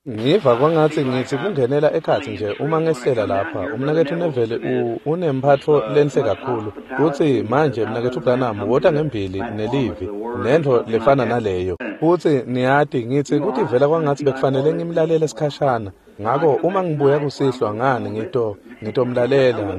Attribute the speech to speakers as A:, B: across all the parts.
A: Ngiva kwangatsi ngitsi kungenela ekhatsi nje uma ngehlela lapha. Umnaketfu Neville unemphatfo lenhle kakhulu. Utsi manje mnaketfu Branham wota ngembili nelivi nentfo lefana naleyo. Futsi niyati ngitsi kutivela kwangatsi bekufanele ngimlalele sikhashana. Ngako uma ngibuya kusihlwa ngani ngitomlalela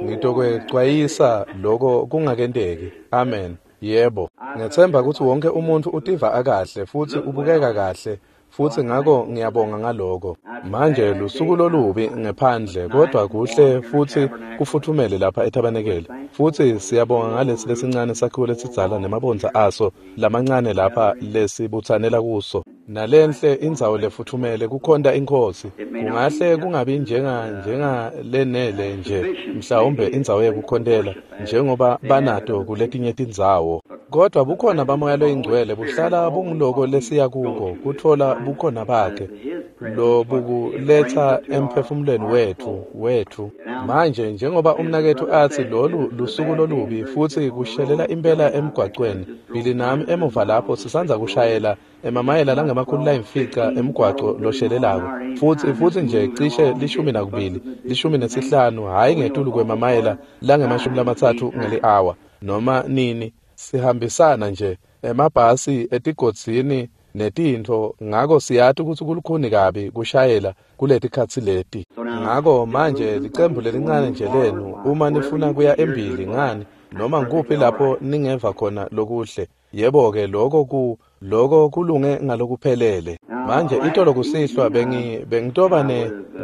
A: ngitokwecwayisa lokho kungakenteki. Amen. Yebo. Ngethemba kutsi wonke umuntfu utiva akahle futsi ubukeka kahle. Futsi ngako ngiyabonga ngaloko. Manje lusuku lolubi ngephandle kodwa kuhle futsi kufuthumele lapha etabenekele. Futsi siyabonga ngalesi lesincane sakhiwo lesidzala nemabondza aso lamancane lapha lesibutsanela kuso. Nalenhle indzawo lefuthumele kukhonta iNkhosi. Kungahle kungabi njenga lenele nje mhlawumbe indzawo yekukhontela njengoba banato kuletinye tindzawo. Kodwa bukhona baMoya loyiNgcwele buhlala bunguloko lesiya kuko kutfola bukhona bakhe lobukuletsa emphefumulweni wethu. Manje njengoba umnaketfu atsi lolu lusuku lolubi futsi kushelela impela emgwacweni. Billy nami emuva lapho sisandza kushayela emamayela langama-500 emgwaco loshelelako futsi nje cishe 12 15 hhayi ngetulu kwemamayela langama-30 ngeli-hour noma nini. Sihambisana nje emabhasi etigodzini netintfo, ngako siyati kutsi kulukhuni kabi kushayela kuletikhatsi leti. Ngako manje licembu lelincane nje lenu uma nifuna kuya embili ngani noma ngikuphi lapho ningeva khona lokuhle. Yebo-ke lokho kulunge ngalokuphelele. Manje itolo kusihlwa bengitoba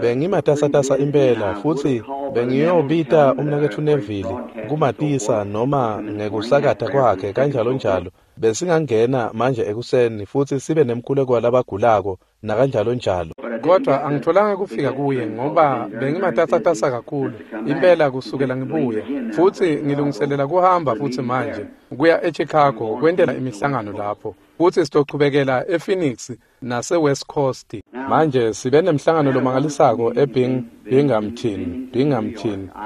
A: bengimatasatasa impela futsi bengiyobita umnaketfu Neville kumatisa noma ngekusakata kwakhe kanjalo njalo. Besingangena manje ekuseni futsi sibe nemkhuleko walabagulako nakanjalo njalo. Kodwa angitholanga kufika kuye ngoba bengimatasatasa kakhulu impela kusukela ngibuya futsi ngilungiselela kuhamba futsi manje kuya eChicago kwentela imihlangano lapho futsi sitochubekela ePhoenix nase-West Coast. Manje sibe nemhlangano lomangalisako eBinghamton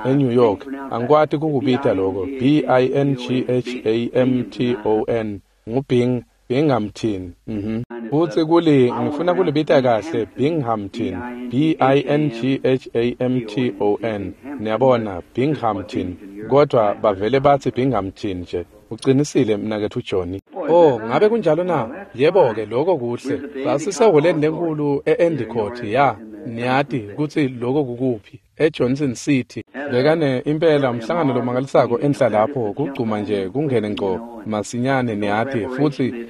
A: eNew York. Angikwati kukubita lokho B-I-N-G-H-A-M-T-O-N nguBinghamton. Futsi ngifuna kulibita kahle Binghamton B-I-N-G-H-A-M-T-O-N. Niyabona Binghamton kodwa bavele batsi Binghamton nje. Uqinisile mnaketfu Johnny. Oh, ngabe kunjalo na? Yebo-ke lokho kuhle. Sasiseholeni lenkulu e-Endicott ya. Niyati kutsi lokho kukuphi? eJohnson City. Bekane impela umhlangano lomangalisako enhla lapho kugcuma nje kungene ngco masinyane niyati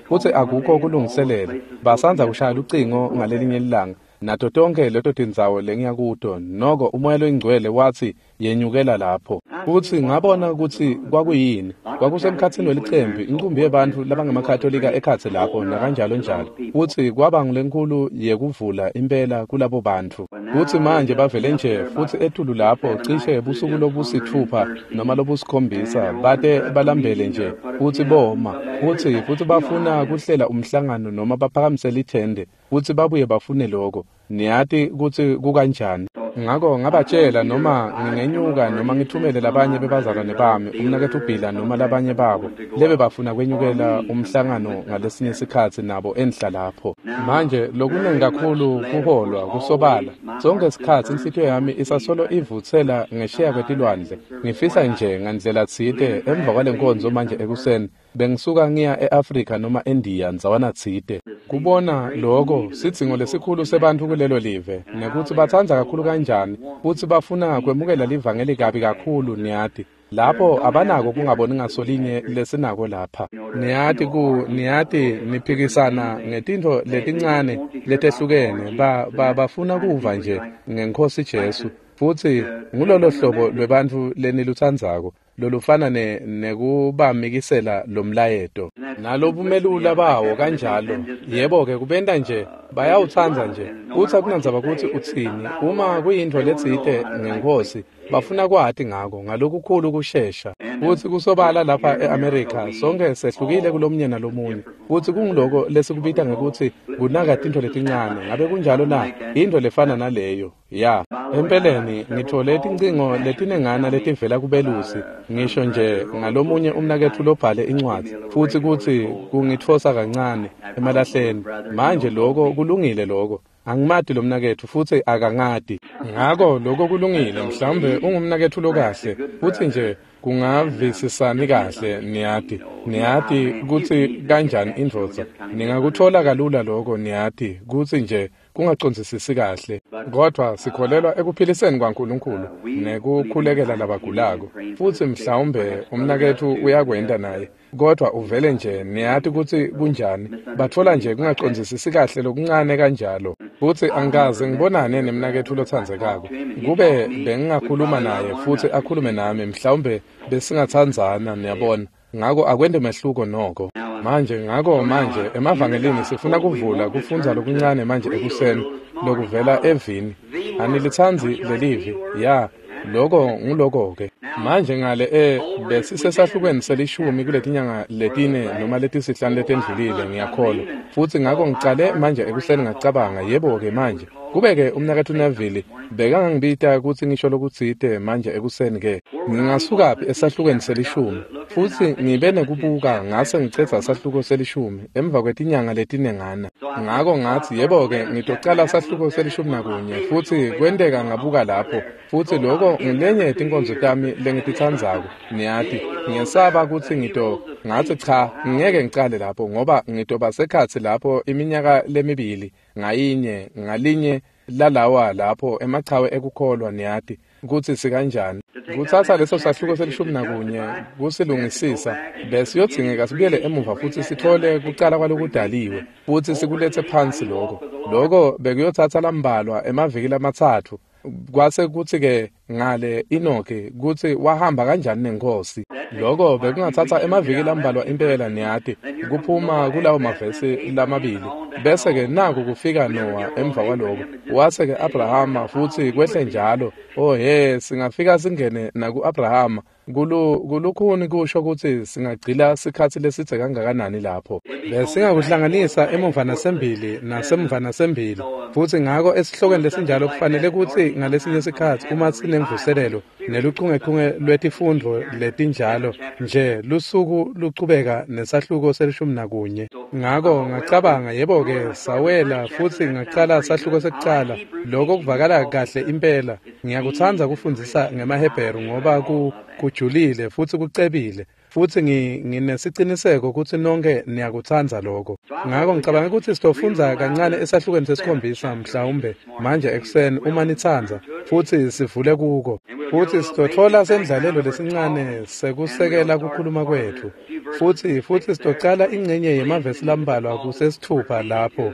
A: futsi akukho kulungiselela. Basandza kushaya lucingo ngalelinye ilanga nato tonke leto tindzawo lengiya kuto noko uMoya loyiNgcwele watsi yenyukela lapho. Futsi ngabona kutsi kwakuyini. Kwakusemkhatsini welicembu inqumbi yebantfu labangemakatolika ekhatsi lapho nakanjalo njalo. Futsi kwaba ngulenkulu yekuvula impela kulabo bantfu. Futsi manje bavele nje futsi etulu lapho cishe busuku lobusithupha noma lobusikhombisa bate balambele nje futsi boma futsi bafuna kuhlela umhlangano noma baphakamise lithende futsi babuye bafune lokho. Niyati kutsi kukanjani. Ngako ngabatshela noma ngingenyuka noma ngithumele labanye bebazalwane bami umnaketfu Bhila noma labanye babo lebe bafuna kwenyukela umhlangano ngalesinye sikhatsi nabo enhla lapho. Manje lokunengi kakhulu kuholwa kusobala. Sonke sikhatsi inhlitiyo yami isasolo ivutsela ngesheya kwetilwandle. Ngifisa nje ngandlela tsite emva kwalenkonzo manje ekuseni bengisuka ngiya eAfrika noma eNdiya ndzawana tsite. Kubona lokho sidzingo lesikhulu sebantfu kulelo live nekuthi batsandza kakhulu kanjani futsi bafuna kwemukela livangeli kabi kakhulu niyati. Lapho abanako kungaboni ngasolinye lesinako lapha. Niyati niyati niphikisana ngetintfo letincane letehlukene bafuna kuva nje ngeNkhosi Jesu futsi ngulolo hlobo lwebantfu lenilutsandzako lolufana nekubamikisela lomlayeto nalobumelula bawo kanjalo. Yebo-ke kubenta nje bayawutsandza nje futsi akunandzaba kutsi utsini uma kuyintfo letsite ngeNkhosi bafuna kwati ngako ngalokukhulu kushesha. Futsi kusobala lapha e-Amerika sonke sehlukile kulomunye nalomunye futsi kunguloko lesikubita ngekutsi kunaka tintfo letincane. Ngabe kunjalo na? Intfo lefana naleyo. Ya, empeleni ngithole tincingo letinengana letivela kubelusi ngisho nje ngalomunye umnaketfu lobhale incwadzi futsi kutsi kungitfosa kancane emalahleni. Manje lokho kulungile lokho. Angimati lo mnaketfu futsi akangati. Ngako lokho kulungile, mhlawumbe ungumnaketfu lokahle, futsi nje kungavisisani kahle, niyati. Niyati kutsi kanjani indvodza. Ningakuthola kalula lokho, niyati, kutsi nje kungacondzisisi kahle. Kodvwa sikholelwa ekuphiliseni kwaNkulunkulu nekukhulekela labagulako. Futsi mhlawumbe umnaketfu uyakwenta naye. Kodvwa uvele nje, niyati kutsi kunjani. Batfola nje kungacondzisisi kahle lokuncane kanjalo. Futsi angikaze ngibonane nemnaketfu lotsandzekako. Kube bengingakhuluma naye futsi akhulume nami, mhlawumbe besingatsandzana, niyabona. Ngako akwente mehluko noko. Manje ngako manje emavangelini sifuna kuvula kufundza lokuncane manje ekuseni lokuvela evini. Anilitsandzi lelivi? Ya, loko nguloko-ke. Manje ngale besisesahlukweni selishumi kuletinyanga letine noma letisihlanu letendlulile, ngiyakholwa. Futsi ngako ngicale manje ekuseni ngacabanga, yebo-ke manje. Kube-ke umnaketfu Neville bekangangibita kutsi ngisho lokutsite manje ekuseni-ke. Ngingasukaphi esahlukweni selishumi? Futsi ngibe nekubuka ngase ngicedza sahluko selishumi emva kwetinyanga letinengana. Ngako ngatsi, yebo-ke ngitocala sahluko selishumi nakunye, futsi kwenteka ngabuka lapho. Futsi loko ngulenye yetinkonzo tami lengititsandzako, niyati. Ngiyesaba kutsi ngatsi cha, ngeke ngicale lapho ngoba ngitoba sekhatsi lapho iminyaka lemibili ngayinye ngalinye lalawa lapho emachawe ekukholwa, niyati kutsi sikanjani. Kutsatsa leso sahluko selishumi nakunye kusilungisisa, besiyodzingeka sibuyele emuva futsi sithole kucala kwalokudaliwe futsi sikuletse phansi loko. Loko bekuyotsatsa lambalwa emaviki lamatsatfu. Kwase kutsi-ke ngale Enoki kutsi wahamba kanjani nenkosi. Loko bekungatsatsa emaviki lambalwa impela, niyati, kuphuma kulawo mavesi lamabili. Bese-ke naku kufika Noah emva kwaloko. Wase-ke Abrahama futsi kwehle njalo. Oh he, singafika singene naku-Abrahama. Kulukhuni kusho kutsi singagcila sikhatsi lesidze kangakanani lapho. Besingakuhlanganisa emuva nasembili nasemva nasembili. Futsi ngako esihlokweni lesinjalo kufanele kutsi ngalesinye sikhatsi uma sinemvuselelo neluchungechunge lwetifundvo letinjalo nje lusuku luchubeka nesahluko selishumi nakunye. Ngako ngacabanga, yebo-ke sawela futsi ngacala sahluko sekucala. Loko kuvakala kahle impela. Ngiyakutsandza kufundzisa ngemaHebheru ngoba kujulile futsi kucebile. Futsi nginesiciniseko kutsi nonke niyakutsandza lokho. Ngako ngicabanga kutsi sitofundza kancane esahlukweni sesikhombisa mhlawumbe manje ekuseni uma nitsandza, futsi sivule kuko. Futsi sitotfola sendlalelo lesincane sekusekela kukhuluma kwetfu. Futsi sitocala ingcenye yemavesi lambalwa kusesithupha lapho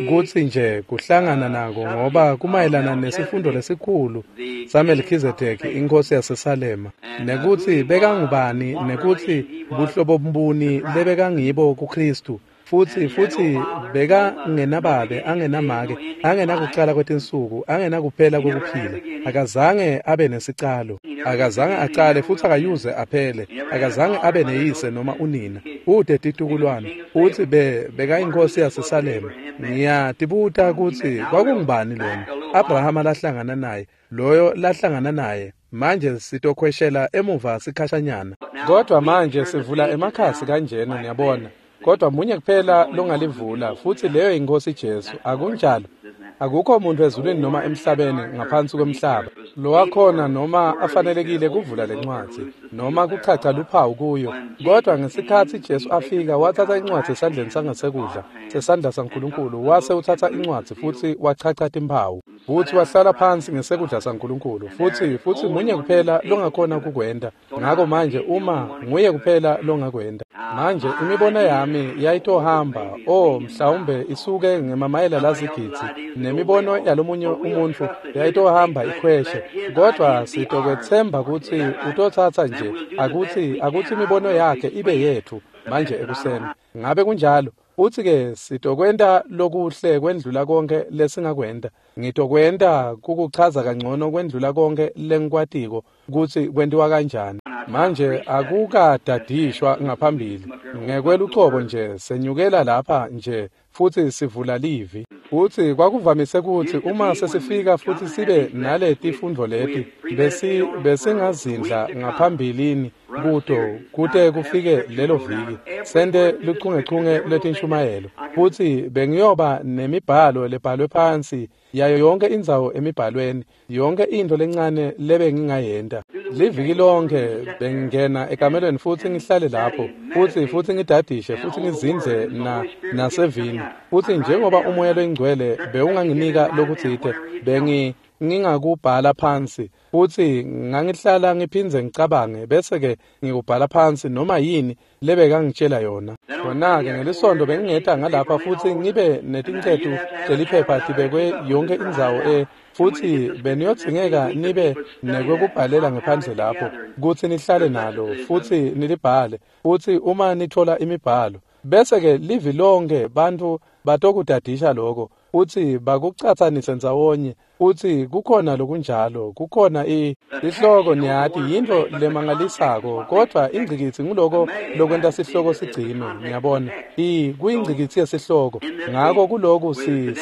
A: kutsi nje kuhlangana nako ngoba kumayelana nesifundo lesikhulu saMelkhizedeki inkosi yaseSalema, nekutsi bekangubani, nekutsi buhlobo mbuni lebekangibo kuKristu. Futsi bekangenababe, angenamake, angenakucala kwetinsuku, angenakuphela kwekuphila. Akazange abe nesicalo, akazange acale futsi akayuze aphele, akazange abe neyise noma unina. Ude titukulwane. Utsi bekayinkosi yaseSalema. Ngiyatibuta kutsi kwakungubani lona Abrahama lahlangana naye, loyo lahlangana naye. Manje sitokhweshela emuva sikhashanyana. Kodwa manje sivula emakhasi kanjena, niyabona. Kodwa munye kuphela longalivula, futsi leyo inkosi Jesu. Akunjalo? Akukho umuntu ezulwini noma emhlabeni ngaphansi kwemhlaba lowakhona noma afanelekile kuvula lencwadzi noma kuchacha luphawu kuyo. Kodwa ngesikhatsi Jesu afika watsatsa incwadzi esandleni sangasekudla sesandla saNkulunkulu, wase utsatsa incwadzi futsi wachacha timphawu, futsi wahlala phansi ngesekudla saNkulunkulu. Futsi munye kuphela longakhona kukwenta. Ngako manje uma nguye kuphela longakwenta. Manje imibono yami yayitohamba, mhlawumbe isuke ngemamayela lazigidzi, nemibono yalomunye umuntfu yayitohamba ikhweshe. Kodwa sitokwetsemba kutsi utotsatsa nje akutsi imibono yakhe ibe yetfu manje ekuseni. Ngabe kunjalo? Futsi-ke sitokwenta lokuhle kwendlula konke lesingakwenta. Ngitokwenta kukuchaza kangcono kwendlula konke lengikwatiko kutsi kwentiwa kanjani. Manje akukadadishwa ngaphambili. Ngekwelucobo nje senyukela lapha nje futsi sivula livi. Futsi kwakuvamise kutsi uma sesifika futsi sibe naletifundvo leti besingazindla ngaphambilini kuto kute kufike lelo viki sente luchungechunge lwetinshumayelo futsi bengiyoba nemibhalo lebhalwe phansi yayo yonke indzawo emibhalweni yonke into lencane lebe ngingayenta liviki lonke bengingena ekamelweni futsi ngihlale lapho futsi ngidadishe futsi ngizindle nasevini futsi njengoba umoya loyingcwele bewunganginika lokutsite ngingakubhala phansi futsi ngangihlala ngiphindze ngicabange bese-ke ngikubhala phansi noma yini lebekangitshela yona. Khona-ke ngelisonto bengingeta ngalapha futsi ngibe netincetu teliphepha tibekwe yonke indzawo futsi beniyodzingeka nibe nekwekubhalela ngephandle lapho kutsi nihlale nalo futsi nilibhale futsi uma nithola imibhalo bese-ke livi lonke bantfu batokudadisha lokho futsi bakucatsanise ndzawonye futsi kukhona lokunjalo kukhona isihloko niyati yintfo lemangalisako kodvwa ingcikitsi nguloko lokwenta sihloko sigcinwe niyabona kuyingcikitsi yesihloko ngako kuloku si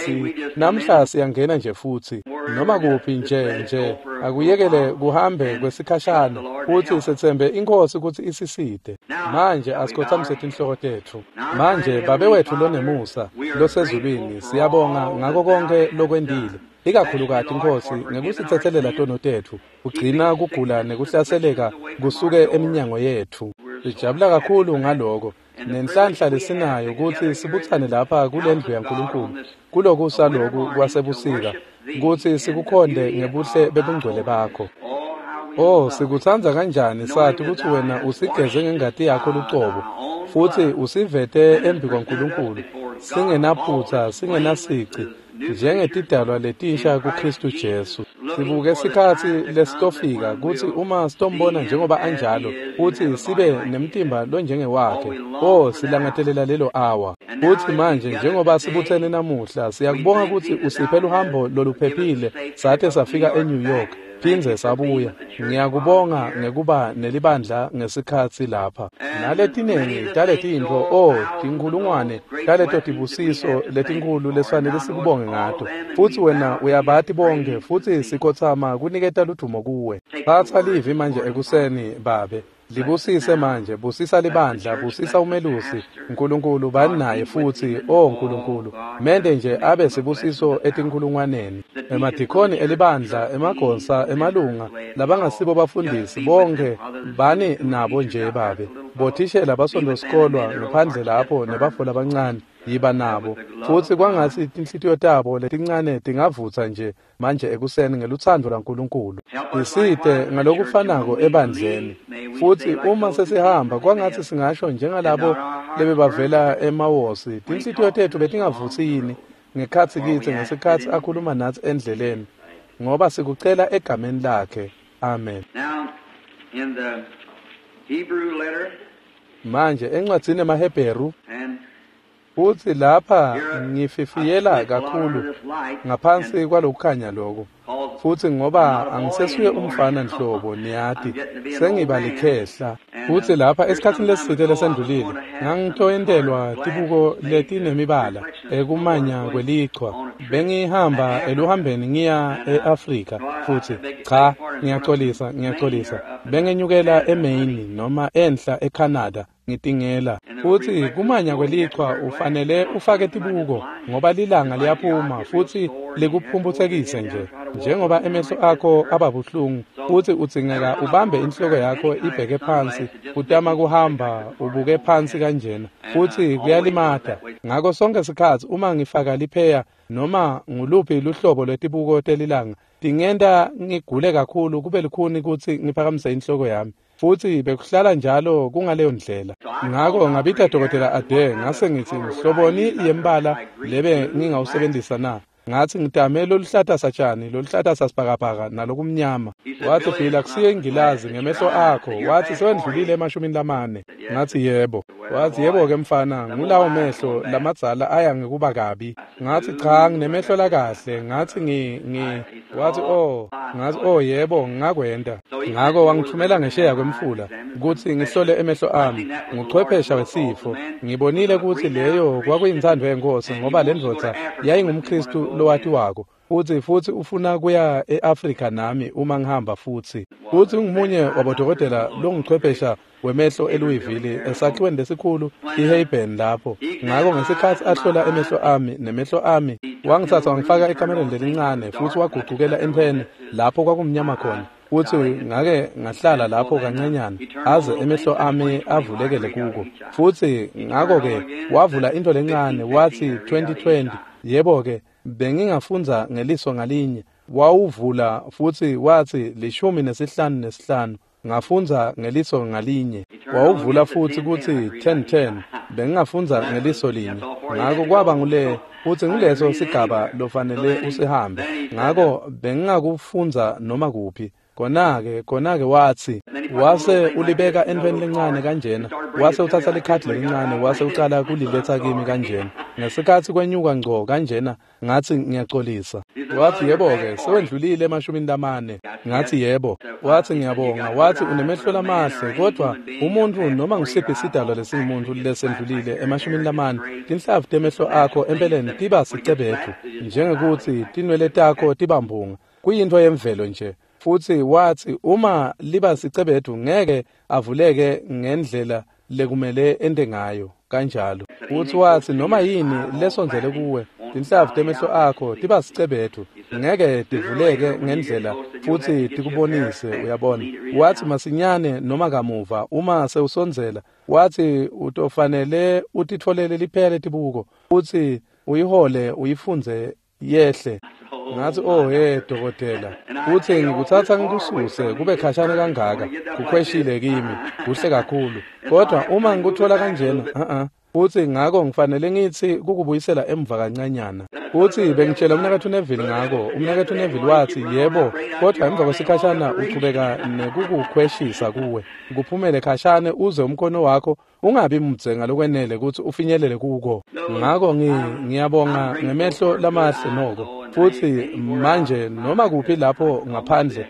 A: namhla siyangena nje futsi noma kuphi nje akuyekele kuhambe kwesikhashana futsi setsembe inkosi kutsi isisite. Manje asikhothamise tinhloko tetfu. Manje Babe wetfu lonemusa losezulwini siyabonga ngako konke lokwendile ikakhulukati Nkosi ngekusitsetselela tono tetfu ugcina kugula nekuhlaseleka kusuke eminyango yetfu. Sijabula kakhulu ngaloko nenhlanhla lesinayo kutsi sibutsane lapha kulendlu yaNkulunkulu kulokusa loku kwasebusika kutsi sikukhonde ngebuhle bebungcwele bakho. Oh, sikutsandza kanjani sathi kutsi wena usigeze ngengati yakho lucobo futsi usivete embi kwaNkulunkulu singenaphutsa singenasici njengetidalwa letinsha kuKristu Jesu. Sibuke sikhatsi lesitofika kutsi uma sitombona njengoba anjalo futsi sibe nemtimba lonjengewakhe. Oh, silangatelela lelo awa. Futsi manje njengoba sibutsene namuhla siyakubonga kutsi usiphe luhambo loluphephile sate safika eNew York phindze sabuya. Ngiyakubonga ngekuba nelibandla ngesikhatsi lapha naletinengi taletintfo tinkhulungwane taleto tibusiso letinkhulu lesifanele sikubonge ngato futsi wena uyabati bonke futsi sikhotsama kuniketa ludumo kuwe. Tsatsa livi manje ekuseni Babe, libusise manje, busisa libandla, busisa umelusi Nkulunkulu bani naye futsi Nkulunkulu mende nje abe sibusiso etinkhulungwaneni emadikhoni elibandla emagonsa emalunga labangasibo bafundisi bonke bani nabo nje Babe, bothishela basondosikolwa ngaphandle lapho nebafo labancane yiba nabo futsi kwangatsi tinhlitiyo tabo letincane tingavutsa nje manje ekuseni ngelutsandvo lwaNkulunkulu. Isite ngalokufanako ebandleni futsi uma sesihamba kwangatsi singasho njengalabo lebebavela emawosi tinhlitiyo tetfu betingavutsi yini ngekhatsi kitsi ngesikhatsi akhuluma natsi endleleni ngoba sikucela egameni lakhe. Amen. Manje encwadzini emaHebheru futsi lapha ngififiyela kakhulu ngaphansi kwalokukhanya lokho futsi ngoba angisesuye umfana nhlobo niyati sengiba likhehla futsi lapha esikhatsini lesitsite lesendlulile ngangitoyentelwa tibuko letinemibala ekumanya kwelichwa bengihamba eluhambeni ngiya e-Afrika futsi cha ngiyaxolisa bengenyukela eMaine noma enhla eCanada ngitingela futsi kumanya kwelichwa ufanele ufake tibuko ngoba lilanga liyaphuma futsi likuphumphutsekise nje njengoba emehlo akho ababuhlungu futsi udzingeka ubambe inhloko yakho ibheke phansi utama kuhamba ubuke phansi kanjena futsi kuyalimata. Ngako sonke sikhatsi uma ngifaka lipheya noma nguluphi luhlobo lwetibuko telilanga tingenta ngigule kakhulu kube lukhuni kutsi ngiphakamise inhloko yami futsi bekuhlala njalo kungaleyo ndlela. Ngako ngabita Dokotela Ade ngase ngithi mhloboni yembala lebe ngingawusebenzisa na? Ngathi ngitame loluhlata satshani loluhlata sasibhakabhaka nalokumnyama. Wathi Phila kusiye ingilazi ngemehlo akho. Wathi sewendlulile e40. Ngathi yebo. Wathi yebo ke mfana ngulawo mehlo lamadzala aya ngekuba kabi. Ngathi cha nginemehlo lakahle. Ngathi ngi wathi oh. Ngathi oh yebo ngakwenda. Ngako wangithumela ngesheya kwemfula kutsi ngihlole emehlo ami nguchwephesha wesifo. Ngibonile kutsi leyo kwakuyintsandvo yenkosi ngoba le ndvodza yayingumKristu lowatiwako. Futsi ufuna kuya e-Afrika nami uma ngihamba futsi. Futsi ungumunye wabodokotela longuchwephesha wemehlo eLouisville esakhiweni lesikhulu iHeyburn lapho. Ngako ngesikhatsi ahlola emehlo ami nemehlo ami, wangitsatsa wangifaka ekamereni lelincane futsi wagucukela entfweni lapho kwakumnyama khona. Futsi ngake ngahlala lapho kancanyana aze emehlo ami avulekele kuko. Futsi ngako-ke wavula into lencane wathi 2020. Yebo-ke, bengingafundza ngeliso ngalinye. Wawuvula futsi wathi 15.5. Ngafundza ngeliso ngalinye. Wawuvula futsi kutsi 10.10. Bengingafundza ngeliso linye. Ngako kwaba ngule futsi nguleso sigaba lofanele usihambe. Ngako bengingakufundza noma kuphi. Khona-ke watsi wase ulibeka entweni lencane kanjena, wase utsatsa likhadi lelincane wase ucala kuliletsa kimi kanjena. Ngesikhatsi kwenyuka ngco kanjena, ngathi ngiyaxolisa. Wathi yebo-ke, sewendlulile 40. Ngathi yebo. Wathi ngiyabonga. Wathi unemehlo lamahle, kodwa umuntfu noma ngusiphi sidalwa lesingumuntu lesendlulile 40, tinhlavu temehlo akho empeleni tiba sicebethu, njengekuthi tinwele takho tibambunga. Kuyintfo yemvelo nje. Futsi wathi uma liba sicebethu ngeke avuleke ngendlela lekumele ente ngayo kanjalo. Futsi wathi noma yini lesondzele kuwe, tinhlavu temehlo akho tiba sicebethu, ngeke tivuleke ngendlela futsi tikubonise, uyabona. Wathi masinyane noma kamuva uma sewusondzela, wathi utofanele utitfolele liphela letibuko futsi uyihole uyifundze yehle. Ngathi oh hey dokotela, futsi ngikutsatsa ngikususe kube khashane kangaka, kukhweshile kimi, kuhle kakhulu. Kodwa uma ngikuthola kanjena, futsi ngako ngifanele ngitsi kukubuyisela emva kancanyana. Futsi bengitshela umnaketfu Neville ngako, umnaketfu Neville wathi yebo, kodwa emva kwesikhashana uchubeka nekukukhweshisa kuwe, kuphumele khashane uze umkhono wakho ungabi mdze ngalokwenele kutsi ufinyelele kuko. Ngako ngiyabonga ngemehlo lamahle noko. Futsi manje noma kuphi lapho ngaphandle,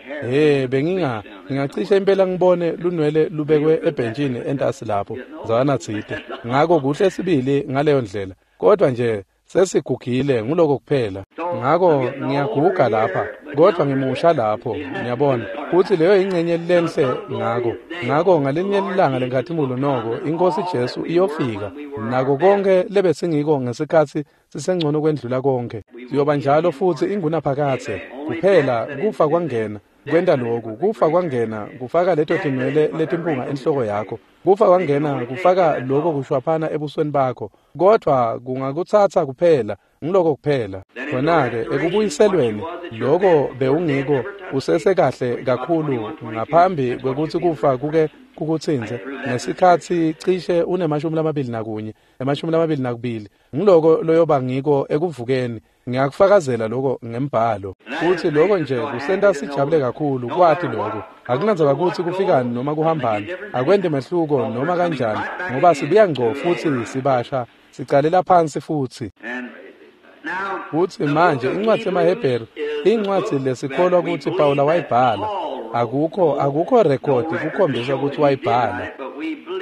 A: bengingacishe impela ngibone lunwele lubekwe ebhentshini entasi lapho ndzawanatsite. Ngako kuhle sibili ngaleyo ndlela, kodwa nje sesigugile nguloko kuphela. Ngako ngiyaguga lapha, kodwa ngimusha lapho, ngiyabona. Futsi leyo ingcenye lenhle ngako. Ngako ngalinye ilanga lenkhatimulo noko iNkosi Jesu iyofika nako konke lebesingiko ngesikhatsi sisengcono kwendlula konke. Siyoba njalo futsi ingunaphakadze. Kuphela kufa kwangena kwenta lokhu, kufa kwangena kufaka leto tinwele letimpunga enhloko yakho, kufa kwangena kufaka lokho kushwaphana ebusweni bakho, kodwa kungakutsatsa kuphela ngiloko kuphela. Khona-ke ekubuyiselweni lokho bewungiko usesekahle kakhulu ngaphambi kwekutsi kufa kuke kukutsintse ngesikhatsi cishe une-21, 22, ngiloko loyoba ngiko ekuvukeni. Ngiyakufakazela lokho ngembhalo. Futsi lokho nje kusenta sijabule kakhulu kwati lokho. Akunandzaba kutsi kufikani noma kuhambani, akwenti mehluko noma kanjani, ngoba sibuya ngco futsi sibasha, sicalela phansi futsi. Futsi manje incwadzi yemaHebheru, incwadzi lesikholwa kutsi Pawula wayibhala. Akukho rekhodi kukhombisa kutsi wayibhala.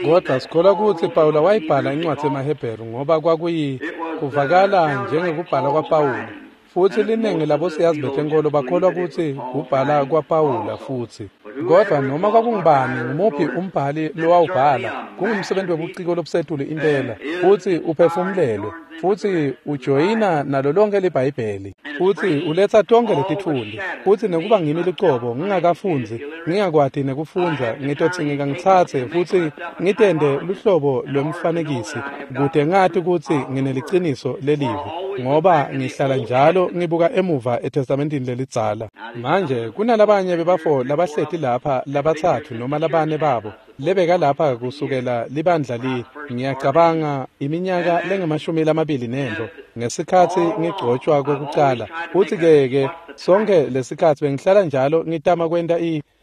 A: Kodwa sikholwa kutsi Pawula wayibhala incwadzi yemaHebheru ngoba kwakuyi kuvakala njengekubhala kwaPawula. Futsi linengi labosiyazi betenkolo bakholwa kutsi kubhala kwaPawula futsi. Kodwa noma kwakungubani ngumuphi umbhali lowawubhala, kungumsebenzi webuciko lobusetulu impela, futsi uphefumulelwe, futsi ujoyina nalo lonke liBhayibheli, futsi uletsa tonke letitfundi. Futsi nekuba ngimi lucobo ngingakafundzi, ngingakwati nekufundza, ngitodzingeka ngitsatse futsi ngitende luhlobo lwemfanekisi kute ngati kutsi ngineliciniso lelivi, ngoba ngihlala njalo ngibuka emuva eTestamentini lelidzala. Manje kunalabanye bebafo labahleti lapha labatsatfu noma labane babo lebeka lapha kusukela libandla li, ngiyacabanga iminyaka lengu-24 ngesikhatsi ngigcotshwa kwekucala. Futsi ke sonke lesikhatsi bengihlala njalo ngitama kwenta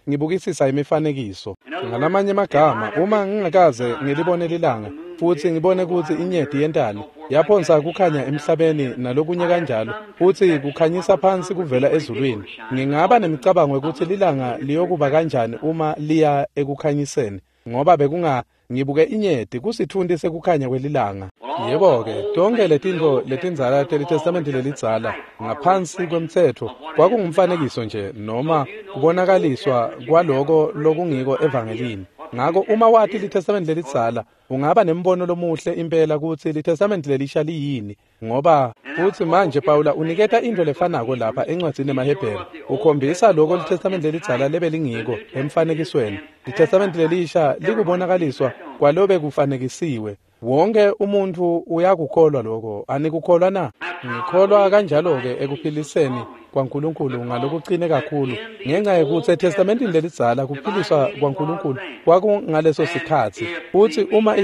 A: ngibukisisa imifanekiso. Ngalamanye amagama, uma ngingakaze ngilibone lilanga futsi ngibone kutsi inyeti yentani, yaphonsa kukhanya emhlabeni nalokunye kanjalo, futsi kukhanyisa phansi kuvela ezulwini, ngingaba nemicabango yokuthi lilanga liyokuba kanjani uma liya ekukhanyiseni. ngoba bekunga ngibuke inyeti kusitfunti sekukhanya kwelilanga. Yebo-ke, tonke letintfo letindzala teliTestamenti lelidzala ngaphansi kwemtsetfo kwakungumfanekiso nje noma kubonakaliswa kwaloko lokungiko evangelini. Ngako uma wati liTestamenti lelidzala ungaba nembono lomuhle impela kutsi liTestamenti lelisha liyini, ngoba futsi manje Pawula uniketa intfo lefanako lapha encwadzini yemaHebheru. Ukhombisa loko liTestamenti lelidzala lebelingiko emfanekisweni. LiTestamenti lelisha likubonakaliswa kwalobe kufanekisiwe. Wonke umuntfu uyakukholwa lokho, anikukholwa na? Ngikholwa kanjalo-ke ekuphiliseni kwaNkulunkulu ngalokuqine kakhulu, ngenxa yekutsi eTestamentini lelidzala kuphiliswa kwaNkulunkulu kwakungaleso sikhatsi. Futsi uma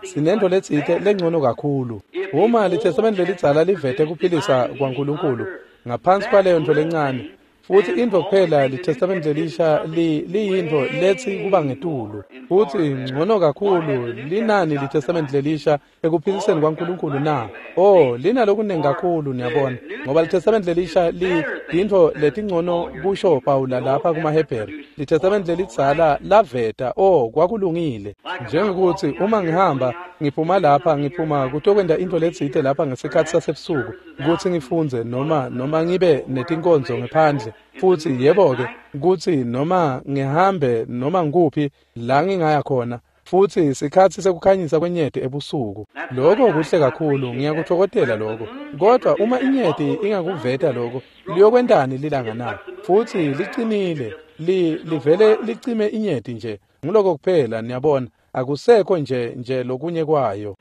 A: sinento letsite lengcono kakhulu, uma liTestamenti lelidzala livete kuphilisa kwaNkulunkulu ngaphansi kwaleyo nto lencane, futsi intfo kuphela liTestamenti lelisha liyintfo letsi kuba ngetulu, futsi ngcono kakhulu. Linani liTestamenti lelisha ekuphiliseni kwaNkulunkulu na? Oh, linalokunengi kakhulu, niyabona, ngoba liTestamenti lelisha liyintfo letingcono, kusho Pawula lapha kumaHebheru. LiTestamenti lelidzala laveta, oh, kwakulungile. Njengekuthi uma ngihamba ngiphuma lapha, ngiphuma kutokwenta intfo letsite lapha ngesikhatsi sasebusuku, kutsi ngifundze noma ngibe netinkonzo ngephandle, futsi yebo-ke, kutsi noma ngihambe noma ngikuphi la ngingaya khona, futsi sikhatsi sekukhanyisa kwenyeti ebusuku. Lokho kuhle kakhulu, ngiyakutfokotela lokho. Kodwa uma inyeti ingakuveta lokho, liyokwentani lilanga na? Futsi licinile, livele licime inyeti nje. Nguloko kuphela, niyabona, akusekho nje lokunye kwayo.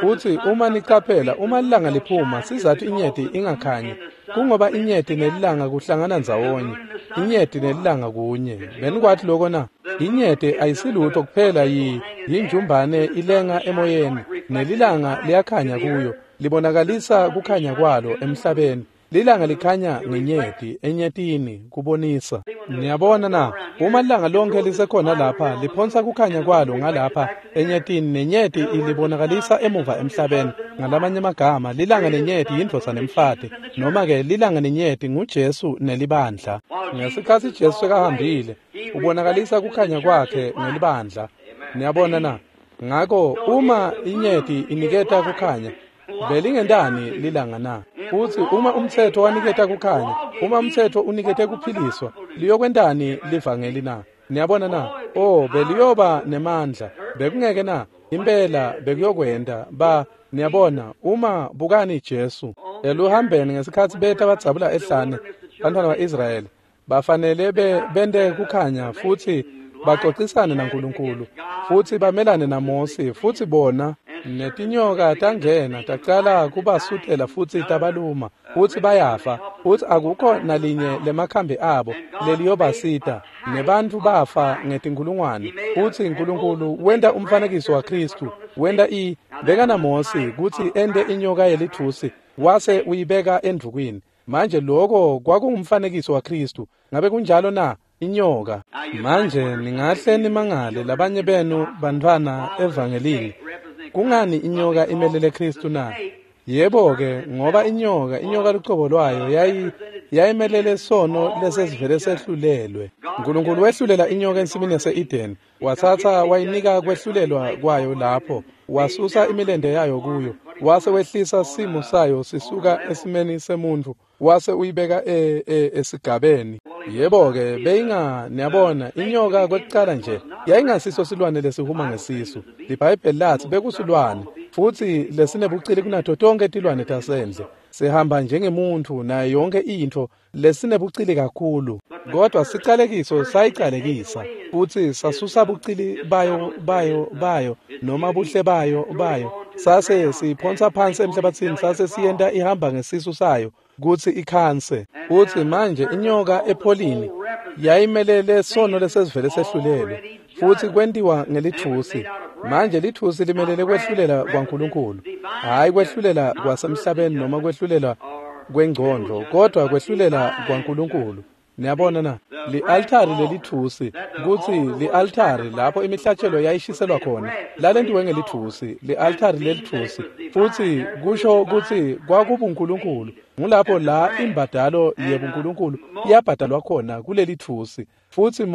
A: Futsi uma nicaphela, uma lilanga liphuma, sizathu inyeti ingakhanyi, kungoba inyeti nelilanga kuhlangana ndzawonye. Inyeti nelilanga kunye. Benikwathi lokho na? Inyeti ayisilutho kuphela yinjumbane ilenga emoyeni, nelilanga liyakhanya kuyo, libonakalisa kukhanya kwalo emhlabeni. Lilanga likhanya ngenyeti, enyetini, kubonisa. Niyabona na? Uma lilanga lonke lisekhona lapha, liphonsa kukhanya kwalo ngalapha enyetini, nenyeti ilibonakalisa emuva emhlabeni. Ngalamanye amagama, lilanga nenyeti yindvodza nemfati, noma-ke lilanga nenyeti nguJesu nelibandla. Ngesikhatsi Jesu sekahambile, ubonakalisa kukhanya kwakhe ngelibandla. Niyabona na? Ngako uma inyeti iniketa kukhanya, belingentani lilanga na? Futsi uma umtsetfo waniketa kukhanya, uma umtsetfo unikete kuphiliswa, liyokwentani livangeli na? Niyabona na? Oh, beliyoba nemandla. Bekungeke na? Impela bekuyokwenta. Niyabona, uma bukani Jesu eluhambeni ngesikhatsi beta badzabula ehlane, bantfwana ba-Israyeli bafanele bente kukhanya futsi baxoxisane naNkulunkulu, futsi bamelane naMosi, futsi bona netinyoka tangena tacala kubasutela futsi tabaluma, futsi bayafa, futsi akukho nalinye lemakhambi abo leliyobasita, nebantfu bafa ngetinkulungwane. Futsi Nkulunkulu wenta umfanekiso waKhristu, wenta beka naMosi kutsi ente inyoka yelitfusi, wase uyibeka endvukwini. Manje lokho kwakungumfanekiso waKhristu. Ngabe kunjalo na? Inyoka. Manje ningahle nimangale labanye benu bantfwana evangelini, kungani inyoka imelele Khristu na? Yebo-ke, ngoba inyoka lucobo lwayo yayimelele sono lesesivele sehlulelwe. Nkulunkulu wehlulela inyoka ensimini yase-Edeni, watsatsa wayinika kwehlulelwa kwayo lapho, wasusa imilente yayo kuyo, wase wehlisa simo sayo sisuka esimeni semuntfu, wase uyibeka esigabeni. Yebo-ke, niyabona, inyoka kwekucala nje yayingasiso silwane lesihuma ngesisu. LiBhayibheli lathi bekusilwane, futsi lesinebucili kunato tonke tilwane tasendle. Sihamba njengemuntfu nayo yonke intfo, lesinebucili kakhulu. Kodwa sicalekiso sayicalekisa, futsi sasusa bucili bayo noma buhle bayo, sase siyiphonsa phansi emhlabathini, sase siyenta ihamba ngesisu sayo kutsi ikhanse. Futsi manje inyoka epholini yayimelele sono lesesivele sehlulelwe, futsi kwentiwa ngelitfusi. Manje litfusi limelele kwehlulela kwaNkulunkulu, hhayi kwehlulela kwasemhlabeni noma kwehlulela kwengcondvo, kodwa kwehlulela kwaNkulunkulu. Niyabona na? Li-altari lelitfusi, kutsi li-altari lapho imihlatshelo yayishiselwa khona, lalentiwe ngelitfusi, li-altari lelitfusi, futsi kusho kutsi kwakubuNkulunkulu. Ngulapho la imbadalo yebuNkulunkulu yabhadalwa khona kulelitfusi. Futsi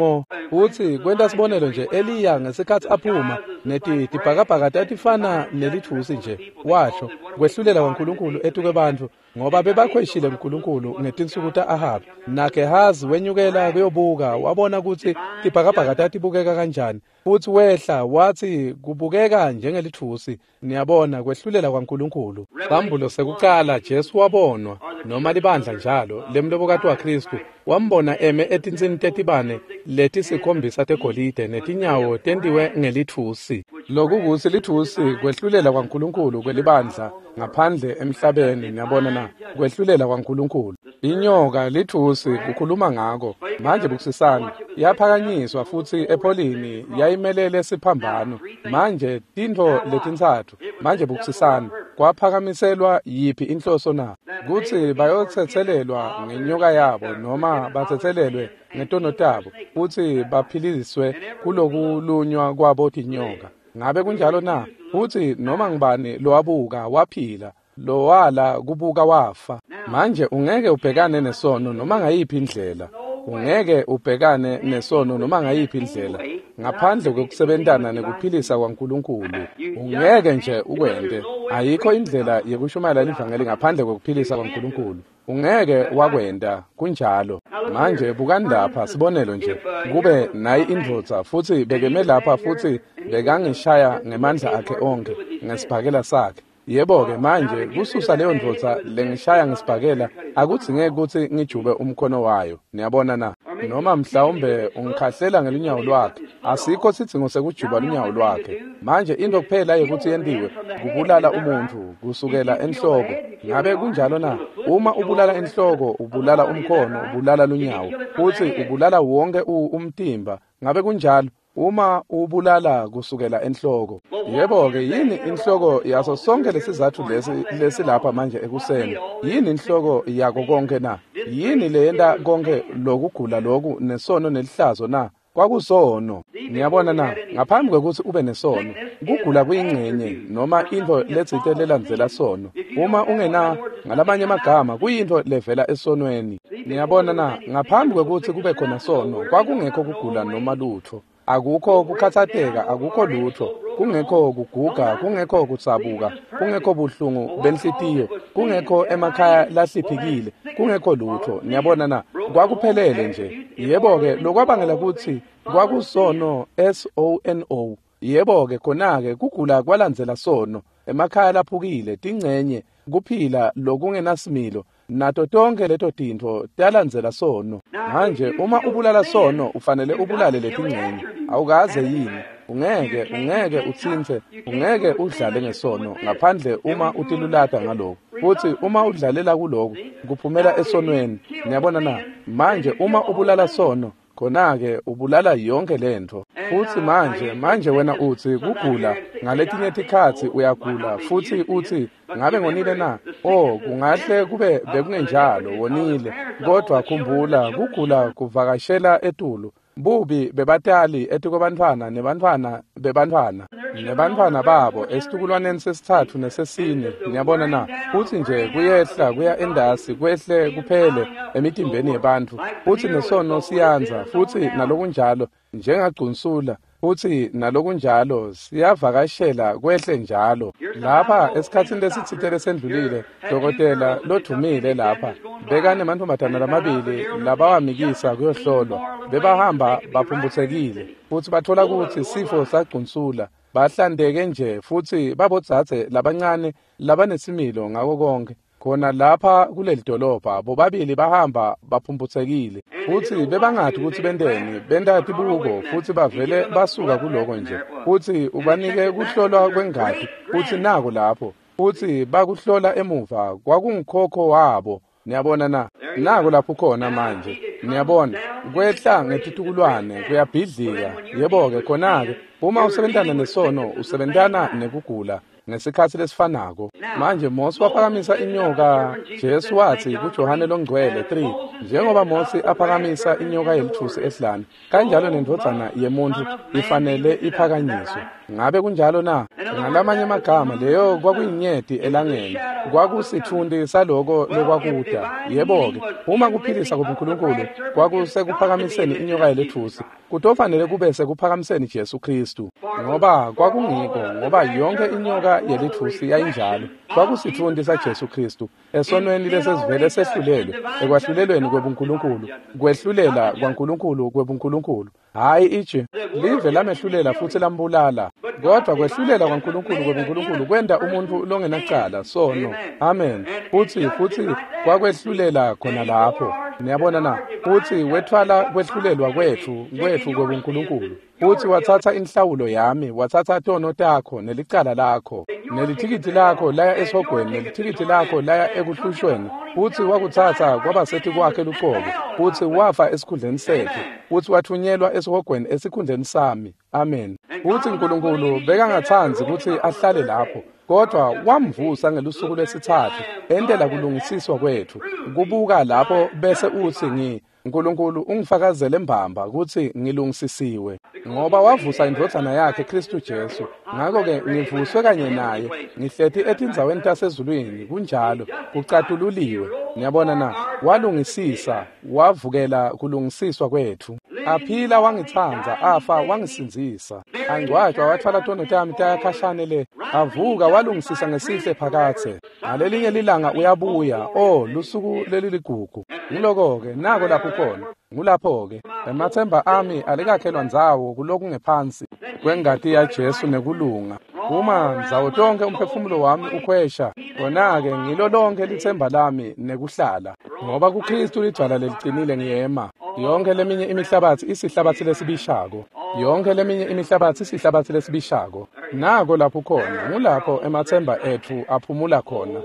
A: futsi kwenta sibonelo nje, Eliya ngesikhatsi aphuma netibhakabhaka tatifana nelitfusi nje, washo kwehlulela kwaNkulunkulu etukwebantfu, ngoba bebakhweshile kuNkulunkulu ngetinsuku ta-Ahabi. NaGehazi wenyukela kuyobuka, wabona kutsi tibhakabhaka tatibukeka kanjani, futsi wehla watsi kubukeka njengelitfusi. Niyabona, kwehlulela kwaNkulunkulu. Sambulo sekucala, Jesu wabonwa, noma libandla njalo lemlobokati waKhristu, wambona eme etintsini tetibane letisikhombisa tegolide netinyawo tentiwe ngelitfusi. Lokukutsi litfusi kwehlulela kwaNkulunkulu kwelibandla ngaphandle emhlabeni. Niyabona na? Kwehlulela kwaNkulunkulu. Inyoka litfusi kukhuluma ngako. Manje bukisisani, yaphakanyiswa futsi epholini yayimelele siphambano. Manje tintfo letintsatfu. Manje bukisisani, kwaphakamiselwa yiphi inhloso na? Kutsi bayotsetselelwa ngenyoka yabo, noma batsetselelwe ngetono tabo, futsi baphiliswe kulokulunywa kwabo tinyoka. Ngabe kunjalo na? Futsi noma ngubani lowabuka waphila, lowala kubuka wafa. Manje ungeke ubhekane nesono noma ngayiphi indlela. Ungeke ubhekane nesono noma ngayiphi indlela ngaphandle kokusebentana nekuphilisa kwaNkulunkulu. Ungeke nje ukwente. Ayikho indlela yekushumayela livangeli ngaphandle kokuphilisa kwaNkulunkulu. Ungeke wakwenta, kunjalo. Manje bukani lapha, sibonelo nje, kube nayi indvodza futsi bekeme lapha futsi bekangishaya ngemandla akhe onkhe ngesibhakela sakhe. Yebo-ke manje kususa leyo ndvodza lengishaya ngesibhakela akudzingeki kutsi ngijube umkhono wayo. Niyabona na? Noma mhlawumbe ungikhahlela ngelunyawo lwakhe. Asikho sidzingo sekujuba lunyawo lwakhe. Manje into kuphela yekutsi yentiwe kubulala umuntfu kusukela enhloko. Ngabe kunjalo na? Uma ubulala enhloko, ubulala umkhono, ubulala lunyawo, futsi ubulala wonke umtimba. Ngabe kunjalo? Uma ubulala kusukela enhloko. Yebo-ke, yini inhloko yaso sonke lesizatfu lesi lesilapha manje ekuseni? Yini inhloko yako konke na? Yini leyenta konke lokugula loku nesono nelihlazo na? Kwakusono. Niyabona na? Ngaphambi kwekutsi ube nesono, kugula kuyingcenye noma intfo letsite lelandzela sono. Uma ungena, ngalamanye amagama, kuyintfo levela esonweni. Niyabona na? Ngaphambi kwekutsi kube khona sono, kwakungekho kugula noma lutfo. Akukho kukhatsateka, akukho lutho, kungekho kuguga, kungekho kutsabuka, kungekho buhlungu benhlitiyo, kungekho emakhaya lahliphikile, kungekho lutho. Niyabona na? Kwakuphelele nje. Yebo-ke, lokwabangela kutsi kwakusono, S-O-N-O. Yebo-ke, khona-ke kugula kwalandzela sono, emakhaya laphukile, tingcenye, kuphila lokungenasimilo, nato tonke leto tintfo talandzela sono. Manje uma ubulala sono, ufanele ubulale letingcenye. Awukaze yini? Ungeke utsintse, ungeke udlale ngesono ngaphandle uma utilulata ngaloko. Futsi uma udlalela kuloko, kuphumela esonweni. Niyabona na? Manje uma ubulala sono, khona-ke ubulala yonke lentfo. Futsi manje wena utsi kugula, ngaletinye tikhatsi uyagula futsi utsi ngabe ngonile na? Oh, kungahle kube bekungenjalo, wonile. Kodwa khumbula, kugula kuvakashela etulu. Bubi bebatali etikobantfwana nebantfwana bebantfwana nebantfwana babo esitukulwaneni sesitsatfu nesesine. Niyabona na? Futsi nje kuyehla kuya endasi, kwehle kuphele emitimbeni yebantfu. Futsi nesono siyandza, futsi nalokunjalo njengagcunsula, futsi nalokunjalo siyavakashela kwehle njalo. Lapha esikhatsini lesitsite lesendlulile, dokotela lodvumile lapha bekanemantfombatana lamabili labawamikisa kuyohlolwa. Bebahamba baphumputsekile futsi bathola kutsi sifo sagcunsula. Bahlandeke nje futsi babodzadze labancane labanesimilo ngako konke. Khona lapha kuleli dolobha bobabili bahamba baphumputsekile futsi bebangati kutsi benteni, benta tibuko futsi bavele basuka kuloko nje. Futsi ubanike kuhlolwa kwengati futsi nako lapho, futsi bakuhlola emuva kwakungukhokho wabo. Niyabona na? Nako lapho khona manje. Niyabona, kwehla ngetitukulwane kuyabhidlika. Yebo-ke, khona-ke uma usebentana nesono, usebentana nekugula. ngesikhatsi lesifanako. Manje Mosi waphakamisa inyoka, Jesu watsi kuJohane Longcwele 3, njengoba Mosi aphakamisa inyoka yelitfusi ehlane, kanjalo nendvodzana yemuntfu ifanele iphakanyiswe. Ngabe kunjalo na? Ngalamanye amagama, leyo kwakuyinyeti elangeni, kwakusitfunti saloko lokwakuta. Yebo-ke, uma kuphilisa kubuNkulunkulu kwakusekuphakamiseni inyoka yeletfusi, kutofanele kube sekuphakamiseni Jesu Khristu, ngoba kwakungiko, ngoba yonke inyoka yelitfusi yayinjalo. Kwakusitfunti saJesu Khristu esonweni lesesivele sehlulelwe, ekwahlulelweni kwebuNkulunkulu, kwehlulela kwaNkulunkulu kwebuNkulunkulu. Hhayi itshe, live lamehlulela futsi lambulala, kodvwa kwehlulela kwaNkulunkulu kwebuNkulunkulu kwenta umuntfu longenacala sono. Amen. Futsi kwakwehlulela khona lapho. Niyabona na? Futsi wetfwala kwehlulelwa kwetfu kwebuNkulunkulu. Futsi watsatsa inhlawulo yami, watsatsa tono takho nelicala lakho, nelithikithi lakho laya esihogweni, nelithikithi lakho laya ekuhlushweni. Futsi wakutsatsa kwaba kwakhe luqobo, futsi wafa esikhundleni setfu, futsi wathunyelwa esihogweni esikhundleni sami. Amen. Futsi Nkulunkulu bekangatsandzi kutsi ahlale lapho, kodvwa wamvusa ngelusuku lwesitsatfu entela kulungisiswa kwetfu. Kubuka lapho bese utsi Nkulunkulu ungifakazele mbamba kutsi ngilungisisiwe, ngoba wavusa indvodzana yakhe Khristu Jesu. Ngako-ke ngivuswe kanye naye, ngihleti etindzaweni tasezulwini. Kunjalo, kucatululiwe. Niyabona na? Walungisisa, wavukela kulungisiswa kwetfu. Aphila wangitsandza, afa wangisindzisa. Angcwatjwa wathwala tono tami taya khashane le. Avuka walungisisa ngesihle phakatse. Ngalelinye lilanga uyabuya. Oh, lusuku leliligugu. Ngiloko-ke, nako lapho khona. Ngulapho-ke. Emathemba ami alikakhelwa ndzawo kulokungephansi kwengati yaJesu nekulunga. Uma ndzawo tonke umphefumulo wami ukhwesha, kona-ke ngilo lonke litsemba lami nekuhlala. Ngoba kuKhristu lidvwala lelicinile ngiyema. Yonke leminye imihlabatsi isihlabatsi lesibishako. Yonke leminye imihlabatsi isihlabatsi lesibishako. Nako lapho khona, ngulapho emathemba etfu aphumula khona.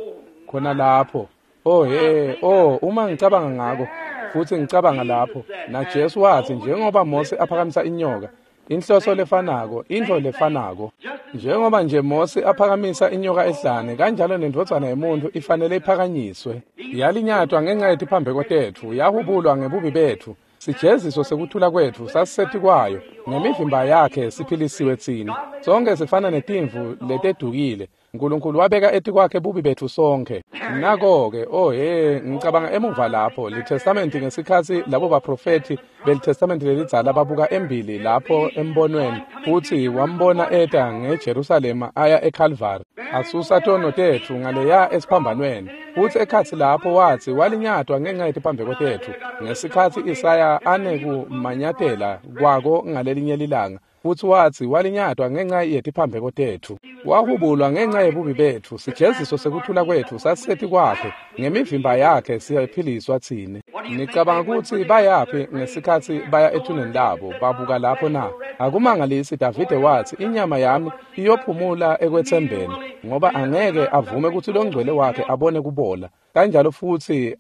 A: Khona lapho. Oh he, oh, uma ngicabanga ngako, futsi ngicabanga lapho, naJesu watsi njengoba Mosi aphakamisa inyoka, inhloso lefanako, intfo lefanako. Njengoba nje Mosi aphakamisa inyoka ehlane, kanjalo nendvodzana yemuntfu ifanele iphakanyiswe. Yalinyatwa ngenxa yetiphambeko tetfu, yahubulwa ngebubi betfu. Sijeziso sekuthula kwetfu sasisetikwayo, ngemivimba yakhe siphilisiwe tsine. Sonke sifana netimvu letedukile. Nkulunkulu wabeka etikwakhe bubi betfu sonke. Nako-ke, oh he, ngicabanga emuva lapho, liTestamenti ngesikhatsi labo baprofethi beliTestamenti lelidzala babuka embili lapho embonweni, futsi wambona eta ngeJerusalema aya eKalvari, asusa tono tetfu ngaleya esiphambanweni. Futsi ekhatsi lapho watsi walinyatwa ngenxa yetiphambeko tetfu, ngesikhatsi Isaya anekumanyatela kwako ngalelinye lilanga. Futsi watsi walinyatwa ngenxa yetiphambeko tetfu, wahubulwa ngenxa yebubi betfu, sijeziso sekuthula kwetfu sasisetikwakhe, ngemivimba yakhe siyaphiliswa tsine. Nicabanga kutsi bayaphi ngesikhatsi baya ethuneni labo babuka lapho na? Akumangalisi Davide watsi inyama yami iyophumula ekwetsembeni, ngoba angeke avume kutsi longcwele wakhe abone kubola. Kanjalo futsi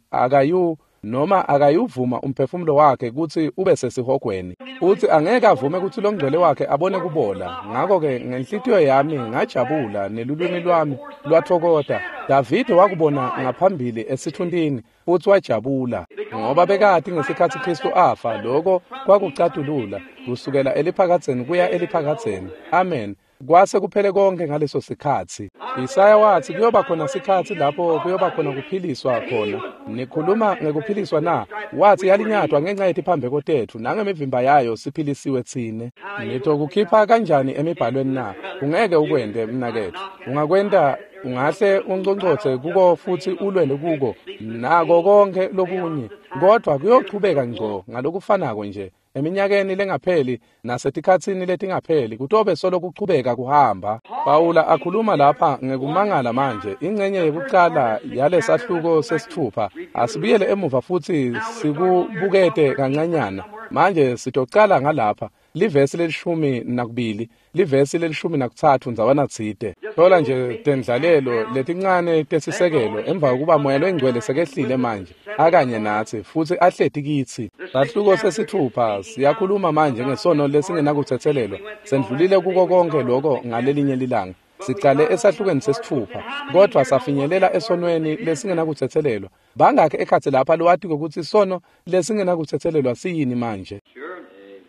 A: akayuvuma umphefumulo wakhe kutsi ube sesihogweni, futsi angeke avume kutsi longcwele wakhe abone kubola. Ngako-ke ngenhlitiyo yami ngajabula nelulwimi lwami lwatfokota. Davide wakubona ngaphambili esitfuntini futsi wajabula, ngoba bekati ngesikhatsi Khristu afa loko kwakucatulula kusukela eliphakadzeni kuya eliphakadzeni. Amen. Kwase kuphele konke ngaleso sikhatsi. Isaya watsi kuyoba khona sikhatsi lapho kuyoba khona kuphiliswa khona. Nikhuluma ngekuphiliswa na? Watsi yalinyatwa ngenxa yetiphambeko tetfu, nangemivimba yayo siphilisiwe tsine. Nitokukhipha kanjani emibhalweni na? Ungeke ukwente, mnaketfu. Ungakwenta, ungahle unconcotse kuko futsi ulwele kuko nako konke lokunye, kodvwa kuyochubeka ngco ngalokufanako nje. Eminyakeni lengapheli nasetikhatsini letingapheli kutobe solo kuchubeka kuhamba. Pawula akhuluma lapha ngekumangala manje, ingcenye yekucala yalesahluko sesitfupha. Asibuyele emuva futsi sikubukete kancanyana. Manje sitocala ngalapha, livesi le-12, livesi le-13 ndzawana tsite. Thola nje tendlalelo letincane tesisekelo emva kokuba Moya Longcwele sekehlile manje akanye natsi futsi ahleti kitsi. Sahluko sesitfupha siyakhuluma manje ngesono lesingenakutsetselelwa. Sendlulile kuko konke lokho ngalelinye lilanga. Sicale esahlukweni sesitfupha, kodwa safinyelela esonweni lesingenakutsetselelwa. Bangakhe ekhatsi lapha lowatiko kutsi sono lesingenakutsetselelwa siyini manje?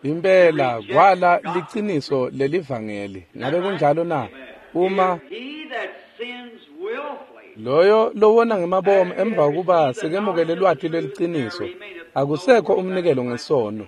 A: Impela kwala liciniso lelivangeli. Ngabe kunjalo na? Uma loyo lowona ngemabomu emva kokuba sekemukele lwati lweliciniso, akusekho umnikelo ngesono.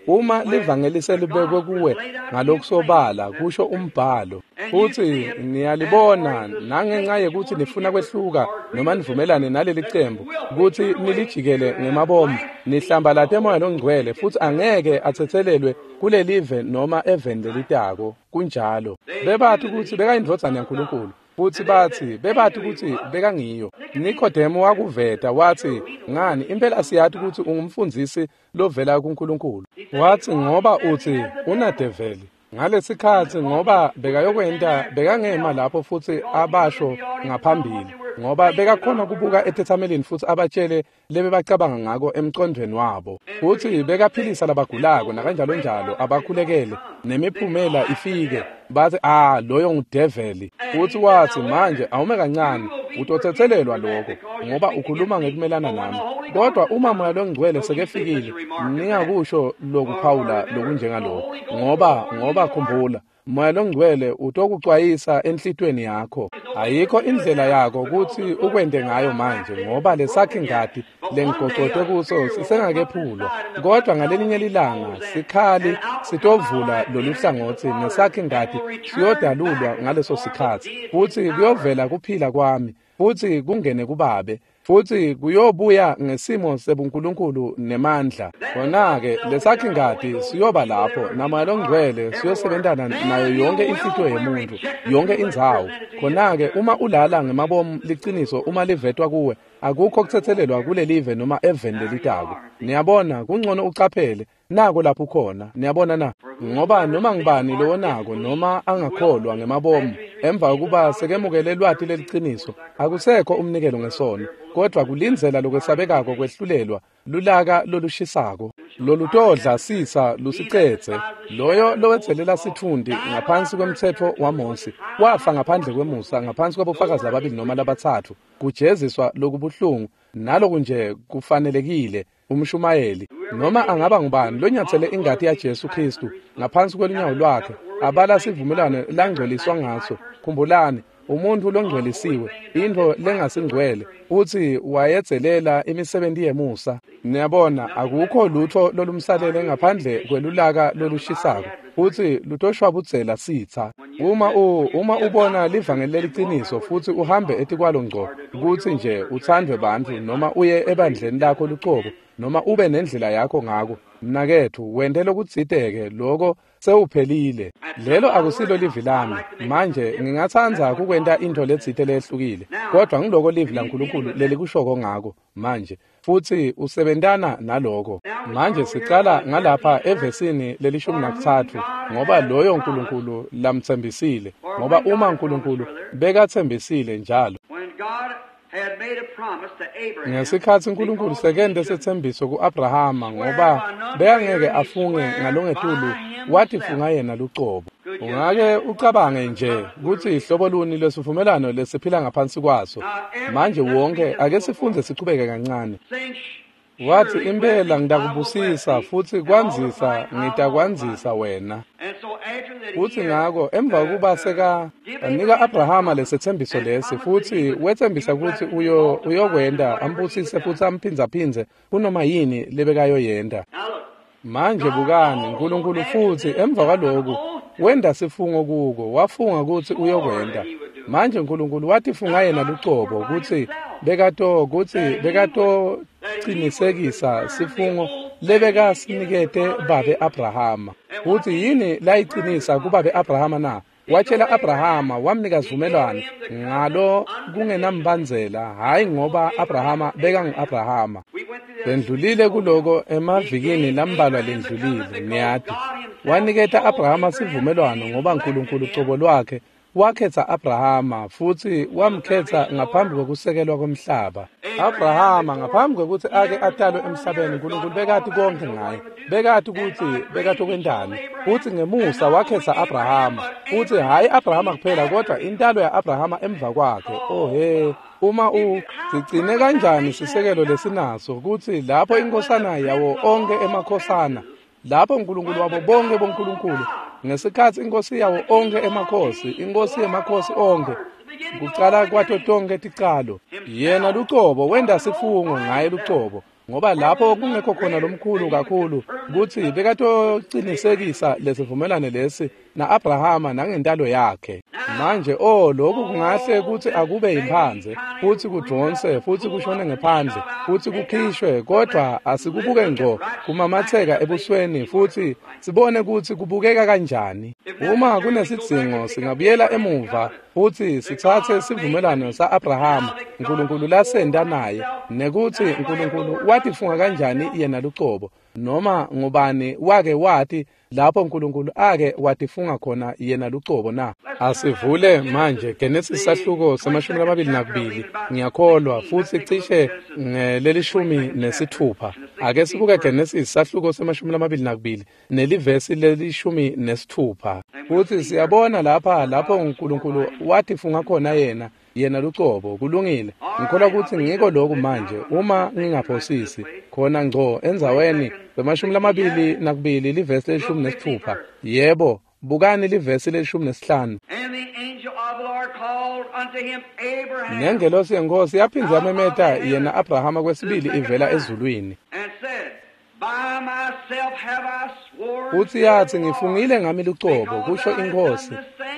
A: Uma livangeli selibekwe kuwe ngalokusobala, kusho umbhalo, futhi niyalibona nangenxa yekuthi nifuna kwehluka noma nivumelane naleli cembu kutsi nilijikele ngemabomu, nihlambalate moya longcwele futhi angeke atsetselelwe kulelive noma eveni lelitako. Kunjalo. Bebathi kutsi bekayindvodzana yaNkulunkulu, futhi bathi bebathi kutsi bekangiyo. Nikodemu wakuveta wathi, ngani impela siyathi kutsi ungumfundzisi lovela kuNkulunkulu. Wathi ngoba uthi unadeveli. Ngalesikhatsi ngoba bekayokwenta bekangema lapho futhi abasho ngaphambili, ngoba bekakhona kubuka etetsamelini futhi abatshele lebebacabanga ngako emcondvweni wabo. Futhi bekaphilisa labagulako nakanjalo njalo, abakhulekele nemiphumela ifike. Bathi loyo ngudeveli. Futhi wathi manje awume kancane, utotsetselelwa lokho ngoba ukhuluma ngekumelana nami. Kodwa uma moya longcwele sekefikile, ningakusho lokuphawula lokunjengalokho, ngoba khumbula, moya longcwele utokucwayisa enhlitweni yakho. Ayikho indlela yakho kutsi ukwente ngayo manje, ngoba lesakhi ngati lengigocote kuso sisengakephulwa. Kodwa ngalelinye lilanga sikhali sitovula lolu hlangothi nesakhi ngati siyodalulwa ngaleso sikhatsi, futhi kuyovela kuphila kwami futhi kungene kubabe, futhi kuyobuya ngesimo sebuNkulunkulu nemandla. Khona-ke lesakhi ngati siyoba lapho, namoya longcwele siyosebentana nayo yonke inhlitiyo yemuntu, yonke indzawo. Khona-ke uma ulala ngemabomu liciniso uma livetwa kuwe, akukho kutsetselelwa kulelive noma eveni lelitako. Niyabona, kungcono ucaphele nako lapho ukhona. Niyabona na? Ngoba noma ngibani lowonako noma angakholwa ngemabomu emva kokuba sekemukele lwati leliciniso, akusekho umnikelo ngesono, kodwa kulindzela lokwesabekako kwehlulelwa, lulaka lolushisako lolutodla sisa lusicedze. Loyo lowedzelela sitfunti ngaphansi kwemtsetfo waMosi wafa ngaphandle kwemusa, ngaphansi kwabofakazi ababili noma labatsatfu. Kujeziswa lokubuhlungu naloku nje kufanelekile. Umshumayeli noma angaba ngubani lonyatsele ingati yaJesu Kristu ngaphansi kwelunyawo lwakhe, abala sivumelwano langcweliswa ngaso. Khumbulani, umuntu longcwelisiwe, intfo lengasingcwele, uthi wayedzelela imisebenti yemusa. Niyabona, akukho lutho lolumsalele ngaphandle kwelulaka lolushisako, futhi lutoshwabudzela sitsa. Uma ubona livangeli leliciniso futhi uhambe etikwalo ngco, kutsi nje uthandwe bantfu noma uye ebandleni lakho lucobo, noma ube nendlela yakho ngako, mnaketfu, wente lokutsite-ke, loko sewuphelile. Lelo akusilo livi lami. Manje ngingatsandza kukwenta intfo letsite lehlukile, kodwa ngiloko livi laNkulunkulu lelikushoko ngako manje, futhi usebentana naloko. Manje sicala ngalapha evesini leli-13, ngoba loyo Nkulunkulu lamtsembisile, ngoba uma Nkulunkulu bekatsembisile njalo. Ngesikhatsi Nkulunkulu sekente setsembiso ku-Abrahama, ngoba bekangeke afunge ngalongetulu, watifunga yena lucobo. Ungake ucabange nje kutsi hlobo luni lwesivumelwano lesiphila ngaphansi kwaso. Manje wonke ake sifundze sichubeke kancane. Wathi impela ngitakubusisa futhi kwandzisa ngitakwandzisa wena. Futhi ngako emva kokuba seka anika Abrahama lesetsembiso lesi, futhi wetsembisa kutsi uyokwenta ambusise futhi amphindzaphindze kunoma yini lebekayoyenta. Manje bukani, Nkulunkulu futhi emva kwaloku wenda sifungo kuko, wafunga kutsi uyokwenta. Manje Nkulunkulu watifunga yena lucobo kutsi bekatocinisekisa sifungo lebekasinikete babe Abrahama. Kutsi yini layicinisa kubabe Abrahama na? Watshela Abrahama, wamnika sivumelwano ngalo kungenambandzela, hayi ngoba Abrahama bekangu-Abrahama. Bendlulile kuloko emavikini lambalwa lendlulile, niyati. Waniketa Abrahama sivumelwano ngoba Nkulunkulu cobo lwakhe Wakhetsa Abrahama futsi wamkhetsa ngaphambi kokusekelwa komhlaba. Abrahama ngaphambi kokuthi ake atalwe emhlabeni, uNkulunkulu bekati konke ngaye. Bekati ukuthi bekatokwentani. Futhi ngemusa wakhetsa Abrahama. Futhi hhayi Abrahama kuphela kodwa intalo ya-Abrahama emva kwakhe. Oh he, uma sigcine kanjani sisekelo lesinaso kutsi lapho inkosana yawo onke emakhosana, lapho uNkulunkulu wabo bonke bonkulunkulu, ngesikhatsi inkosi yawo onke emakhosi, inkosi yemakhosi onke, kucala kwato tonke ticalo, yena lucobo wenta sifungo ngaye lucobo, ngoba lapho kungekho khona lomkhulu kakhulu kutsi bekatocinisekisa lesivumelane lesi na-Abrahama nangentalo yakhe. Manje lokhu kungahle kutsi akube yimphandze, futsi kudvonse, futsi kushone ngephandle, futsi kukhishwe, kodwa asikubuke ngco kumamatheka ebusweni futsi sibone kutsi kubukeka kanjani. Uma kunesidzingo singabuyela emuva futsi sitsatse sivumelwano sa-Abrahama uNkulunkulu lasenta naye, nekutsi uNkulunkulu watifunga kanjani yena lucobo, noma ngubani wake wati lapho uNkulunkulu ake watifunga khona yena lucobo na. Asivule manje Genesis sahluko se-22, ngiyakholwa, futsi cishe ngeleli-16. Ake sibuke Genesis sahluko se-22 nelivesi leli-16. Futsi siyabona lapha lapho uNkulunkulu watifunga khona yena lucobo. Kulungile, ngikholwa kutsi ngiko lokhu manje, uma ngingaphosisi, khona ngco endzaweni se-22 livesi leli-16. Yebo, bukani livesi leli-15. Nengelosi yenkosi yaphindze yamemeta yena Abrahama kwesibili ivela ezulwini. Futsi yatsi, ngifungile ngami lucobo, kusho inkosi,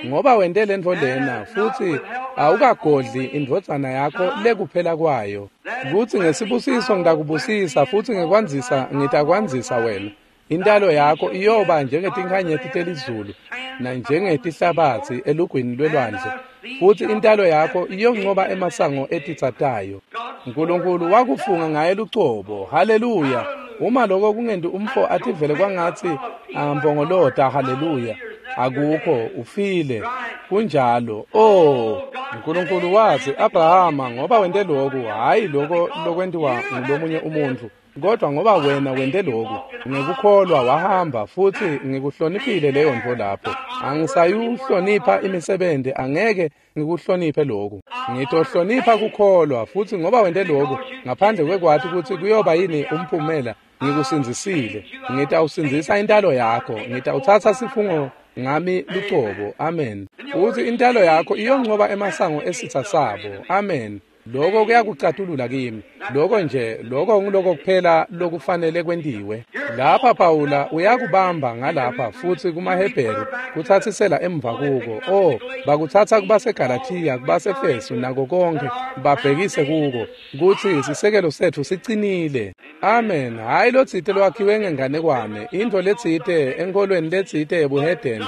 A: ngoba wente lentfo lena, futsi awukagodli indvodzana yakho lekuphela kwayo. Kutsi ngesibusiso ngitakubusisa, futsi ngekwandzisa ngitakwandzisa wena. Intalo yakho iyoba njengetinkhanyeti telizulu nanjengetihlabatsi elugwini lwelwandle, futsi intalo yakho iyoncoba emasango etitsa tayo. uNkulunkulu wakufunga ngaye lucobo. Haleluya! Uma lokho kungenti umfo ativele kwangatsi ampongolota haleluya, akukho, ufile. Kunjalo. Oh, uNkulunkulu watsi, Abrahama, ngoba wente lokhu, hhayi lokho lokwentiwa ngulomunye umuntfu, kodwa ngoba wena wente lokhu, ngekukholwa wahamba, futsi ngikuhloniphile leyo ntfo lapho. Angisayuhlonipha imisebenti, angeke ngikuhloniphe lokhu. Ngitohlonipha kukholwa, futsi ngoba wente lokhu, ngaphandle kwekwati kutsi kuyoba yini umphumela, ngikusindzisile. Ngitawusindzisa intalo yakho, ngitawutsatsa sifungo ngami lucobo. Amen. Futsi intalo yakho iyoncoba emasango esitsa sabo. Amen. Lokho kuyakucatulula kimi. Lokho nje, lokho nguloko kuphela lokufanele kwentiwe. Lapha Pawula uyakubamba ngalapha futsi kumaHebheru kutsatsisela emva kuko. Oh, bakutsatsa kubaseGalathiya, kubaseFesu nako konke, babhekise kuko kutsi sisekelo setfu sicinile. Amen. Hhayi lotsite lwakhiwe ngenganekwane, intfo letsite enkholweni letsite yebuhedeni,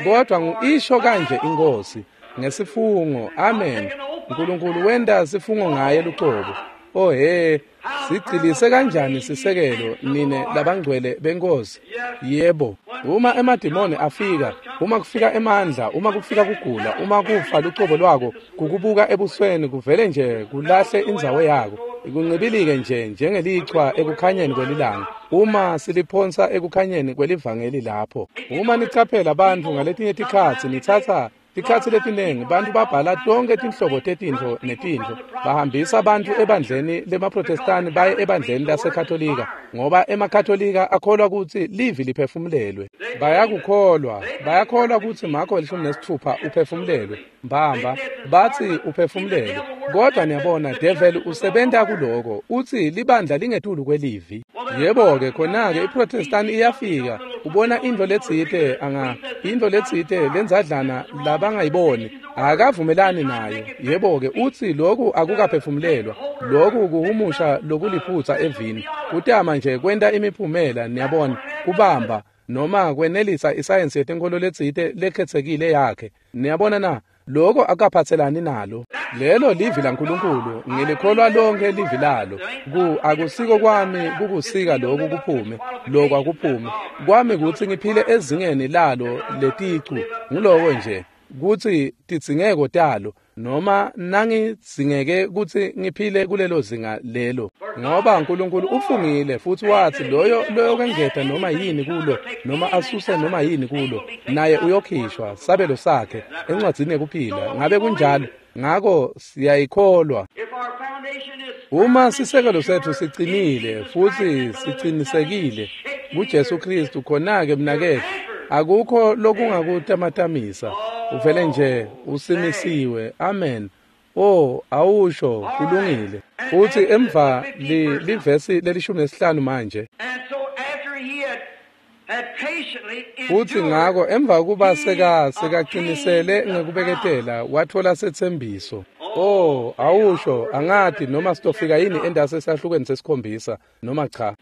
A: kodwa ngu-isho kanje inkosi ngesifungo. Amen. uNkulunkulu wenta sifungo ngaye lucobo. Oh he, sigcilise kanjani sisekelo nine labangcwele benkosi. Yebo, uma emadimoni afika, uma kufika emandla, uma kufika kugula, uma kufa lucobo lwako kukubuka ebusweni kuvele nje kulahle indzawo yako, kuncibilike nje njengelichwa ekukhanyeni kwelilanga, uma siliphonsa ekukhanyeni kwelivangeli lapho. Uma nicaphela bantfu ngaletinye tikhatsi nitsatsa tikhatsi letinengi bantfu babhala tonke tinhlobo tetintfo netintfo, bahambisa bantfu ebandleni lemaProtestani baye ebandleni laseKatolika, ngoba emaKatolika akholwa kutsi livi liphefumulelwe. Bayakukholwa, bayakholwa kutsi Marko 16 uphefumulelwe mbamba, batsi uphefumulelwe. Kodwa niyabona, devil usebenta kuloko, utsi libandla lingetulu kwelivi. Yebo-ke, khona-ke iProtestani iyafika, ubona intfo letsite intfo letsite lendzadlana labangayiboni, akavumelani nayo. Yebo-ke, utsi lokhu akukaphefumulelwa, lokhu kuhumusha lokuliphutsa evini, kutama nje kwenta imiphumela, niyabona, kubamba noma kwenelisa isayensi yetenkholo letsite lekhetsekile yakhe. Niyabona na? Lokho akaphatselani nalo. Lelo livi laNkulunkulu, ngilikholwa lonke livi lalo. Akusiko kwami kukusika lokhu kuphume, lokhu akuphume. Kwami kutsi ngiphile ezingeni lalo leticu, nguloko nje. kutsi tidzingeko talo, noma nangidzingeke kutsi ngiphile kulelo zinga lelo, ngoba uNkulunkulu ufungile futhi wathi loyo loyokwengeta noma yini kulo noma asuse noma yini kulo naye uyokhishwa sabelo sakhe encwadzini yekuphila. Ngabe kunjalo? Ngako siyayikholwa. Uma sisekelo sethu siqinile futhi siqinisekile kuJesu Kristu, khona-ke mnaketfu akukho lokungakutamatamisa. Uvele nje usimisiwe. Amen. Oh, awusho kulungile. Futhi emva livesi leli-15 manje. Futhi ngako emva kuba sekaqinisele ngekubeketela wathola setsembiso. Oh, awusho angati noma sitofika yini endase esahlukweni sesikhombisa noma cha.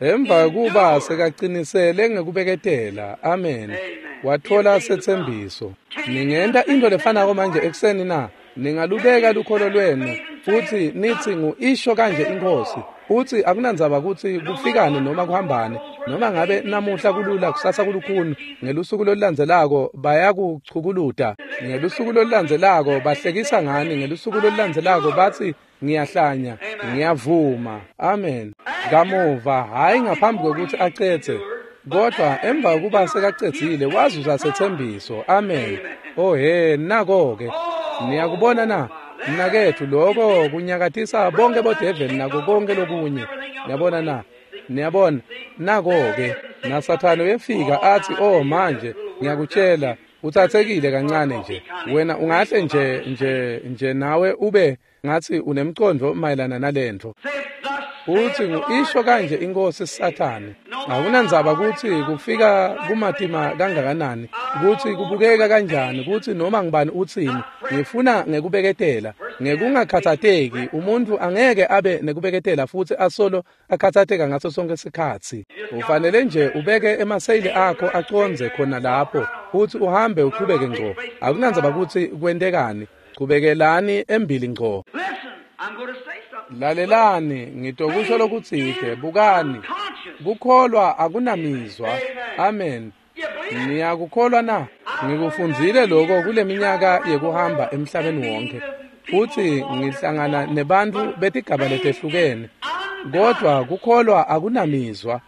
A: Emva kuba sekaqinisele ngekubeketela, amen, wathola setsembiso. Ningenta into lefanako manje ekuseni na? Ningalubeka lukholo lwenu futhi nithi ngu-isho kanje inkosi. Uthi akunandzaba ukuthi kufikane noma kuhambane, noma ngabe namuhla kulula kusasa kulukhuni, ngelusuku lolulandzelako bayakuchukuluta, ngelusuku lolulandzelako bahlekisa ngani, ngelusuku lolulandzelako bathi ngiyahlanya, ngiyavuma. Amen. Kamuva, hhayi ngaphambi kokuthi acedze, kodwa emva kuba sekacedzile wazuza sethembiso. Amen. Oh he, nako-ke niyakubona na mnaketfu, lokho kunyakatisa bonke bodeveli nako konke lokunye. Niyabona na? Niyabona nako-ke naSathane uyefika athi, oh manje ngiyakutshela uthathekile kancane nje wena, ungahle nje nje nawe ube ngathi unemcondo mayelana nalento. Uthi ngu-isho kanje inkosi Sathane. Akunandzaba kutsi kufika kumatima kangakanani, kutsi kubukeka kanjani, kutsi noma ngibani utsini, ngifuna ngekubeketela, ngekungakhathateki. Umuntu angeke abe nekubeketela futhi asolo akhathateka ngaso sonke isikhatsi. Ufanele nje ubeke emaseyili akho acondze khona lapho futhi uhambe uchubeke ngco. Akunandzaba kutsi kwentekani, chubekelani embili ngco. Lalelani, ngitokusho lokutsite. Bukani, kukholwa akunamizwa. Amen. Niyakukholwa na? Ngikufundzile lokho kuleminyaka yekuhamba emhlabeni wonke, futhi ngihlangana nebantfu betigaba letehlukene, kodwa kukholwa akunamizwa.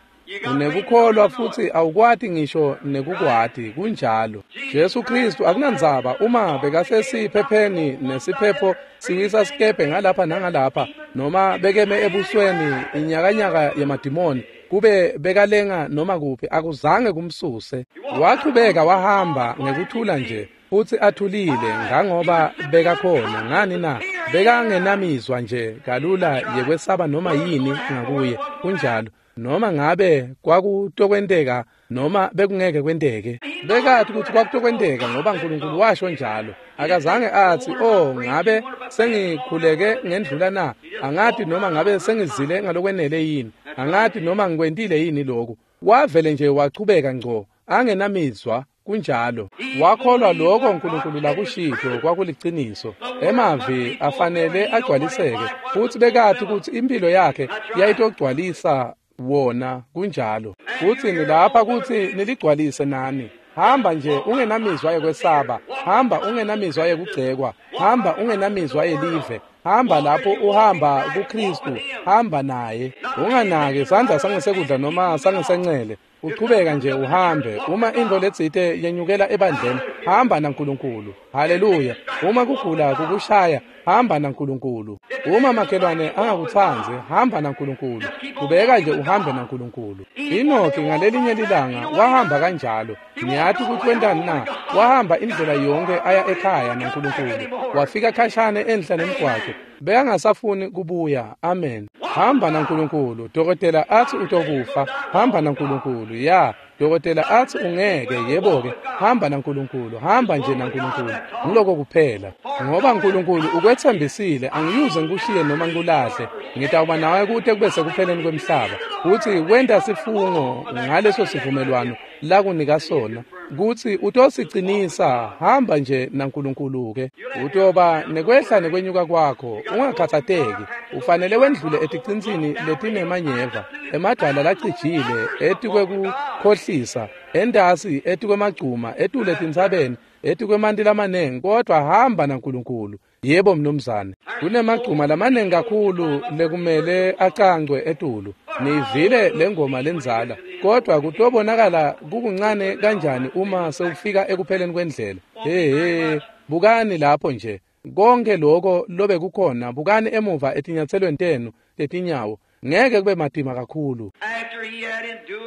A: Unekukholwa futhi awukwati ngisho nekukwati. Kunjalo. Jesu Kristu akunandzaba uma bekasesiphepheni nesiphepho siwisa sikebhe ngalapha nangalapha, noma bekeme ebusweni inyakanyaka yemadimoni, kube bekalenga noma kuphi, akuzange kumsuse. Wachubeka wahamba ngekuthula nje futhi athulile ngangoba bekakhona. Ngani na? Bekangenamizwa nje kalula yekwesaba noma yini ngakuye. Kunjalo. Noma ngabe kwakutokwenteka noma bekungeke kwenteke, bekathi ukuthi kwakutokwenteka ngoba uNkulunkulu washo njalo. Akazange athi, oh ngabe sengikhuleke ngendlula na? Angathi noma ngabe sengizile ngalokwenele yini? Angathi noma ngikwentile yini lokhu? Wavele nje wachubeka ngco angenamizwa. Kunjalo. Wakholwa lokho uNkulunkulu lakushito kwakuliciniso. Emavi afanele agcwaliseke, futhi bekathi ukuthi impilo yakhe yayitogcwalisa wona. Kunjalo. Futhi ngilapha ukuthi niligcwalise nani. Hamba nje ungenamizwa yekwesaba, hamba ungenamizwa yekugcekwa, hamba ungenamizwa yelive, hamba lapho uhamba kuKristu, hamba naye. Unganaki sandla sangesekudla noma sangesencele, uchubeka nje uhambe. Uma intfo letsite yenyukela ebandleni, hamba naNkulunkulu. Haleluya. Uma kugula kukushaya, hamba naNkulunkulu. Uma makhelwane angakutsandzi, hamba naNkulunkulu. Kubeka nje uhambe naNkulunkulu. Enoki ngalelinye lilanga wahamba kanjalo. Niyathi ukuthi wentani na? Wahamba indlela yonke aya ekhaya naNkulunkulu. Wafika khashane enhla nemgwaco. Bekangasafuni kubuya. Amen. Hamba naNkulunkulu. Dokotela athi utokufa, hamba naNkulunkulu. Ya, dokotela athi ungeke, yebo-ke, hamba naNkulunkulu, hamba nje naNkulunkulu. Ngiloko kuphela. Ngoba uNkulunkulu ukwethembisile, angiyuze ngikushiye noma ngikulahle. Ngitawuba nawe kute kube sekupheleni kwemhlaba. Futhi wenta sifungo ngaleso sivumelwano lakunika sona, kutsi utosicinisa. Hamba nje naNkulunkulu-ke. Utoba nekwehla nekwenyuka kwakho, ungakhathateki. Ufanele wendlule eticinsini letinemanyeva, emadwala lacijile etikwekukhohlisa. Entasi etikwemagcuma, etulu etintsabeni, etikwemanti lamanengi, kodwa hamba naNkulunkulu. Yebo mnumzane, kunemagcuma lamanengi kakhulu lekumele acancwe etulu. Niyivile lengoma lendzala, kodwa kutobonakala kukuncane kanjani uma sewufika ekupheleni kwendlela. Hey, bukani lapho nje. Konke lokho lobe kukhona, bukani emuva etinyatselweni tenu tetinyawo. Ngeke kube matima kakhulu.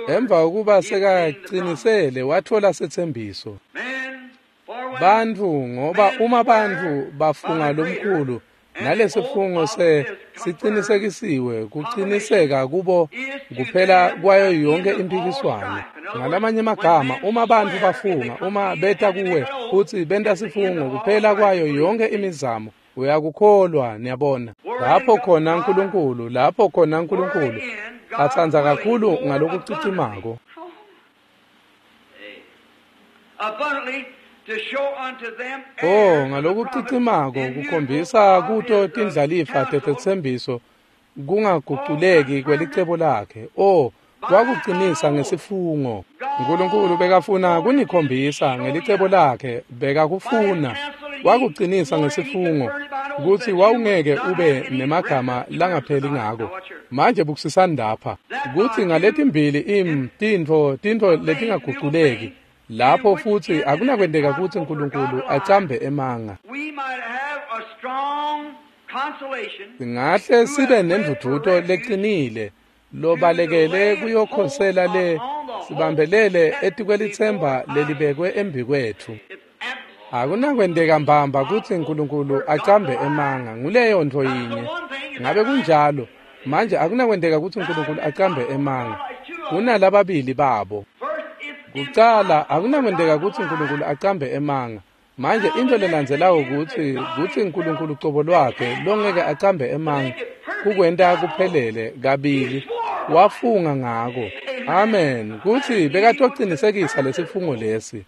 A: Emva kokuba sekaqinisele wathola setsembiso. Bantfu, ngoba uma bantfu bafunga lomkhulu nalesifungo sicinisekisiwe, kuqiniseka kubo kuphela kwayo yonke impikiswano. Ngalamanye amagama, uma bantfu bafunga, uma beta kuwe futsi benta sifungo, kuphela kwayo yonke imizamo, uyakukholwa. Niyabona lapho khona uNkulunkulu, lapho khona uNkulunkulu atsandza kakhulu ngalokucicimako ngalokucicimako kukhombisa kuto tindlalifa tetetsembiso kungaguculeki kwelicebo lakhe. Wakuqinisa ngesifungo. uNkulunkulu bekafuna kunikhombisa ngelicebo lakhe, bekakufuna. Wakuqinisa ngesifungo kutsi wawungeke ube nemagama langapheli ngako. Manje bukusisani lapha kutsi ngaletimbili tintfo letingaguculeki lapho futsi akunakwenteka kutsi uNkulunkulu acambe emanga. Singahle sibe nendvudvuto leqinile lobalekele kuyokhosela le sibambelele etikwelitsemba lelibekwe embikwetfu. Akunakwenteka mbamba kutsi uNkulunkulu acambe emanga, nguleyo ntfo yinye. Ngabe kunjalo? Manje akunakwenteka kutsi uNkulunkulu acambe emanga. Kunalababili babo. Kucala, akunakwenteka kutsi uNkulunkulu acambe emanga. Manje into lelandzelako kutsi uNkulunkulu ucobo lwakhe longeke acambe emanga kukwenta kuphelele kabili. Wafunga ngako. Amen. Kutsi bekatocinisekisa lesifungo lesi.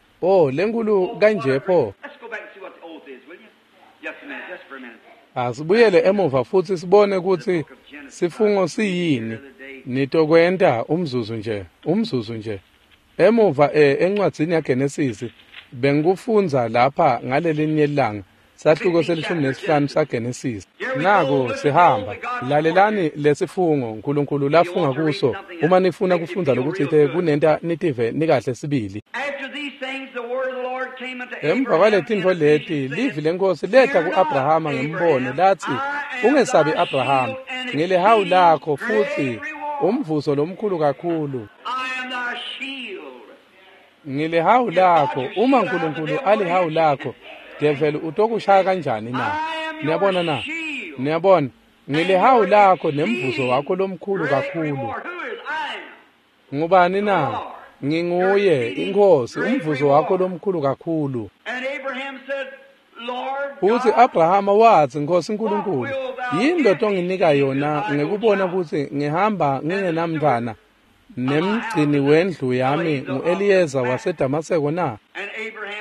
A: Lenkulu kanje pho. Asibuyele emuva futsi sibone kutsi sifungo siyini. Nitokwenta umzuzu nje. Emuva encwadzini yaGenesis bengikufundza lapha ngalelinye ilanga, sahluko se-15 saGenesis. Nako sihamba. Lalelani lesifungo uNkulunkulu lafunga kuso. Uma nifuna kufundza lokutsite kunenta nitive nikahle sibili. Emva kwaletintfo leti, livi lenkosi leta ku-Abrahama ngembono latsi, ungesabi Abrahama, ngilihawu lakho futsi umvuzo lomkhulu kakhulu. Ngilihawu lakho. Uma uNkulunkulu alihawu lakho, devil utokushaya kanjani na? Niyabona na? Niyabona, ngilihawu lakho nemvuzo wakho lomkhulu kakhulu. Ngubani na? Nginguye iNkhosi, umvuzo wakho lomkhulu kakhulu. Futsi Abrahama watsi, Nkosi uNkulunkulu, yini lotonginika yona ngekubona kutsi ngihamba ngingenamntfwana, nemgcini wendlu yami ngu-Eliyeza waseDamaseko na?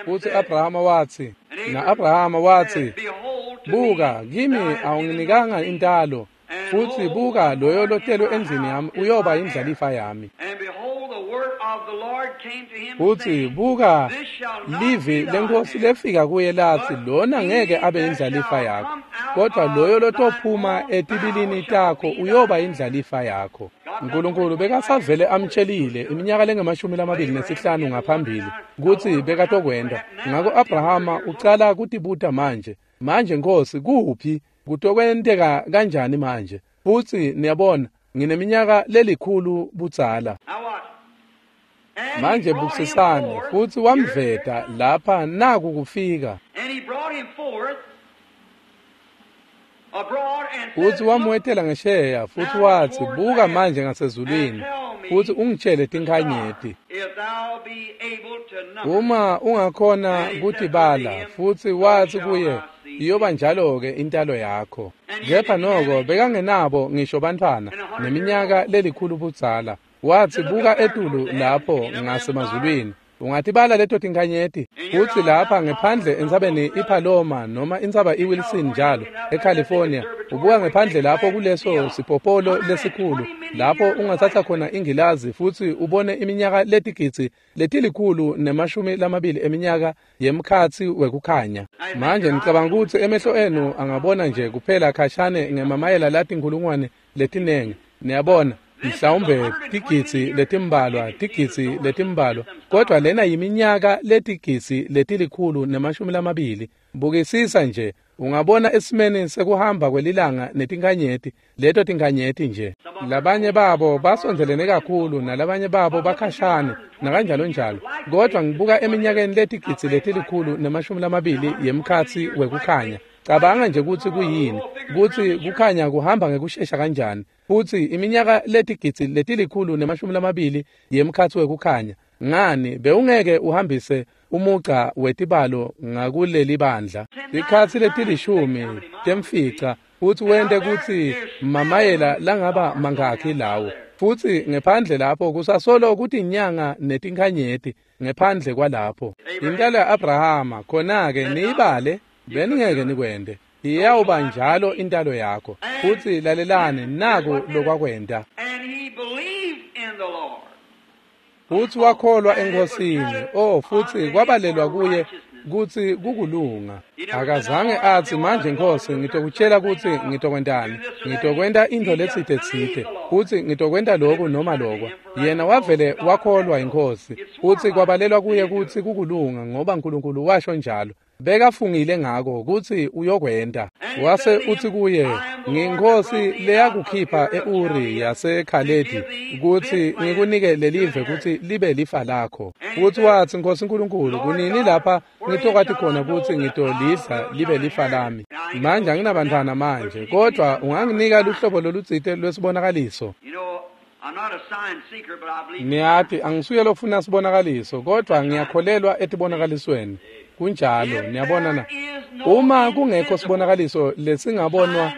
A: Futsi Abrahama watsi, na-Abrahama watsi, buka, kimi awunginikanga intalo, futsi buka, loyo lotelwe endlini yami uyoba indlalifa yami. Futsi buka, livi lenkosi lefika kuye latsi, lona ngeke abe indlalifa yakho, kodwa loyo lotophuma etibilini takho uyoba indlalifa yakho. uNkulunkulu bekasavele amtshelile iminyaka lengamashumi 25 ngaphambili kutsi bekatokwenta. Ngako Abrahama ucala kutibuta manje, Nkosi, kuphi? Kutokwenteka kanjani manje? Futsi niyabona, ngineminyaka lelikhulu budzala. Manje bukisisani, futsi wamveta lapha naku kufika. Futsi wamwetela ngesheya, futsi watsi, buka manje ngasezulwini, futsi ungitshele tinkhanyeti. Uma ungakhona kutibala, futsi watsi kuye, iyoba njalo-ke intalo yakho. Kepha noko bekangenabo ngisho bantfwana, neminyaka lelikhulu budzala. Watsi, buka etulu lapho ngasemazulwini, Ungatibala leto tinkhanyeti? Futsi lapha ngephandle entsabeni iPaloma noma intsaba iWilson njalo eCalifornia, ubuka ngephandle lapho kuleso sipopolo lesikhulu lapho ungatsatsa khona ingilazi futsi ubone iminyaka letigidzi 120 eminyaka yemkhatsi wekukhanya. Manje ngicabanga ukuthi emehlo enu angabona nje kuphela khashane ngemamayela latinkhulungwane letinengi. Niyabona, mhlawumbe tigidzi letimbalwa, kodwa lena yiminyaka letigidzi 120. Bukisisa nje, ungabona esimeni sekuhamba kwelilanga netinkhanyeti, leto tinkhanyeti nje. Labanye babo basondzelene kakhulu nalabanye babo bakhashane nakanjalo njalo, kodwa ngibuka eminyakeni letigidzi 120 yemkhatsi wekukhanya. Cabanga nje kutsi kuyini, kutsi kukhanya kuhamba ngekushesha kanjani, futsi iminyaka letigidzi 120 yemkhatsi wekukhanya. Ngani, bewungeke uhambise umugca wetibalo ngakuleli bandla tikhatsi letilishumi temfica futsi wente kutsi mamayela langaba mangakhi lawo. Futsi ngephandle lapho kusasolo kutinyanga netinkhanyeti ngephandle kwalapho. Intalo ya-Abrahama, khona-ke niyibale, beningeke nikwente. Iyawuba njalo intalo yakho. Futsi lalelani, naku lokwakwenta. Futsi wakholwa eNkhosini, oh, futsi kwabalelwa kuye kutsi kukulunga. Akazange atsi, manje Nkhosi, ngitokutshela kutsi ngitokwentani, ngitokwenta intfo letsite-tsite, futsi ngitokwenta loku noma lokwa. Yena wavele wakholwa iNkhosi, futsi kwabalelwa kuye kutsi kukulunga, ngoba Nkulunkulu washo njalo. Bekafungile ngako kutsi uyokwenta. Wase utsi kuye, ngiyinkhosi leyakukhipha e-Uri yaseKhaledi kutsi ngikunike lelive kutsi libe lifa lakho. Futsi watsi, Nkhosi Nkulunkulu, kunini lapha ngitokwati khona kutsi ngitolidla libe lifa lami? Manje anginabantwana manje, kodwa unganginika luhlobo lolutsite lwesibonakaliso. Niyati, angisuye lofuna sibonakaliso, kodwa ngiyakholelwa etibonakalisweni. Kunjalo, niyabona na? Uma kungekho sibonakaliso lesingabonwa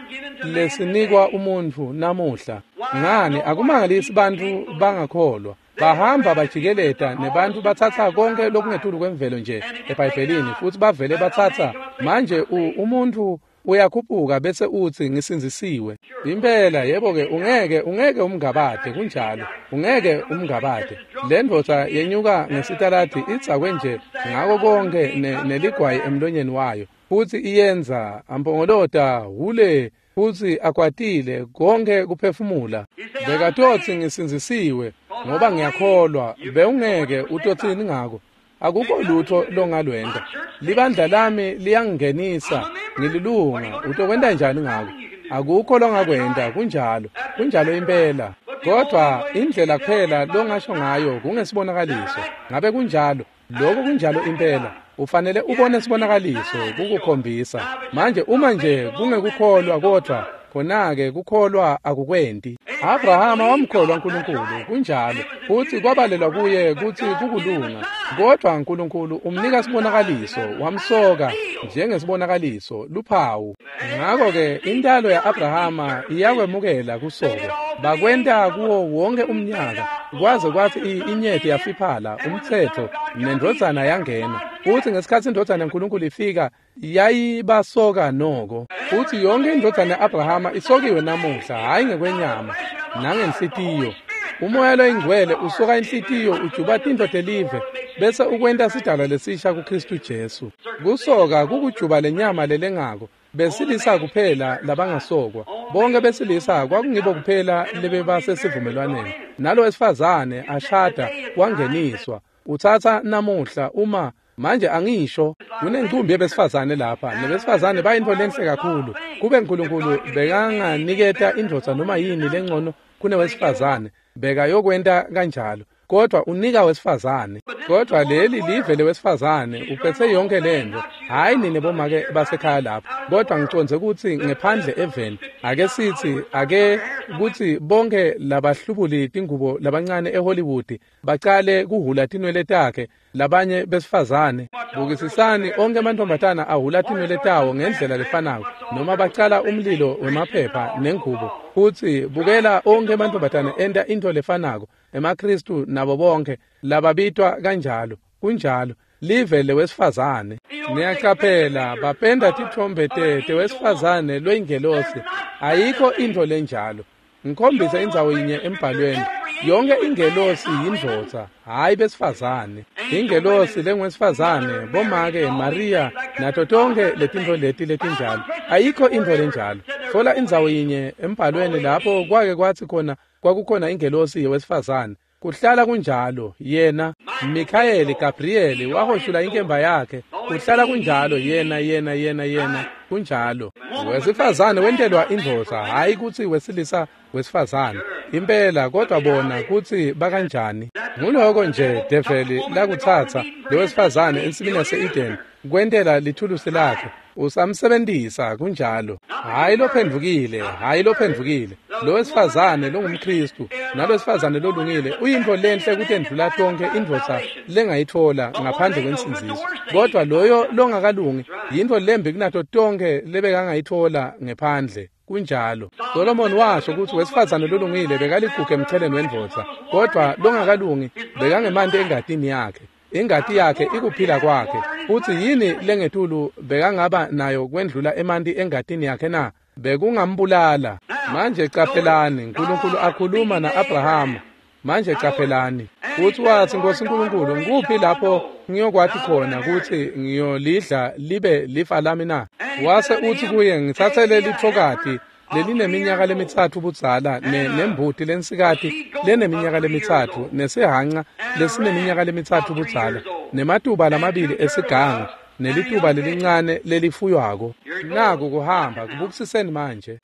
A: lesinikwa umuntfu namuhla, ngani akumangalisi bantfu bangakholwa. Bahamba bajikeleta nebantu batsatsa konke lokungetulu kwemvelo nje eBhayibhelini, futsi bavele batsatsa manje umuntu uyakhuphuka bese utsi ngisindzisiwe. Impela, yebo-ke, ungeke umngabade, kunjalo, ungeke umngabade. Le ndvodza yenyuka ngesitaladi idzakwe nje ngako konke neligwayi emlonyeni wayo, futsi iyenza ampongolota hule, futsi akwatile konke kuphefumula. Bekatotsi ngisindzisiwe ngoba ngiyakholwa. Bewungeke utotsini ngako? Akukho lutho longalwenta. Libandla lami liyangingenisa, ngililunga. Utokwenta njani ngako? Akukho longakwenta, kunjalo, kunjalo impela. Kodwa indlela kuphela longasho ngayo kungesibonakaliso. Ngabe kunjalo? Lokho kunjalo impela. Ufanele ubone sibonakaliso kukukhombisa. Manje uma nje kungekukholwa, kodwa khona-ke kukholwa akukwenti. Abrahama wamkholwa uNkulunkulu, kunjalo, futsi kwabalelwa kuye kutsi kukulunga. Kodwa uNkulunkulu umnika sibonakaliso, wamsoka njengesibonakaliso, luphawu. Ngakho-ke intalo ya-Abrahama iyakwemukela kusokwa. Bakwenta kuwo wonke umnyaka, kwaze kwathi inyeti yafiphala, umtsetfo, nendvodzana yangena. Futsi ngesikhatsi indvodzana yaNkulunkulu ifika, yayibasoka noko. Futsi yonke indvodzana ya-Abrahama isokiwe namuhla, hhayi ngekwenyama nangenhlitiyo. Umoya loyingcwele usoka inhlitiyo, ujuba tintfo telive, bese ukwenta sidalwa lesisha kuKhristu Jesu. Kusoka kukujuba lenyama lelengako. Besilisa kuphela labangasokwa. Bonke besilisa kwakungibo kuphela lebebasesivumelwaneni. Nalo wesifazane ashada wangeniswa. Utsatsa namuhla uma manje angisho kunencumbi yebesifazane lapha, nebesifazane bayintfo lenhle kakhulu. Kube uNkulunkulu bekanganiketa indvodza noma yini lengcono kunewesifazane, bekayokwenta kanjalo. Kodwa unika wesifazane. Kodwa leli live lewesifazane uphethe yonke lento. Hhayi nine bomake basekhaya lapho, kodwa ngicondze kutsi ngephandle eveni, ake sithi ake kutsi bonke labahlubuli tingubo labancane eHollywood bacale kuhula tinwele takhe labanye besifazane. Bukisisani onke amantombazana ahula tinwele tawo ngendlela lefanako, noma bacala umlilo wemaphepha nengubo. Futsi bukela onke amantombazana enta into lefanako, emaKhristu nabo bonke lababitwa kanjalo. Kunjalo, live lewesifazane. Niyacaphela, bapenda titfombe tewesifazane lweyingelosi. Ayikho intfo lenjalo. Ngikhombise indzawo yinye embhalweni. Yonke ingelosi yindvodza, hhayi besifazane. Ingelosi lengwesifazane, bomake Maria nato tonke letintfo leti letinjalo. Ayikho intfo lenjalo. Thola indzawo yinye embhalweni lapho kwake kwatsi khona kwakukhona ingelosi yewesifazane. Kuhlala kunjalo, yena Mikhayeli Gabrieli wahoshula inkemba yakhe. Kuhlala kunjalo, yena yena yena yena kunjalo. Wesifazane wentelwa indvodza, hhayi kutsi wesilisa wesifazane. Impela, kodwa bona kutsi bakanjani. Nguloko nje develi lakutsatsa lowesifazane ensimini yase-Eden kwentela lithulusi lakhe. Usamsebentisa kunjalo. Hhayi lophendvukile, hhayi lophendvukile. Lowesifazane longumKhristu nalowesifazane lolungile uyintfo lenhle kutendlula tonke indvodza lengayitfola ngaphandle kwensindziso. Kodwa loyo longakalungi yintfo lembi kunato tonke lebekangayitfola ngephandle. Kunjalo. Solomon washo kutsi wesifazane lolungile bekaligugu emcheleni wendvodza, kodwa longakalungi bekangemanti engatini yakhe. Ingati yakhe ikuphila kwakhe. Futsi yini lengetulu bekangaba nayo kwendlula emanti engatini yakhe na? Bekungambulala. Manje caphelani, uNkulunkulu akhuluma na-Abrahama. Manje caphelani. Futsi watsi, Nkosi Nkulunkulu, ngikuphi lapho ngiyokwati khona kutsi ngiyolidla libe lifa lami na? Wase utsi kuye, ngitsatsele litfokati lelineminyaka lemitsatfu budzala nembuti lensikati leneminyaka lemitsatfu nesihhanca lesineminyaka lemitsatfu budzala nematuba lamabili esiganga nelituba lelincane lelifuywako. Naku kuhamba, kubukisiseni manje.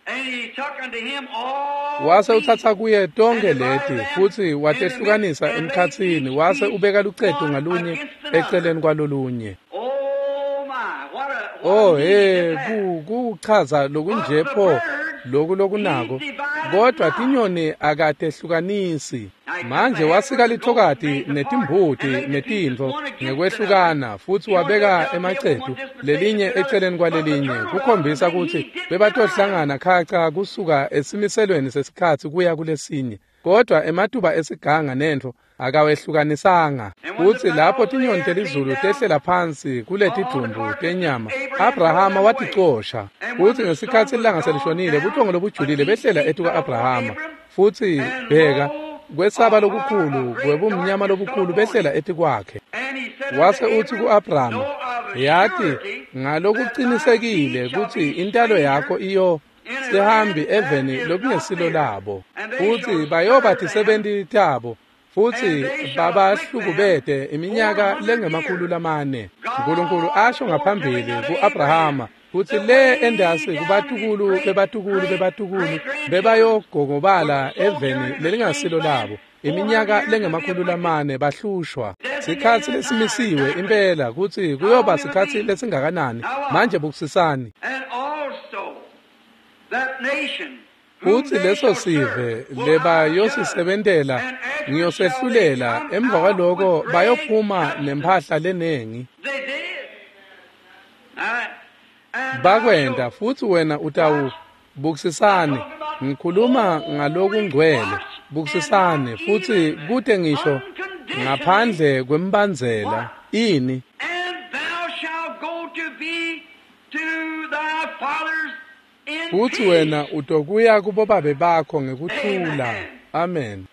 A: Wase utsatsa kuye tonke leti futsi watehlukanisa emkhatsini, wase ubeka lucetu ngalunye eceleni kwalolunye. Oh he, kuchaza lokunje pho loku lokunako, kodwa tinyoni akatehlukanisi. Manje wasika lithokati netimbuti netintfo ngekwehlukana futsi wabeka emacetu lelinye eceleni kwalelinye kukhombisa kutsi bebatohlangana khaca kusuka esimiselweni sesikhatsi kuya kulesinye. Kodwa ematuba esiganga nentfo akawehlukanisanga. Futsi lapho tinyoni telizulu tehlela phansi kuletidvumbu tenyama, Abrahama waticosha. Futsi ngesikhatsi ilanga selishonile, buthongo lobujulile behlela etuka-Abrahama. Futsi bheka, kwesaba lokukhulu kwebumnyama lobukhulu behlela etikwakhe. Wase utsi ku-Abrahama, yati ngalokucinisekile kutsi intalo yakho iyo sihambi eveni lokungesilo labo, futsi bayoba tisebenti tabo, futsi babahlukubete iminyaka lengama-400. Nkulunkulu asho ngaphambili ku-Abrahama kutsi le endasi kubatukulu bebatukulu bebatukulu bebayogogobala eveni lelingasilo labo iminyaka lengama-400 bahlushwa. Sikhatsi lesimisiwe impela kutsi kuyoba sikhatsi lesingakanani. Manje bukisisani. Kutsi leso sive lebayosisebentela ngiyosehlulela, emva kwaloko bayophuma nemphahla lenengi. Bakwenta, futsi wena utawu bukisisani. Ngikhuluma ngalokungcwele. Bukisisani, futsi kute ngisho ngaphandle kwembandzela ini. Futsi wena utokuya kubobabe bakho ngekuthula. Amen.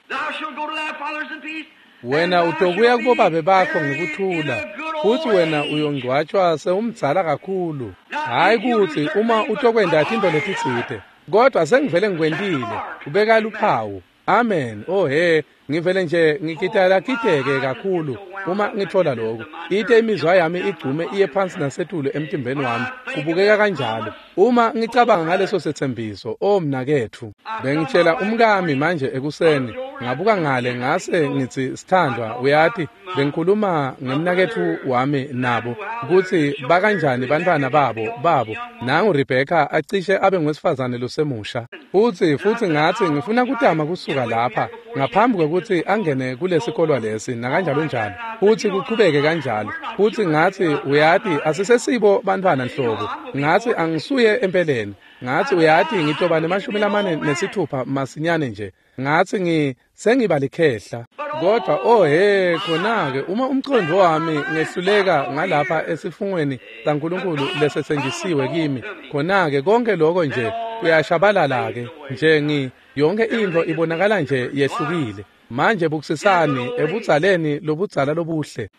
A: Wena utokuya kubobabe bakho ngekuthula, futsi wena uyongcwatshwa sewumdzala kakhulu. Hhayi kutsi uma utokwenta tintfo letitsite, kodwa sengivele ngikwentile, ubeka luphawu. Amen. Oh he, ngivele nje ngikitayilakiteke kakhulu uma ngithola lokho. Ite imizwa yami igcume iye phansi nasetulu emtimbeni wami. Kubukeka kanjalo. Uma ngicabanga ngaleso setsembiso, oh mnaketfu, bengitshela umkami manje ekuseni, ngabuka ngale ngase ngitsi, sithandwa, uyati, bengikhuluma ngemnaketfu wami nabo kutsi bakanjani bantwana babo. Nangu Rebecca acishe abe ngwesifazane losemusha. Futsi ngatsi ngifuna kutama kusuka lapha ngaphambi kwekutsi angene kulesikolwa lesi nakanjalo njalo, futsi kuchubeke kanjalo. Futsi ngatsi, uyati, asisesibo bantwana nhlobo. Ngatsi angisuye empeleni. Ngatsi, uyati, ngitoba ne-46 masinyane nje. Ngatsi sengiba likhehla. Kodwa oh he, khona-ke uma umqondo wami ngehluleka ngalapha esifungweni saNkulunkulu lesetsenjisiwe kimi, khona-ke konke lokho nje kuyashabalala-ke nje yonke into ibonakala nje yehlukile. Manje bukisisani ebudzaleni lobudzala lobuhle.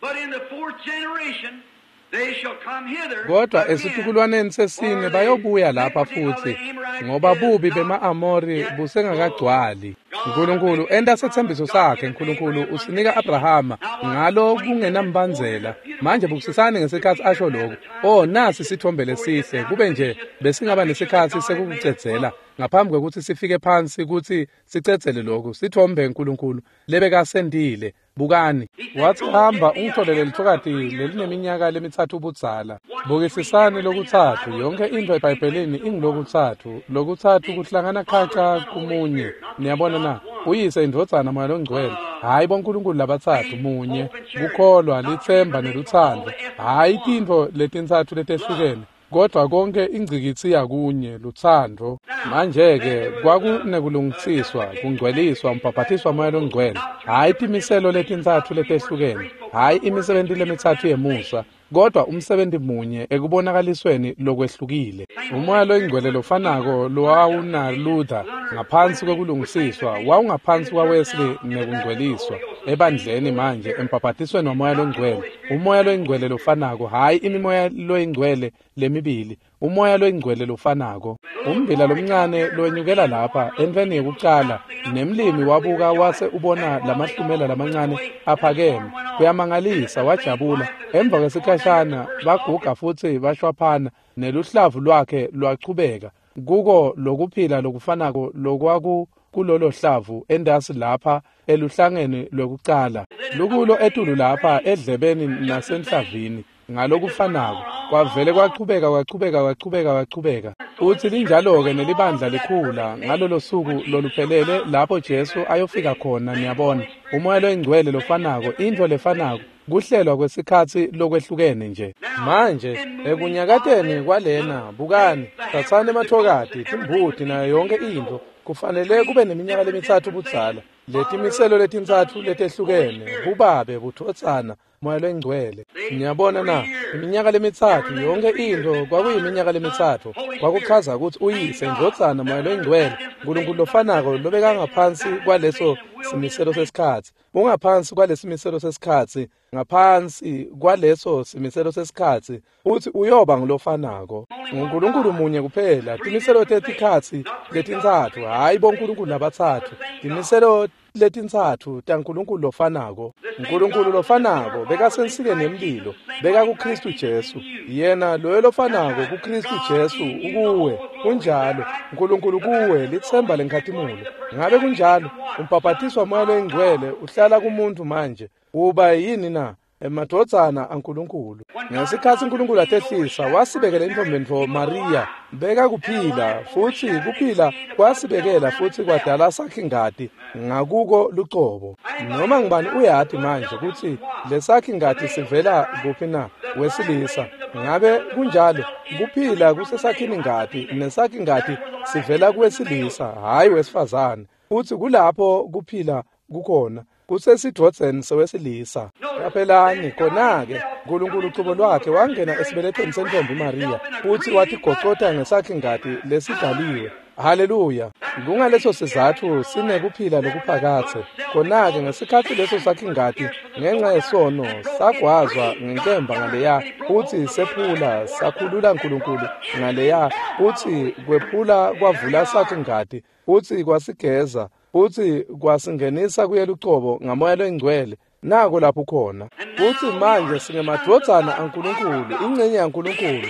A: Kodwa esitukulwaneni sesine bayobuya lapha futhi, ngoba bubi bema-Amori busengakagcwali. Nkulunkulu enta setsembiso sakhe. Nkulunkulu usinika Abrahama ngalo kungenambandzela. Manje bukisisani ngesikhatsi asho lokhu. Oh, nasi sithombe lesihle, kube nje besingaba nesikhatsi sekukucedzela ngaphambi kwekutsi sifike phansi kutsi sicedzele lokhu. Sithombe Nkulunkulu lebekasentile. Bukani, wathi hamba ungitholele lithokati lelineminyaka lemithathu budzala. Bukisisani lokutsatfu, yonke into eBhayibhelini ingulokutsatfu. Lokutsatfu kuhlangana khaca kumunye. Niyabona na? Uyise, indvodzana, Moya loNgcwele. Hhayi boNkulunkulu labatsatfu, munye. Kukholwa, litsemba nelutsandvo. Hhayi tintfo letintsatfu letehlukene, kodwa konke ingcikitsi yakunye, lutsandvo. Manje-ke kwakunekulungisiswa, kungcweliswa, umbhabhatiswa Moya loNgcwele. Hhayi timiselo letintsatfu letehlukene, hhayi imisebenti lemitsatfu yemusa, kodwa umsebenzi munye ekubonakalisweni lokwehlukile. Umoya loyingcwele lofanako lowawuna Luther ngaphansi kwekulungisiswa wawungaphansi kwaWesley nekungcweliswa ebandleni manje embhabhatisweni waMoya loNgcwele. Umoya loyingcwele lofanako, hhayi imimoya loyingcwele lemibili, umoya loyingcwele lofanako. Ummbila lomncane lowenyukela lapha entfweni yekucala, nemlimi wabuka wase ubona lamahlumela lamancane aphakeme. Kuyamangalisa, wajabula. Emva kwesikhashana baguga futsi bashwaphana, neluhlavu lwakhe lwachubeka kuko lokuphila lokufanako lokwaku kulolo hlavu endasi lapha eluhlangeni lwekucala, lukulo etulu lapha edlebeni nasenhlavini. Ngalokufanako kwavele kwachubeka kwachubeka kwachubeka kwachubeka. Utsi linjalo-ke nelibandla likhula ngalolo suku loluphelele lapho Jesu ayofika khona. Niyabona, umoya loyingcwele lofanako, intfo lefanako, kuhlelwa kwesikhatsi lokwehlukene nje. Manje ekunyakateni kwalena, bukani, tsatsani emathokati, timbuti nayo yonke intfo. Kufanele kube neminyaka lemitsatfu budzala, letimiselo letintsatfu letehlukene, bubabe, budvodzana, Moya loyingcwele. Niyabona na? Iminyaka lemitsatfu, yonke intfo kwakuyiminyaka lemitsatfu. Kwakuchaza kutsi uyise, indvodzana, Moya loyingcwele, Nkulunkulu lofanako lobekangaphansi kwaleso simiselo sesikhatsi. Ungaphansi kwalesimiselo sesikhatsi, ngaphansi kwaleso simiselo sesikhatsi, uthi uyoba ngulofanako. NguNkulunkulu munye kuphela, timiselo tetikhatsi letintsatfu, hhayi boNkulunkulu labatsatfu, timiselo letintsatfu taNkulunkulu lofanako. Nkulunkulu lofanako bekasensikeni yemlilo, beka kuKristu Jesu. Yena loyo lofanako kuKristu Jesu ukuwe. Kunjalo, Nkulunkulu kuwe, litsemba lenkhatimulo. Ngabe kunjalo? Umbhabhatiswa Moya loyingcwele uhlala kumuntu manje. Uba yini na? Emadvodzana aNkulunkulu. Ngesikhatsi Nkulunkulu atehlisa, wasibekela intombentfo Maria, beka kuphila, futsi kuphila kwasibekela futsi kwadala sakhingati ngakuko lucobo. Noma ngubani uyati manje kutsi lesakhingati sivela kuphi na? Wesilisa. Ngabe kunjalo? Kuphila kusesakhini ngati, nesakhingati sivela kuwesilisa, hhayi wesifazane. Futsi kulapho kuphila kukhona, kusesidvodzeni sewesilisa. Qaphelani khona-ke, Nkulunkulu ucobo lwakhe wangena esibelethweni sentombi Maria futsi watigocota ngesakhingati lesidaliwe. Haleluya! Kungaleso sizatfu sinekuphila lokuphakatse. Khona-ke ngesikhatsi leso sakhingati ngenxa yesono sagwazwa ngenkemba ngaleya, futsi sephula sakhulula Nkulunkulu ngaleya, futsi kwephula kwavula sakhingati, futsi kwasigeza, futsi kwasingenisa kuye lucobo ngaMoya loyingcwele. Nako lapho khona. Futsi manje singemadvodzana aNkulunkulu, ingcenye yaNkulunkulu.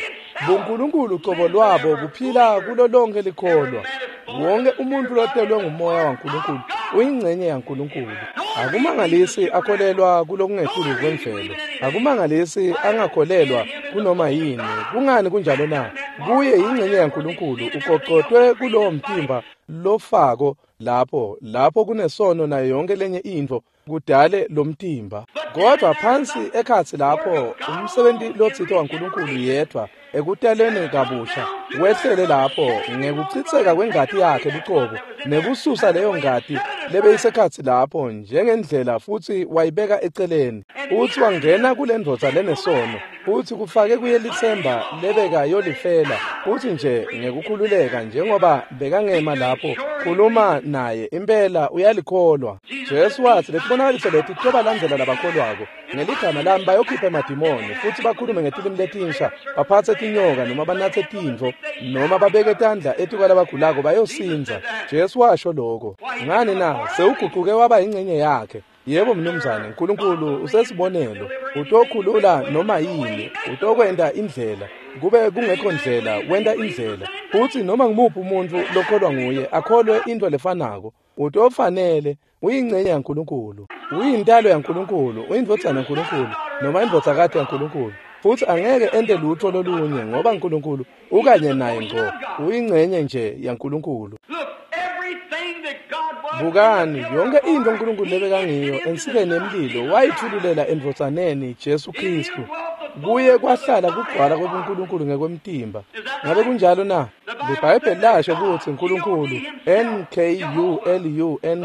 A: BuNkulunkulu cobo lwabo buphila kulo lonke likholwa. Wonke umuntu lotelwe nguMoya waNkulunkulu uyingcenye yaNkulunkulu. Akumangalisi akholelwa kulokungetulu kwemvelo. Akumangalisi angakholelwa kunoma yini. Kungani kunjalo na? Kuye yingcenye yaNkulunkulu, uqoqotwe kulowo mtimba lofako lapho kunesono nayo yonke lenye intfo kudale lomtimba. Kodwa phansi ekhatsi lapho umsebenzi lotsite waNkulunkulu yedwa ekutaleni kabusha, wehlele lapho ngekuchitseka kwengati yakhe lucobo, nekususa leyo ngati lebeyisekhatsi lapho njengendlela futsi wayibeka eceleni. Futsi wangena kule ndvodza lenesono, futsi kufake kuye litsemba lebeka yolifela, futsi nje ngekukhululeka njengoba bekangema lapho khuluma naye, impela uyalikholwa. Jesu watsi letibonakaliso leti tobalandzela labakholwako, ngeligama lami bayokhipha emadimoni, futhi bakhulume ngetilimi letinsha, baphatse tinyoka noma banatse tintfo, noma babeke tandla etikwalabagulako bayosindza. Jesu washo lokho. Ngani na? Sewuguquke waba ingcenye yakhe. Yebo mnumzane, uNkulunkulu usesibonelo, utokhulula noma yini, utokwenta indlela, kube kungekho ndlela, wenta indlela. Futsi noma ngimuphi umuntu lokholwa nguye akholwe into lefanako, utofanele uyingcenye yaNkulunkulu, uyintalo yaNkulunkulu, uyindvodzana yaNkulunkulu noma indvodzakati yaNkulunkulu. Futsi angeke ente lutho lolunye ngoba uNkulunkulu ukanye naye ngco, uyingcenye nje yaNkulunkulu. Bukani, yonke into uNkulunkulu lebekangiyo ensikeni yemlilo wayithululela endvodzaneni Jesu Kristu. Kuye kwahlala kugcwala kwebuNkulunkulu ngekwemtimba. Ngabe kunjalo na? LiBhayibheli lasho kutsi uNkulunkulu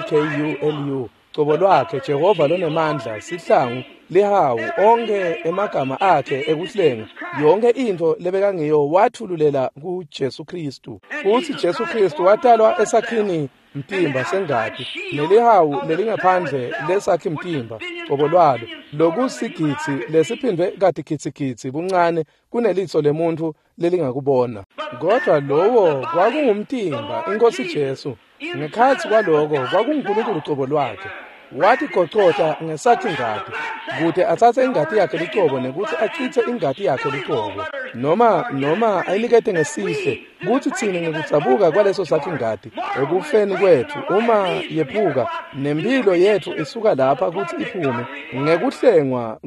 A: N-K-U-L-U-N-K-U-L-U cobo lwakhe Jehova lonemandla, sihlangu, lihawu, onke emagama akhe ekuhlenga, yonke into lebekangiyo wathululela kuJesu Kristu. Futsi Jesu Kristu watalwa esakhini mtimba sengati, nelihawu lelingaphandle lesakhi mtimba cobo lwalo, lokusigitsi lesiphindwe katigitsigitsi buncane kunelitso lemuntu lelingakubona. Kodwa lowo kwakungumtimba iNkosi Jesu. Ngekhatsi kwaloko kwakunguNkulunkulu cobo lwakhe. Watigocota ngesakhi ngati kute atsatse ingati yakhe lucobo nekutsi achitse ingati yakhe lucobo, noma ayinikete ngesihle, kutsi tsine ngekudzabuka kwaleso sakhi ngati ekufeni kwetfu, uma yephuka nemphilo yetfu isuka lapha kutsi iphume ngekuhlengwa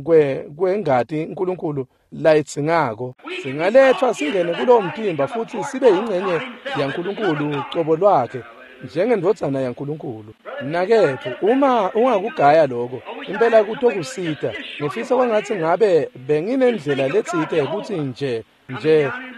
A: kwengati uNkulunkulu layidzingako, singaletfwa singene kulowo mtimba futsi sibe yingcenye yaNkulunkulu cobo lwakhe njengendvodzana yaNkulunkulu. Mnaketfu, uma ungakugaya lokho, impela kutokusita. Ngifisa kwangatsi ngabe benginendlela letsite kutsi nje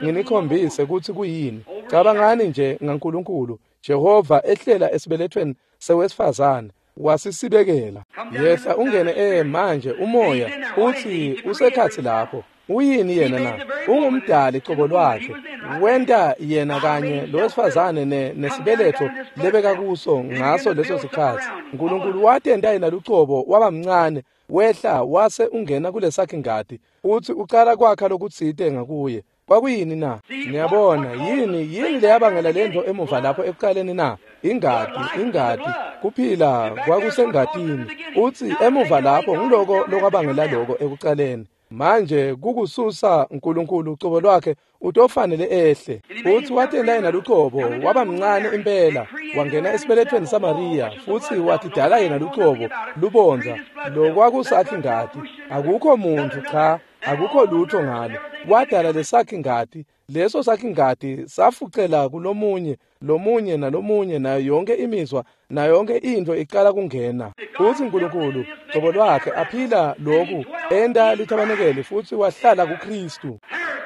A: nginikhombise kutsi kuyini. Cabangani nje ngaNkulunkulu Jehova ehlela esibelethweni sewesifazane, wasisibekela. Yehla ungene manje umoya uthi usekhatsi lapho. Uyini yena na? Ungumdali cobo lwakhe. Wenta yena kanye lowesifazane nesibeletho lebeka kuso ngaso leso sikhatsi. uNkulunkulu watenta yena lucobo waba mncane, wehla wase ungena kulesakhi ngati, uthi ucala kwakha lokutsite ngakuye. Kwakuyini na? Niyabona, yini leyabangela lento emuva lapho ekuqaleni na? Ingati, kuphila kwakusengatini. Uthi emuva lapho ngiloko lokwabangela lokho ekuqaleni. Manje kukususa uNkulunkulu cobo lwakhe utofanele ehle. Futhi watenta yena lucobo waba mncane impela, wangena esibelethweni saMaria, futhi watidala yena lucobo lubondza lokwakusakhi ngati. Akukho muntu, cha, akukho lutho ngalo. Wadala lesakhi ngati, leso sakhi ngati safucela kulomunye, lomunye nalomunye, nayo yonke imizwa, nayo yonke into iqala kungena. Futhi uNkulunkulu cobo lwakhe aphila lokhu enta lithabanekeli futhi wahlala kuKristu.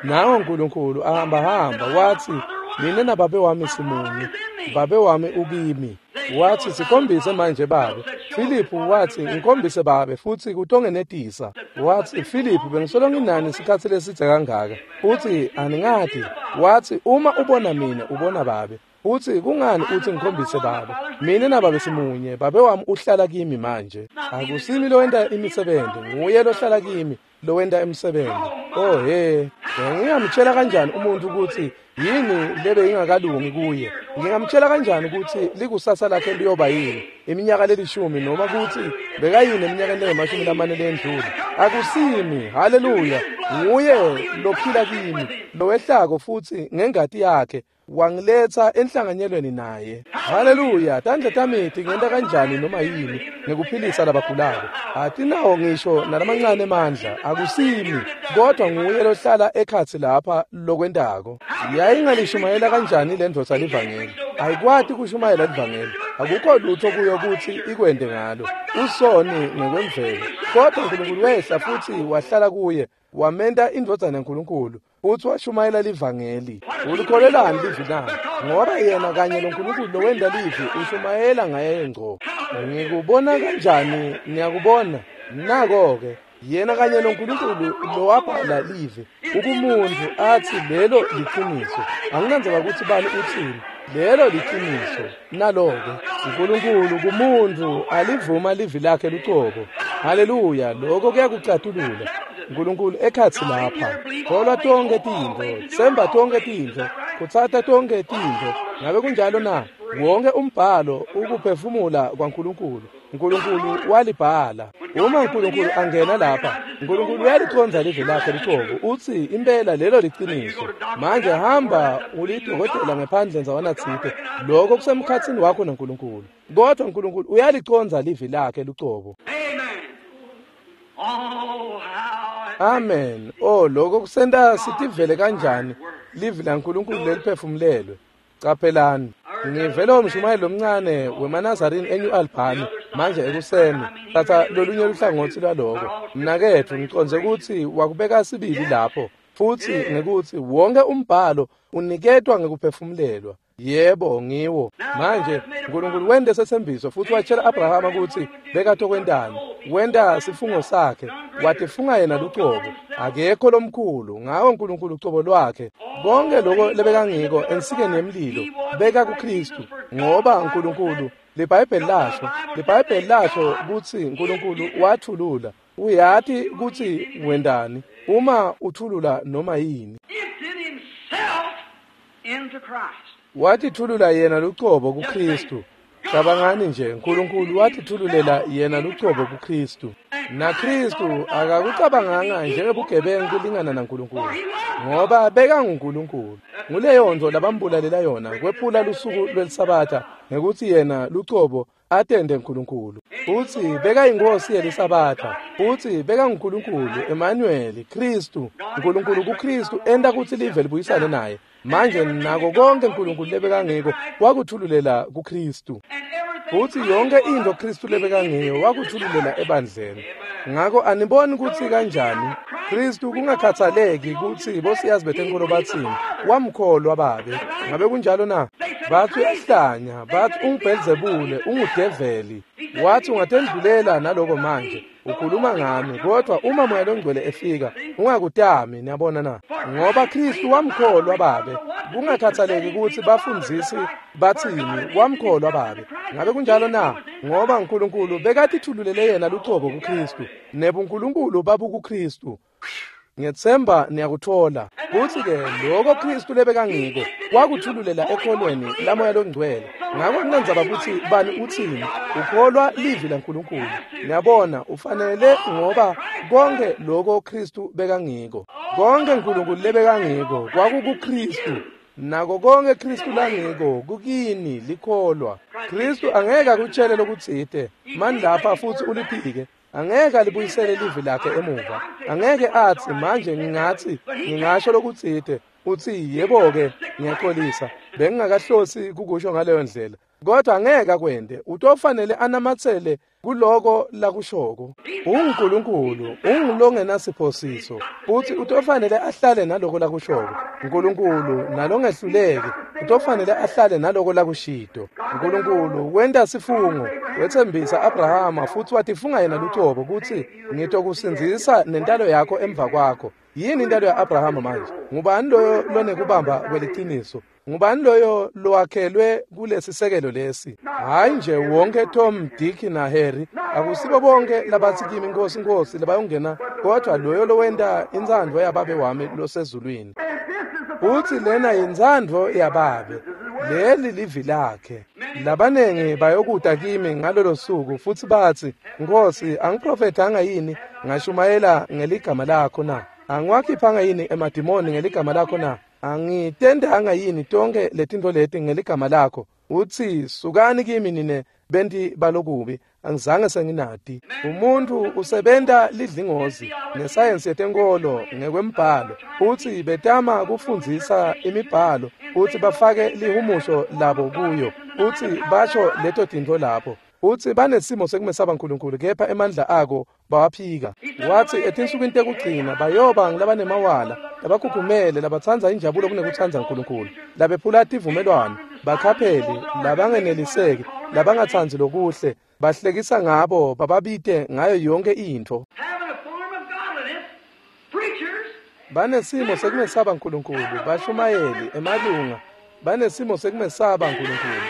A: Nawo uNkulunkulu ahamba wathi, mina nababe wami simunye, babe wami ukimi. Wathi sikhombise manje babe. Filiphu wathi ngikhombise babe futhi kutongenetisa. Wathi Filiphu, bengisolo nginani isikhatsi lesidze kangaka, futhi aningati. Wathi uma ubona mina ubona babe. Uthi kungani uthi ngikhombise babe? Mina nababe simunye, babe wami uhlala kimi manje. Akusimi lowenta imisebenzi, nguye lohlala kimi lowenta imisebenzi. Oh he, ngingamtshela kanjani umuntu ukuthi yini lebe ingakalungi kuye? Ngingamtshela kanjani ukuthi likusasa lakhe liyoba yini iminyaka lelishumi, noma ukuthi bekayini eminyakeni lengamashumi lamane lendlule? Akusimi, haleluya, nguye lophila kimi, lowehlako futhi ngengati yakhe wangiletha enhlanganyelweni naye. Haleluya. Tandla tami tingenta kanjani noma yini ngekuphilisa labagulako? Atinawo ngisho nalamancane emandla. Akusimi, kodwa nguye lohlala ekhatsi lapha lokwentako. Yayingalishumayela kanjani le ndvodza livangeli? Ayikwati kushumayela livangeli. Akukho lutho kuyo kutsi ikwente ngalo. Usoni ngekwemvelo. Kodwa uNkulunkulu wehla futsi wahlala kuye, wamenta indvodzana yaNkulunkulu, futsi washumayela livangeli. Ulikholelani livi na? Ngoba yena kanye loNkulunkulu lowenta livi ushumayela ngaye ngco. Ngikubona kanjani? Niyakubona? Nako-ke. Yena kanye loNkulunkulu lowabhala livi ukumuntu athi lelo liqiniso. Anginandzaba kutsi bani utsini, lelo liqiniso. Nalo-ke uNkulunkulu kumuntu alivuma livi lakhe lucobo. Haleluya, lokho kuyakucatulula. uNkulunkulu ekhatsi lapha. Kholwa tonkhe tintfo, tsemba tonkhe tintfo, kutsatsa tonkhe tintfo. Ngabe kunjalo na? Wonke umbhalo ukuphefumula kwaNkulunkulu. uNkulunkulu walibhala. Uma uNkulunkulu angena lapha, uNkulunkulu uyaliconza livi lakhe lucobo. Utsi impela lelo liqiniso. Manje hamba ulidokotela ngephandle ndzawana tsite. Lokho kusemkhatsini wakho naNkulunkulu. Kodwa uNkulunkulu uyaliconza livi lakhe lucobo. Amen. Oh, lokho kusenta sitivele kanjani livi laNkulunkulu leliphefumulelwe. Caphelani. Ngivele umshumayeli lomncane wemaNazarini eNew Albany manje ekuseni. Thatha lolunye luhlangotsi lwaloko. Mnaketfu, ngicondze kutsi wakubeka sibili lapho, futsi ngekutsi wonke umbhalo uniketwa ngekuphefumulelwa. Yebo, ngiwo. Manje uNkulunkulu wente setsembiso futsi watshela Abrahama kutsi bekatokwentani. Wenta sifungo sakhe, watifunga yena lucobo. Akekho lomkhulu ngawo uNkulunkulu ucobo lwakhe. Konke lokho lebekangiko ensikeni yemlilo beka kuKristu, ngoba uNkulunkulu liBhayibheli lasho kutsi uNkulunkulu wathulula. Uyati kutsi wendani uma uthulula noma yini. Watithulula yena lucobo kuKristu. Cabangani nje, uNkulunkulu watithululela yena lucobo kuKristu. NaKristu akakucabanganga njengebugebengu kulingana naNkulunkulu, ngoba bekanguNkulunkulu. Nguleyo nto labambulalela yona, kwephula lusuku lweliSabatha ngekutsi yena lucobo atende uNkulunkulu. Futsi bekayinkosi yeliSabatha, futsi bekanguNkulunkulu, Emmanuel, Kristu. uNkulunkulu kuKristu enta kutsi live libuyisane naye. Manje nako konke uNkulunkulu lebekangiko wakuthululela kuKristu. Futsi yonke intfo Kristu lebekangiyo wakuthululela ebandleni. Ngako aniboni kutsi kanjani Kristu kungakhathaleki kutsi bosiyazi betenkolo batsini, wamkholwa babe. Ngabe kunjalo na? Bathi uyahlanya, bathi unguBhelzebule, ungudeveli. Wathi ungatendlulela naloko manje. Ukhuluma ngami, kodwa uma Moya loNgcwele efika, ungakutami, niyabona na? Ngoba Kristu wamkholwa babe. Kungakhathaleki kutsi bafundzisi batsini, wamkholwa babe. Ngabe kunjalo na? Ngoba uNkulunkulu bekatithululele yena lucobo kuKristu, nebuNkulunkulu babukuKristu. Ngethemba niyakuthola. Kuthi-ke lokho Kristu lebekangiko wakuthululela ekholweni laMoya loNgcwele. Ngako kunendzaba kutsi bani utsini, ukholwa livi laNkulunkulu. Niyabona, ufanele, ngoba konke lokho Kristu bekangiko, konke uNkulunkulu lebekangiko kwakukuKristu. Nako konke Kristu langiko kukini likholwa. Kristu angeke akutshele lokutsite mani lapha futsi uliphike. Angeke alibuyisele livi lakhe emuva. Angeke atsi manje ngingatsi ngingasho lokutsite utsi yebo-ke ngiyaxolisa, bengingakahlosi kukusho ngaleyo ndlela. Kodwa angeke akwente, utofanele anamatsele kuloko lakushoko. UnguNkulunkulu, ungulongenasiphosiso, futsi utofanele ahlale naloko lakushoko. uNkulunkulu nalongehluleki, utofanele ahlale naloko lakushito. uNkulunkulu wenta sifungo, wetsembisa Abrahama futsi watifunga yena lucobo kutsi ngitokusindzisa nentalo yakho emva kwakho. Yini intalo ya-Abrahama manje? Ngubani loyo lonekubamba kweliciniso? Ngubani loyo lowakhelwe kulesisekelo lesi? Hayi nje wonke Tom, Dick na Harry, akusibo bonke labatsi kimi Nkosi Nkosi labayongena, kodwa loyo lowenta intsandvo yababe wami losezulwini. Futsi lena yintsandvo yababe, leli livi lakhe. Labanengi bayokuta kimi ngalolo suku futsi batsi, Nkosi, angiprofethanga yini ngashumayela ngeligama lakho na? Angiwakhiphanga yini emadimoni ngeligama lakho na? Angitendanga yini tonke letintfo leti ngeligama lakho? Utsi, sukani kimi nine benti balokubi, angizange senginati. Umuntu usebenta lidlingozi nesayensi yetenkolo ngekwembhalo, utsi betama kufundzisa imibhalo, utsi bafake lihumusho labo kuyo, utsi basho leto tintfo lapho. Utsi banesimo sekumesaba uNkulunkulu, kepha emandla ako bawaphika. Watsi etinsukwini tekugcina bayoba ngulabanemawala, labakhukhumele, labatsandza injabulo kunekutsandza uNkulunkulu, labephula tivumelwano, bakhapheli, labangeneliseki, labangatsandzi lokuhle, bahlekisa ngabo, bababite ngayo yonke intfo. Banesimo sekumesaba uNkulunkulu, bashumayeli, emalunga, banesimo sekumesaba uNkulunkulu,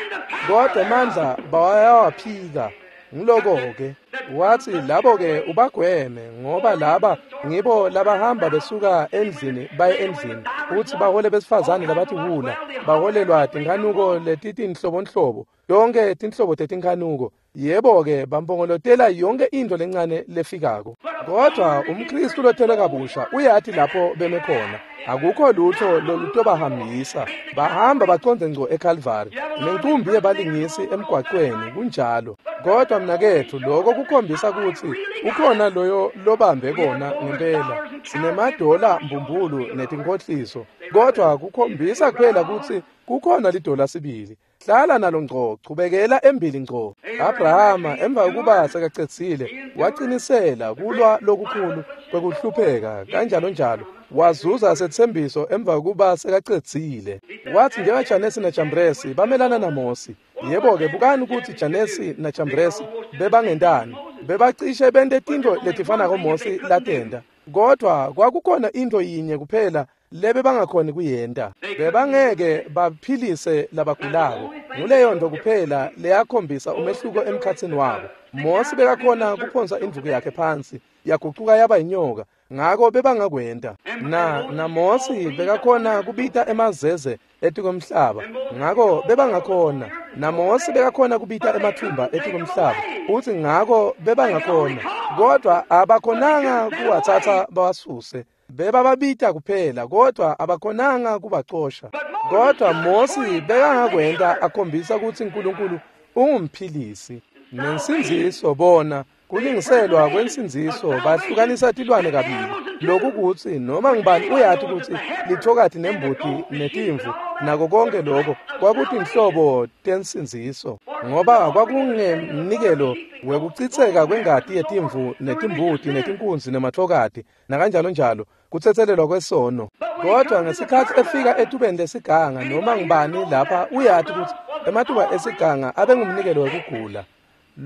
A: kodwa emandla bayawaphika. Ngiloko-ke wathi labo-ke ubagweme, ngoba laba ngibo labahamba besuka endlini baye endlini, uthi bahole besifazane labatiwula, baholelwa tinkhanuko letitinhlobonhlobo, tonke tinhlobo tetinkhanuko. Yebo-ke bampongolotela yonke intfo lencane lefikako. Kodwa umKristu lotelwe kabusha uyati lapho beme khona. Akukho lutho lolutobahambisa. Bahamba bacondze ngco eKalvari, nencumbi yebalingisi emgwaqweni, kunjalo. Kodwa mnaketfu, lokho kukhombisa kutsi ukhona loyo lobambe kona ngempela. Sinemadola mbumbulu netinkhohliso, kodwa kukhombisa kuphela kutsi kukhona lidola sibili. Hlala nalo ngco, chubekela embili ngco. Abrahama emva kokuba sekacedzile wacinisela kulwa lokukhulu kwekuhlupheka kanjalo njalo, wazuza setsembiso emva kokuba sekacedzile. Wathi njengaJanesi naJambresi bamelana naMosi. Yebo-ke, bukani kutsi Janesi naJambresi bebangentani. Bebacishe bente tintfo letifanako Mosi latenta, kodwa kwakukhona intfo yinye kuphela lebe bangakhoni kuyenta. Bebangeke baphilise labagulako. Nguleyo nto kuphela leyakhombisa umehluko emkhatsini wabo. Mosi bekakhona kuphonsa indvuku yakhe phansi, yagucuka yaba inyoka, ngako bebangakwenta. Na Mosi bekakhona kubita emazeze etikwemhlaba, ngako bebangakhona. Na Mosi bekakhona kubita emathumba etikwemhlaba, utsi ngako bebangakhona, kodwa abakhonanga kuwatsatsa bawasuse. Bebababita kuphela, kodwa abakhonanga kubacosha. Kodwa Mosi bekangakwenta, akhombisa kutsi uNkulunkulu ungumphilisi. Nensindziso bona kulingiselwa kwensindziso bahlukanisa tilwane kabili. Lokhu kutsi noma ngubani uyati kutsi lithokati nembuti netimvu nako konke lokho kwakutinhlobo tensindziso, ngoba kwakungemnikelo wekucitseka kwengati yetimvu netimbuti netinkunzi nemathokati nakanjalo njalo, kutsetselelwa kwesono. Kodwa ngesikhatsi efika etubeni lesiganga, noma ngubani lapha uyati kutsi ematuba esiganga abengumnikelo wekugula.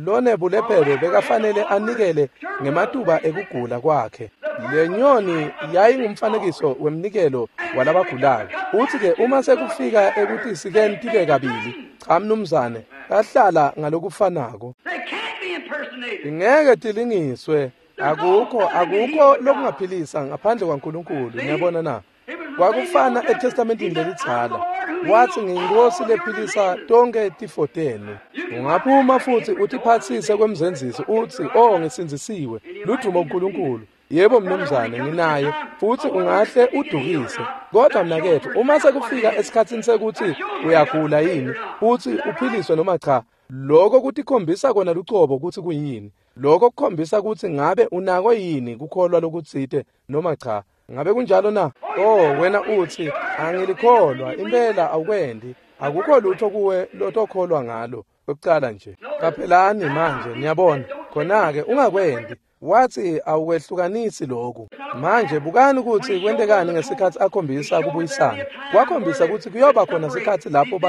A: Lonebulephelo bekafanele anikele ngematuba ekugula kwakhe. Le nyoni yayingumfanekiso wemnikelo walabagulako. Uthi-ke uma sekufika ekutisikeni tibe kabili, cha mnumzane, kahlala ngalokufanako. Ingeke tilingiswe. Akukho lokungaphilisa ngaphandle kwaNkulunkulu. Niyabona na? Kwakufana eTestamentini lelidzala. Wathi ngiyinkosi lephilisa tonke tifo tenu. Ungaphuma futhi utiphatsise kwemzenzisi uthi, oh ngisindzisiwe, ludumo kuNkulunkulu. Yebo mnumzane, nginaye, futhi ungahle udukise. Kodwa mnaketfu, uma sekufika esikhatsini sekuthi uyagula yini, uthi uphiliswe noma cha, lokho kutikhombisa kona lucobo kutsi kuyini. Lokho kukhombisa kutsi ngabe unako yini kukholwa lokutsite noma cha. Ngabe kunjalo na? Oh, wena uthi angilikholwa, impela awukwendi. Akukho lutho kuwe lotokholwa ngalo kwekucala nje. Qaphelani manje, niyabona. Khona-ke ungakwendi. Wathi awukwehlukanisi lokhu. Manje bukani ukuthi kwentekani ngesikhatsi akhombisa kubuyisana. Kwakhombisa ukuthi kuyoba khona sikhatsi lapho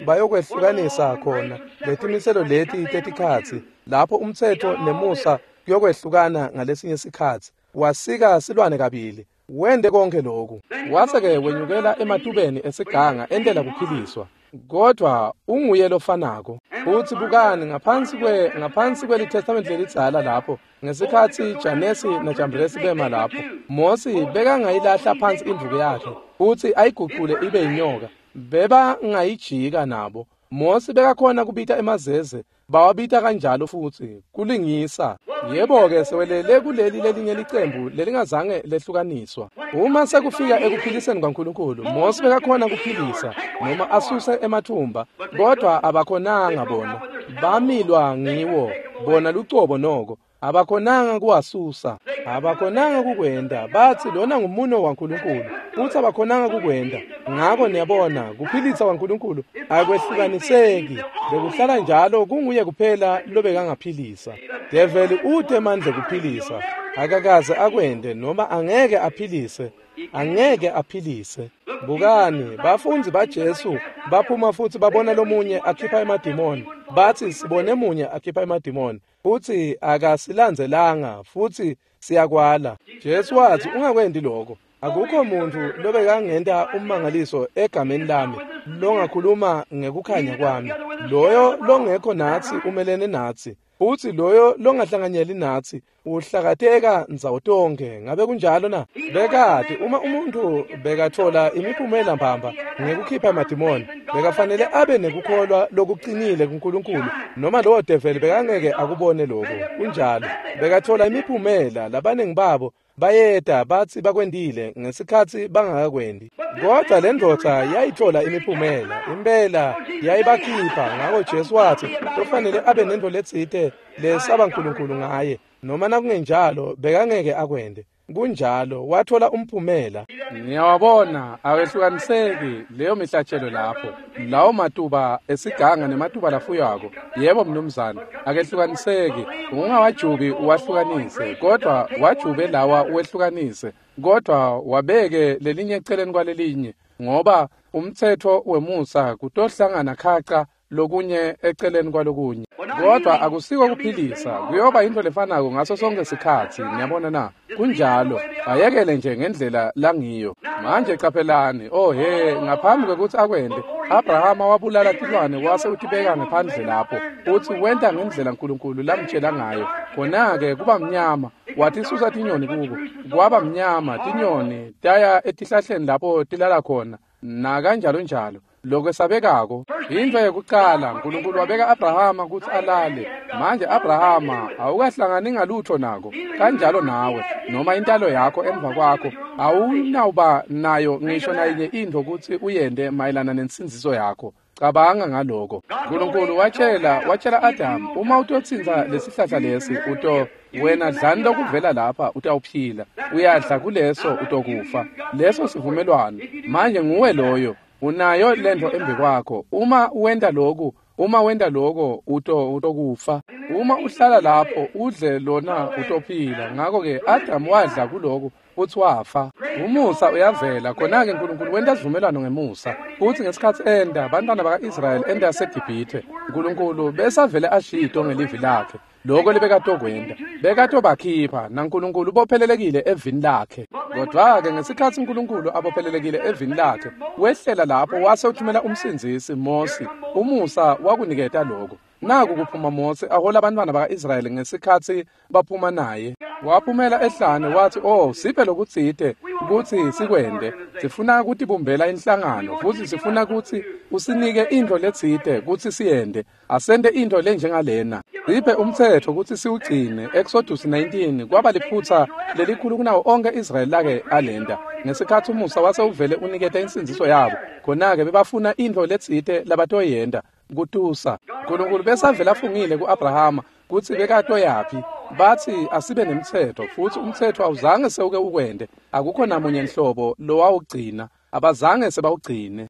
A: bayokwehlukanisa khona letimiselo leti tetikhatsi, lapho umtsetfo nemusa kuyokwehlukana ngalesinye sikhatsi. Wasika silwane kabili, wente konke lokhu. Wase-ke wenyukela ematubeni esiganga entela kuphiliswa. Kodwa unguye lofanako. Uthi bukani ngaphansi kweliTestament lelidzala lapho ngesikhatsi Janesi naJambresi bema lapho, Mosi bekangayilahla phansi indvuku yakhe uthi ayigucule ibe inyoka. Bebangayijika nabo. Mosi bekakhona kubita emazeze, bawabita kanjalo futhi kulingisa. Yebo-ke sewelele kuleli lelinye licembu lelingazange lehlukaniswa. Uma sekufika ekuphiliseni kwaNkulunkulu, Mosi bekakhona kuphilisa noma asuse emathumba, kodwa abakhonanga bona. Bamilwa ngiwo bona lucobo noko. Abakhonanga kuwasusa, abakhonanga kukwenta. Batsi lona ngumuno waNkulunkulu, futsi abakhonanga kukwenta. Ngako niyabona, kuphilisa kwaNkulunkulu akwehlukaniseki. Bekuhlala njalo kunguye kuphela lobekangaphilisa. Develi ute emandla ekuphilisa, akakaze akwente noma angeke aphilise. Angeke aphilise. Bukani, bafundzi baJesu baphuma futsi babona lomunye akhipha emadimoni. Batsi sibone munye akhipha emadimoni, futsi akasilandzelanga, futsi siyakwala. Jesu watsi ungakwenti lokho. Akukho muntfu lobekangenta ummangaliso egameni lami longakhuluma ngekukhanya kwami. Loyo longekho natsi umelene natsi, futsi loyo longahlanganyeli natsi uhlakateka ndzawo tonkhe. Ngabe kunjalo na? Bekati uma umuntfu bekatfola imiphumela mbamba ngekukhipha emadimoni, bekafanele abe nekukholwa lokucinile kuNkulunkulu, noma lowo develi bekangeke akubone lokho. Kunjalo, bekatfola imiphumela. Labaningi babo bayeta batsi bakwentile ngesikhatsi bangakakwendi. Kodwa le ndvodza yayitfola imiphumela, impela yayibakhipha. Ngako Jesu watsi kufanele abe nentfo letsite lesaba Nkulunkulu ngaye, noma nakungenjalo bekangeke akwente. Kunjalo, watfola umphumela. Niyawabona, awehlukaniseki leyo mihlatshelo lapho. Lawo matuba esiganga nematuba lafuywako. Yebo mnumzane, akehlukaniseki. Ungawajubi uwahlukanise, kodwa wajube lawa uwehlukanise, kodwa wabeke lelinye eceleni kwalelinye, ngoba umtsetfo wemusa kutohlangana khaca lokunye eceleni kwalokunye. Kodwa akusiko kuphilisa, kuyoba into lefanako ngaso sonke sikhatsi. Niyabona na? Kunjalo, ayekele nje ngendlela langiyo. Manje caphelani, oh he, ngaphambi kwekutsi akwente, Abrahama wabulala tilwane wase utibeka ngephandle lapho, futsi wenta ngendlela Nkulunkulu lamtjela ngayo. Khona-ke kuba mnyama, watisusa tinyoni kuko, kwaba mnyama, tinyoni taya etihlahleni lapho tilala khona, nakanjalo njalo. Lokwesabekako, intfo yekucala, Nkulunkulu wabeka Abrahama kutsi alale. Manje Abrahama awukahlangani ngalutho nako, kanjalo nawe, noma intalo yakho emva kwakho, awunawuba nayo ngisho nayinye intfo kutsi uyente mayelana nensindziso yakho. Cabanga ngaloko. Nkulunkulu watshela Adamu, uma utotsintsa lesihlahla lesi, uto wena dlani lokuvela lapha utawuphila. Uyadla kuleso utokufa. Leso sivumelwano. Manje nguwe loyo. Unayo lento embi kwakho. Uma wenta lokhu, uma wenta lokho, utokufa. Uma uhlala lapho udle lona utophila. Ngakho-ke Adamu wadla kulokhu futsi wafa. Umusa uyavela. Khona-ke Nkulunkulu wenta sivumelwano ngemusa. Futsi ngesikhatsi enta bantwana baka-Israyeli enta yaseGibhithe, Nkulunkulu besavele ashito ngelivi lakhe lokho lebekatokwenta. Bekatobakhipha, naNkulunkulu ubophelelekile evini lakhe. Kodwa-ke ngesikhatsi Nkulunkulu abophelelekile evini lakhe, wehlela lapho wase uthumela umsindzisi Mosi. Umusa wakuniketa lokho. Naku kuphuma Mosi ahola abantwana baka-Israyeli ngesikhatsi baphuma naye. Waphumela ehlane wathi, oh, siphe lokutsite kutsi sikwente. Sifuna kutibumbela inhlangano, futsi sifuna kutsi usinike intfo letsite kutsi siyente. Asente intfo lenjengalena. Siphe umtsetfo kutsi siwugcine. Exodus 19 kwaba liphutsa lelikhulu kunawo onke Israyeli lake alenta. Ngesikhatsi umusa wase uvele uniketa insindziso yabo, khona-ke bebafuna intfo letsite labatoyenta. Kutusa. Nkulunkulu besavele afungile ku-Abrahama kutsi bekatoyaphi. Batsi asibe nemtsetfo, futsi umtsetfo awuzange sewuke ukwente. Akukho namunye nhlobo lowawugcina. Abazange sebawugcine.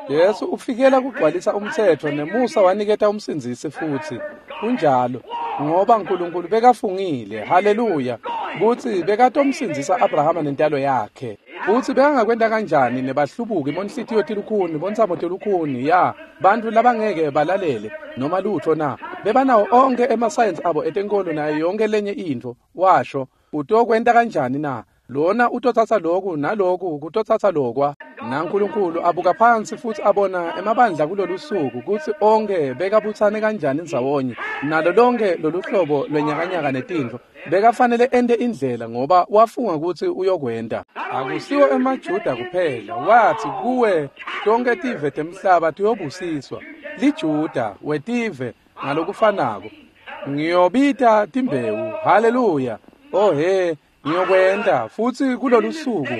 A: Jesu ufikela kugcwalisa umtsetfo, nemusa waniketa umsindzisi futsi. Kunjalo, ngoba Nkulunkulu bekafungile, haleluya, kutsi bekatomsindzisa Abrahama nentalo yakhe. Futsi bekangakwenta kanjani nebahlubuki bonhlitiyo tilukhuni, bontsamo tilukhuni, ya, bantfu labangeke balalele noma lutho na? Bebanawo onke emasayensi abo etenkolo nayo yonke lenye intfo. Washo, utokwenta kanjani na? Lona utotsatsa loku naloku kutotsatsa lokwa. NaNkulunkulu abuka phansi futsi abona emabandla kulolu suku kutsi onke bekabutsane kanjani ndzawonye nalo lonke lolu hlobo lwenyakanyaka netintfo. Bekafanele ente indlela ngoba wafunga kutsi uyokwenta. Akusiwo emaJuda kuphela. Watsi kuwe tonke tive temhlaba tiyobusiswa. LiJuda wetive ngalokufanako. Ngiyobita timbewu. Haleluya. Oh he, ngiyokwenta futsi kulolu suku.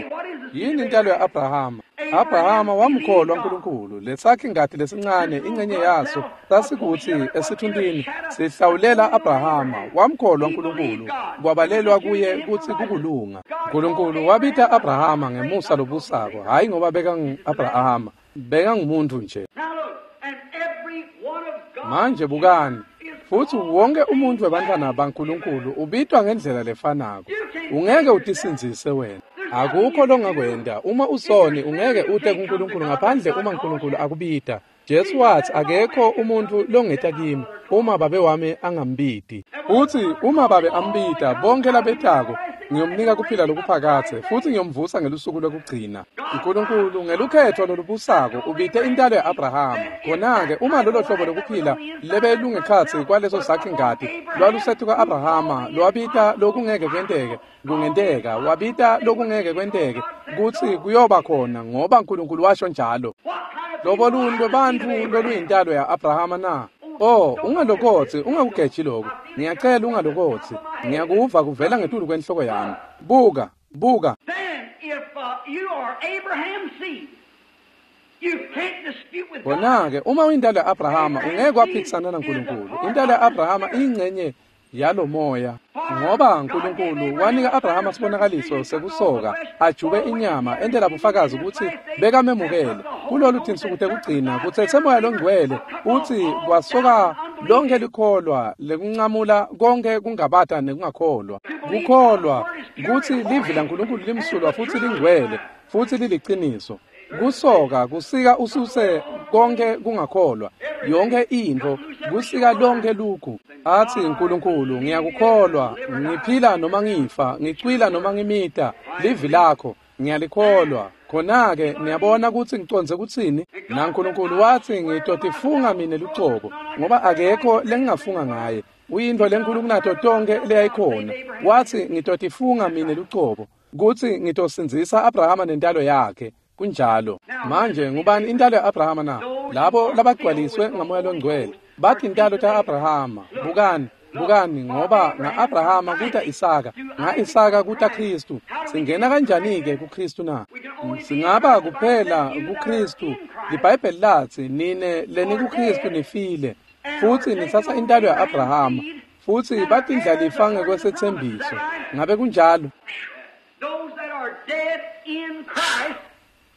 A: Yini intalo ya-Abrahama? Abrahama wamkholwa uNkulunkulu. Lesakhi ngati lesincane ingcenye yaso sasikutsi esithuntini sihlawulela Abrahama. Wamkholwa uNkulunkulu, kwabalelwa kuye kutsi kukulunga. uNkulunkulu wabita Abrahama ngemusa lobusako, hhayi ngoba bekangu-Abrahama, bekangumuntu nje. Manje bukani, futsi wonke umuntu webantfwana baNkulunkulu ubitwa ngendlela lefanako. Ungeke utisindzise wena. Akukho longakwenta. Uma usoni ungeke ute kuNkulunkulu ngaphandle uma uNkulunkulu akubita. Jesu watsi akekho umuntfu longeta kimi uma babe wami angambiti. Futsi uma babe ambita bonke labetako ngiyomnika kuphila lokuphakadze futsi ngiyomvusa ngelusuku lwekugcina. uNkulunkulu ngelukhetho lolubusako ubite intalo ya-Abrahama. Khona-ke uma lolo hlobo lokuphila lebelungekhatsi kwaleso sakhi ngati lwalusetu ka-Abrahama lwabita lokungeke kwenteke kungenteka, wabita lokungeke kwenteke kutsi kuyoba khona ngoba uNkulunkulu washo njalo. Lobo luni lwebantfu loluyintalo ya-Abrahama na? Oh, ungalokotsi, ungakugeji lokhu. Ngiyacela ungalokotsi. Ngiyakuva kuvela ngetulu kwenhloko yami. Buka, buka. Khona-ke uma uyintalo ya-Abrahama ungeke waphikisana naNkulunkulu. Intalo ya-Abrahama iyingcenye yalomoya, ngoba uNkulunkulu wanika Abrahama sibonakaliso sekusoka, ajube inyama entela bufakazi ukuthi bekamemukele. Kulolu tinsuku tekugcina kutsetse moya longcwele utsi kwasoka lonke likholwa lekuncamula konke kungabata nekungakholwa. Kukholwa kutsi livi laNkulunkulu limsulwa futsi lingcwele futsi liliciniso. Kusoka kusika ususe konke kungakholwa, yonke intfo kusika lonke lugu. Athi uNkulunkulu ngiyakukholwa, ngiphila noma ngifa, ngicwila noma ngimita, livi lakho ngiyalikholwa. Khona-ke niyabona kutsi ngicondze kutsini? NaNkulunkulu watsi ngitotifunga mine lucobo, ngoba akekho lengingafunga ngaye. Uyintfo lenkulu kunato tonke leyayikhona. Watsi ngitotifunga mine lucobo kutsi ngitosindzisa Abrahama nentalo yakhe. Kunjalo. Manje ngubani intalo ya-Abrahama na? Labo labagcwaliswe ngamoya longcwele bathi intalo ta-Abrahama. Bukani, bukani, ngoba nga-Abrahama kuta Isaka, nga-Isaka kuta Khristu. Singena kanjani-ke kuKhristu na? Singaba kuphela kuKhristu. LiBhayibheli latsi nine lenikuKhristu nifile, futsi nitsatsa intalo ya-Abrahama, futsi batindlalifa ngekwesetsembiso. Ngabe kunjalo?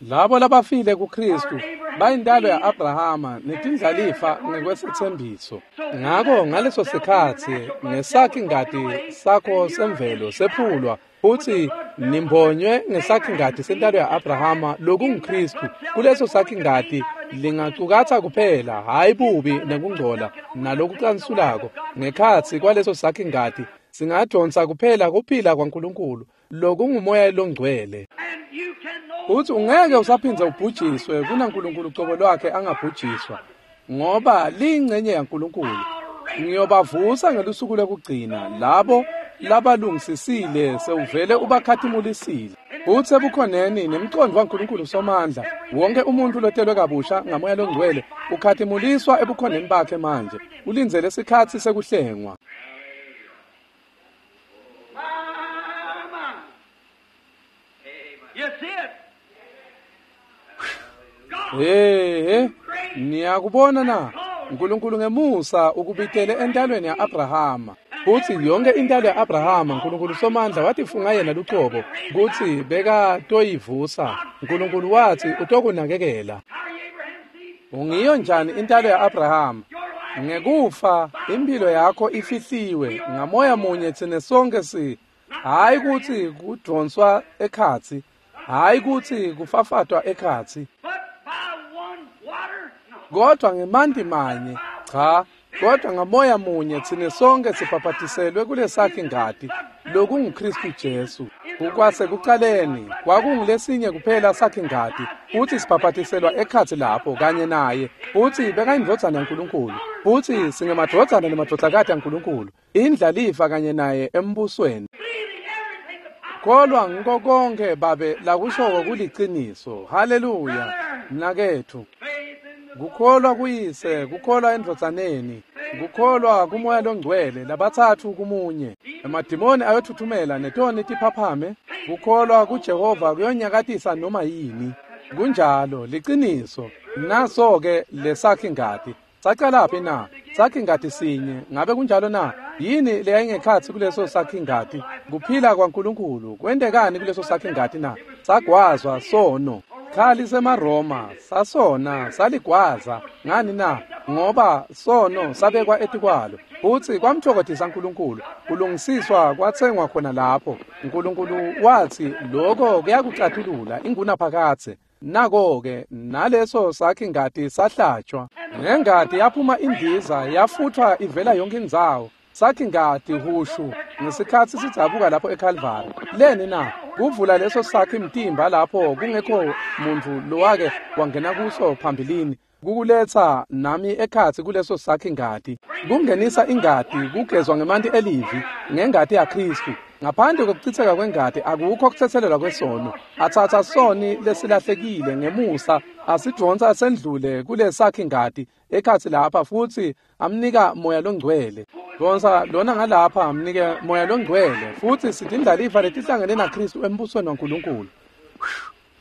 A: Labo labafile kuKhristu bayintalo ya-Abrahama netindlalifa ngekwesethembiso. Ngako ngaleso sikhatsi ngesakhi ngati sakho semvelo sephulwa futsi nimbonywe ngesakhi ngati sentalo ya-Abrahama lokunguKhristu. Kuleso sakhi ngati lingacukatsa kuphela hhayi bubi nekungcola nalokucansulako. Ngekhatsi kwaleso sakhi ngati singadonsa kuphela kuphila kwaNkulunkulu lokungumoya longcwele. Uthi ungeke usaphindze ubhujiswe kunaNkulunkulu cobo lwakhe angabhujiswa, ngoba liyingcenye yaNkulunkulu. Ngiyobavusa ngelusuku lokugcina labo labalungisisile sewuvele ubakhatimulisile. Uthe ebukhoneni nemcondvo waNkulunkulu Somandla, wonke umuntu lotelwe kabusha ngamoya longcwele ukhatimuliswa ebukhoneni bakhe manje, ulindzele sikhatsi sekuhlengwa. Hey, niyakubona na? uNkulunkulu ngemusa ukubitele entalweni ya-Abrahama. Futsi yonke intalo ya-Abrahama uNkulunkulu Somandla watifunga yena lucobo kutsi bekatoyivusa. uNkulunkulu watsi utokunakekela. Ungiyo njani intalo ya-Abrahama? Ngekufa impilo yakho ifihliwe ngamoya munye tsine sonke si. Hhayi kutsi kudonswa ekhatsi, hhayi kutsi kufafatwa ekhatsi, kodwa ngemanti manye, cha, kodwa ngamoya munye tsine sonke sibhabhatiselwe kulesakhi ngati lokunguKhristu Jesu. Kukwasekucaleni kwakungulesinye kuphela sakhi ngati, futsi sibhabhatiselwa ekhatsi lapho kanye naye, futsi bekayindvodzana yaNkulunkulu, futsi singemadvodzana nemadvodzakati aNkulunkulu, indlalifa kanye naye embusweni. Kholwa ngiko konke babe lakushoko kuliciniso. Haleluya, mnaketfu. Kukholwa kuyise, kukholwa endvodzaneni, kukholwa kumoya longcwele, labatsatfu kumunye. Emadimoni ayothuthumela netoni tiphaphame. Kukholwa kuJehova kuyonyakatisa noma yini. Kunjalo, liciniso. Naso-ke lesakhi ngati. Sacalaphi na? Sakhi ngati sinye. Ngabe kunjalo na? Yini leyayingekhatsi kuleso sakhi ngati? Kuphila kwaNkulunkulu. Kwentekani kuleso sakhi ngati na? Sagwazwa sono. Khali semaRoma sasona saligwaza. Ngani na? Ngoba sono sabekwa etikwalo. Futsi kwamthokothisa uNkulunkulu. Kulungisiswa kwatsengwa khona lapho. uNkulunkulu wathi lokho kuyakucatulula ingunaphakadze. Nako-ke naleso sakhi ngati sahlatshwa. Ngengati yaphuma indiza yafuthwa ivela yonke indzawo. Sakhi ngati hushu ngesikhatsi sidzabuka lapho eCalvary. Leni na? Kuvula leso sakhi mtimba lapho kungekho muntfu lowake wangena kuso phambilini. Kukuletsa nami ekhatsi kuleso sakhi ngati. Kungenisa ingati kugezwa ngemanti elivi ngengati yaKhristu. Ngaphandle kokuchitheka kwengati akukho kuthethelelwa kwesono. Atsatsa soni lesilahlekile ngemusa asidvonsa sendlule kulesakhi ngati ekhatsi lapha futsi amnika moya longcwele. Dvonsa lona ngalapha amnike moya longcwele futsi sitindlalifa letihlangene naKhristu embusweni waNkulunkulu.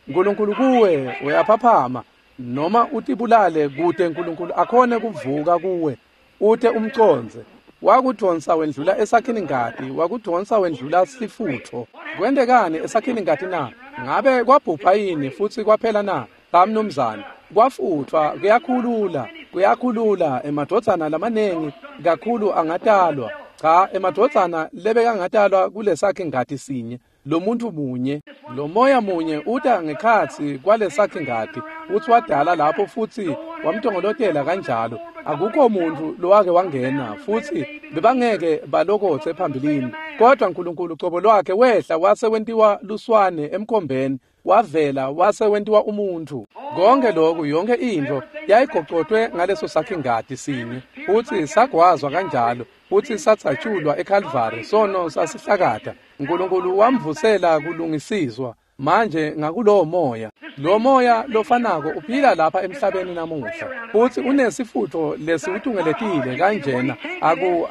A: Nkulunkulu kuwe uyaphaphama noma utibulale kute Nkulunkulu akhone kuvuka kuwe ute umcondze. Wakudvonsa wendlula esakhini ngati, wakudvonsa wendlula sifutfo. Kwentekani esakhini ngati na? Ngabe kwabhubha yini futsi kwaphela na? Cha mnumzane. Kwafutfwa kuyakhulula, kuyakhulula emadvodzana lamanengi kakhulu angatalwa. Cha, emadvodzana lebekangatalwa kulesakhi ngati sinye. Lo muntu munye, lo moya munye uta ngekhatsi kwalesakhi ngati, futsi wadala lapho futsi wamtongolotela kanjalo. Akukho muntfu lowake wangena futsi bebangeke balokotse phambilini. Kodwa Nkulunkulu cobo lwakhe wehla wase wentiwa luswane emkhombeni, wavela wase wentiwa umuntfu. Konke lokhu, yonke intfo yayigocotwe ngaleso sakhi ngati sinye, futsi sagwazwa kanjalo, futsi satsatshulwa eCalvary. Sono sasihlakata. Nkulunkulu wamvusela kulungisiswa. Manje ngakulowo moya, lo moya lofanako uphila lapha emhlabeni namuhla, futsi unesifutfo lesiwutungeletile kanjena.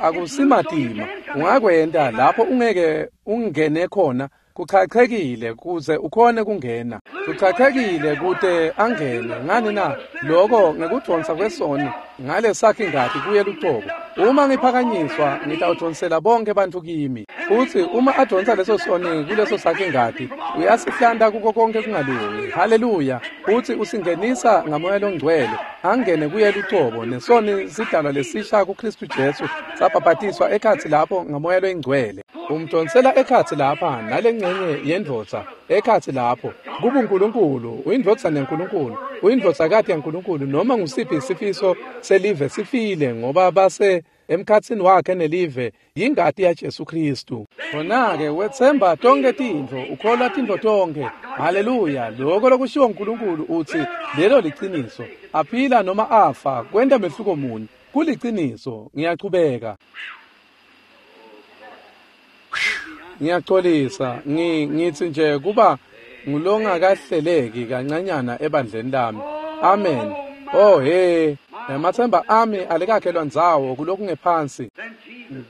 A: Akusimatima. Ungakwenta lapho ungeke ungene khona. Kuchachekile kuze ukhone kungena. Kuchachekile kute angene. Ngani na? Lokho ngekudvonsa kwesoni ngalesakhi ngati kuye lucobo. Uma ngiphakanyiswa ngitawudvonsela bonke bantfu kimi. Futsi uma advonsa leso soni kuleso sakhi ngati, uyasihlanta kuko konke kungalungi. Haleluya. Futsi usingenisa ngamoya longcwele angene kuye lucobo, nesoni sidalwa lesisha kuKhristu Jesu sabhabhatiswa ekhatsi lapho ngamoya loyingcwele. Umdonsela ekhatsi lapha nalengcenye yendvodza ekhatsi lapho kubuNkulunkulu. Uyindvodzana yaNkulunkulu, uyindvodzakati yaNkulunkulu. Noma ngusiphi sifiso selive sifile, ngoba base emkhatsini wakhe nelive yingati yaJesu Khristu. Khona-ke wetsemba tonke tintfo, ukholwa tintfo tonke. Haleluya. Lokho lokushiwo uNkulunkulu utsi lelo liciniso. Aphila noma afa kwenta mehluko muni? Kuliciniso. Ngiyachubeka. Ngiyaxolisa, ngithi nje kuba ngulongakahleleki kancanyana ebandleni lami. Amen. Oh he, emathemba ami alikakhelwa ndzawo kulokungephansi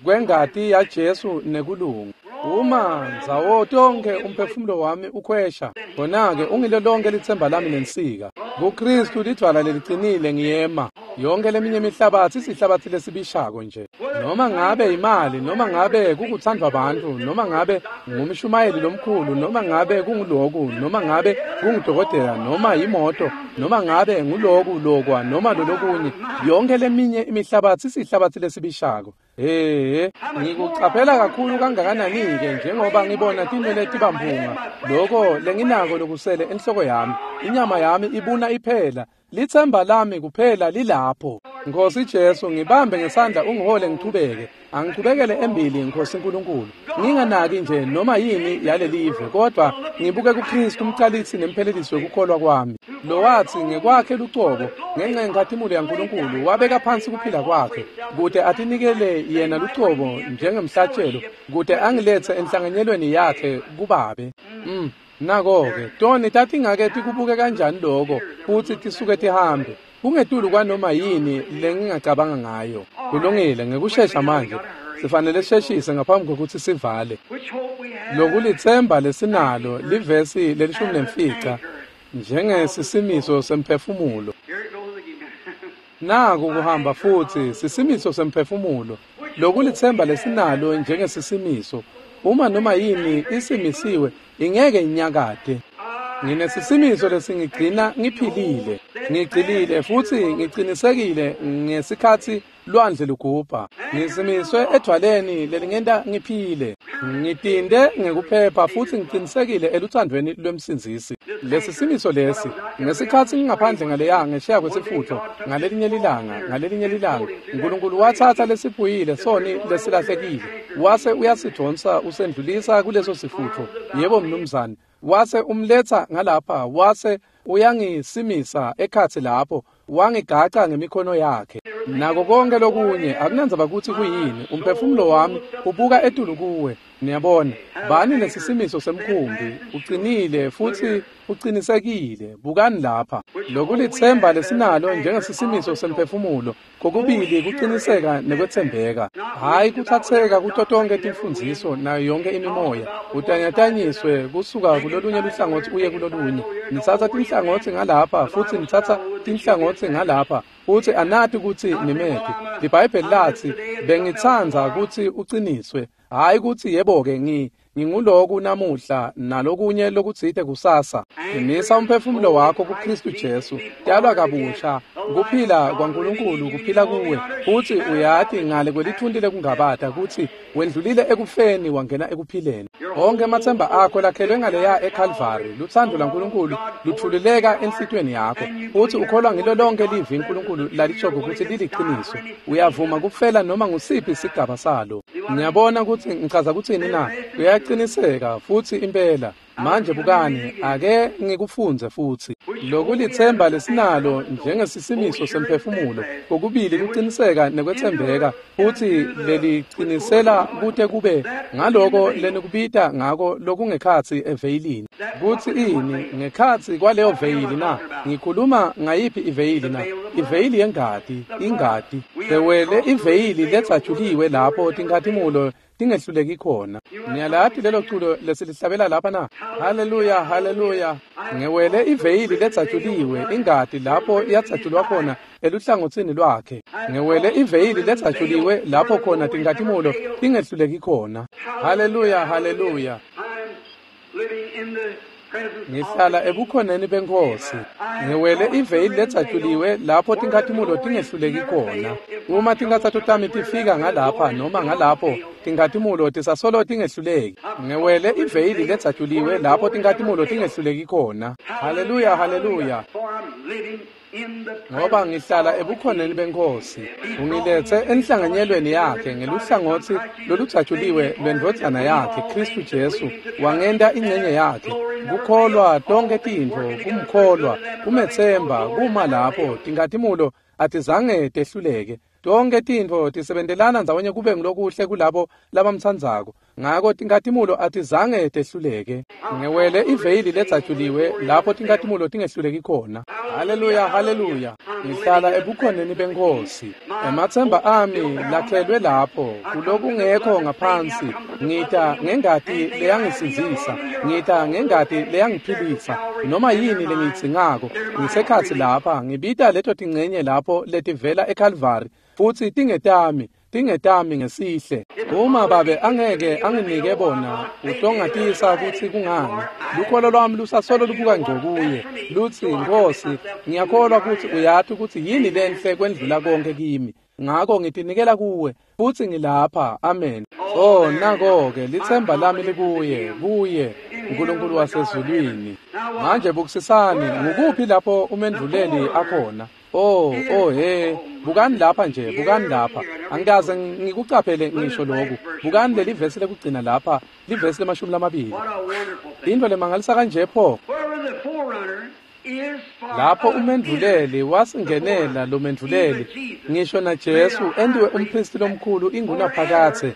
A: kwengati yaJesu nekulunga. Uma ndzawo tonke umphefumulo wami ukhwesha, khona-ke ungilo lonke litsemba lami nensika. KuKhristu lidvwala lelicinile ngiyema. Yonke leminye imihlabatsi isihlabatsi lesibishako nje. Noma ngabe imali, noma ngabe kukuthandwa bantfu, noma ngabe ngumshumayeli lomkhulu, noma ngabe kunguloku, noma ngabe kungudokotela, noma yimoto, noma ngabe nguloku lokwa noma lolokunye, yonke leminye imihlabatsi isihlabatsi lesibishako. Hey, ngikucaphela kakhulu kangakanani-ke njengoba ngibona tinwele tibamphunga, loko lenginako lokusele enhloko yami, inyama yami ibuna iphela, litsemba lami kuphela lilapho. Nkosi Jesu, ngibambe ngesandla ungihole ngichubeke. Angichubekele embili Nkosi Nkulunkulu. Nginganaki nje noma yini yalelive, kodwa ngibuke kuKhristu umcalisi nemphelelisi wekukholwa kwami. Lo wathi ngekwakhe lucobo ngenxa yenkhatimulo yaNkulunkulu wabeka phansi kuphila kwakhe kute atinikele yena lucobo njengemhlatshelo kute angilethe enhlanganyelweni yakhe kubabe. Nako-ke toni tatingake tikubuke kanjani lokho futsi tisuke tihambe. Kungetulu kwanoma yini lengingacabanga ngayo. Kulungile, ngekushesha manje sifanele sisheshise ngaphambi kokuthi sivale. Lokulitsemba lesinalo livesi lelishumi nemfica. njengesisimiso semphefumulo. Naku kuhamba futhi sisimiso semphefumulo, lokulitsemba lesinalo njengesisimiso. Uma noma yini isimisiwe, ingeke inyakade. Nginesisimiso lesingigcina ngiphilile, ngigcilile futhi ngicinisekile ngesikhathi lwandle lugubha. Ngisimiswe edwaleni lelingenta ngiphile, ngitinde ngekuphepha futhi ngicinisekile eluthandweni lwemsindzisi. Lesi simiso lesi, ngesikhathi ngingaphandle ngaleya ngesheya kwesifutho, ngalelinye lilanga, uNkulunkulu wathatha lesiphuyile soni lesilahlekile, wase uyasidonsa usendlulisa kuleso sifutho. Yebo mnumzane, wase umletha ngalapha, wase uyangisimisa ekhatsi lapho, wangigaca ngemikhono yakhe. Nako konke lokunye akunandzaba kutsi kuyini, umphefumulo wami ubuka etulu kuwe. Niyabona, bani nesisimiso semkhumbi, uqinile futhi uqinisekile. Bukani lapha, lokulitsemba lesinalo njengesisimiso semphefumulo, kokubili kuqiniseka nekwetsembeka. Hayi kuthatheka kuto tonke timfundziso nayo yonke imimoya, utanyatanyiswe kusuka kulolunye luhlangotsi uye kulolunye. Nitsatsa tinhlangotsi ngalapha futhi nitsatsa tinhlangotsi ngalapha, futhi anati kutsi nimephi. IBhayibheli lathi, bengitsandza kutsi uqiniswe, hayi kutsi yebo-ke nginguloku namuhla nalokunye lokutsite kusasa. Qinisa umphefumulo wakho kuKristu Jesu, talwa kabusha, kuphila kwaNkulunkulu kuphila kuwe, futhi uyati ngale kwelithunti lekungabata kutsi wendlulile ekufeni wangena ekuphileni. Onke ematsemba akho lakhelwe ngaleya eKalvari, luthando lwaNkulunkulu luthululeka enhlitiyweni yakho, futhi ukholwa ngilo lonke livi uNkulunkulu lalishoko kutsi liliqiniso. Uyavuma kufela noma ngusiphi isigaba salo. Ngiyabona kutsi ngichaza kutsini na? Uyaqiniseka futhi impela. Manje bukani, ake ngikufundze futhi. Lokulitsemba lesinalo njengesisimiso semphefumulo, kokubili kuqiniseka nekwetsembeka, futhi leliqinisela kute kube ngaloko lenikubita ngako lokungekhatsi eveyilini. Kutsi ini ngekhatsi kwaleyo veyili na? Ngikhuluma ngayiphi iveyili na? Iveyili yengati, ingati. Sewele iveyili letsajuliwe lapho tinkhatimulo tingehluleki khona. Niyalati lelo culo lesilihlabela lapha na? Haleluya, haleluya. Ngewele iveyili letsajuliwe, ingati lapho iyatsatjulwa khona eluhlangotsini lwakhe. Ngewele iveyili letsajuliwe lapho khona tinkhatimulo tingehluleki khona. Haleluya, haleluya. Ngihlala ebukhoneni benkosi. Ngewele iveyili letsajuliwe lapho tinkhatimulo tingehluleki khona. Uma tinkhatsato tami tifika ngalapha noma ngalapho, tinkhatimulo tisasolo tingehluleki. Ngewele iveyili letsajuliwe lapho tinkhatimulo tingehluleki khona. Haleluya, haleluya. Ngoba ngihlala ebukhoneni benkosi. Ungilethe enhlanganyelweni yakhe ngeluhlangotsi lolutsajuliwe lwendvodzana yakhe Kristu Jesu, wangenta ingcenye yakhe. Kukholwa tonke tintfo, kumkholwa, kumetsemba, kuma lapho tinkhatimulo atizange tehluleke. Tonke tintfo tisebentelana ndzawonye kube ngulokuhle kulabo labamtsandzako. Ngako tinkhatimulo atizange tehluleke. Ngewele iveyili letsajuliwe lapho tinkhatimulo tingehluleki khona. Haleluya, haleluya. Ngihlala ebukhoneni benkosi. Ematsemba ami lakhelwe lapho, kulokungekho ngaphansi. Ngita ngengati leyangisindzisa, ngita ngengati leyangiphilisa. Noma yini lengiyidzingako, ngisekhatsi lapha, ngibita leto tingcenye lapho letivela eKalvari, futhi tingetami. Tingetami ngesihle. Uma babe angeke anginike bona, utongatisa kutsi kungani. Lukholo lwami lusasolo lubuka ngco kuye. Lutsi, Nkosi, ngiyakholwa kutsi uyati kutsi yini lenhle kwendlula konke kimi. Ngako ngitinikela kuwe, futhi ngilapha. Amen. Oh, nako-ke, litsemba lami likuye, kuye, uNkulunkulu wasezulwini. Manje bukisisani, ngukuphi lapho umendvuleli akhona? Oh, oh he, bukani lapha nje, bukani lapha. Angikaze ngikucaphele ngisho lokhu. Bukani leli vesi lekugcina lapha, livesi le-20. Into lemangalisa kanje pho. Lapho umendvuleli wasingenela lo mendvuleli, ngisho na Jesu entiwe umpristi lomkhulu ingunaphakadze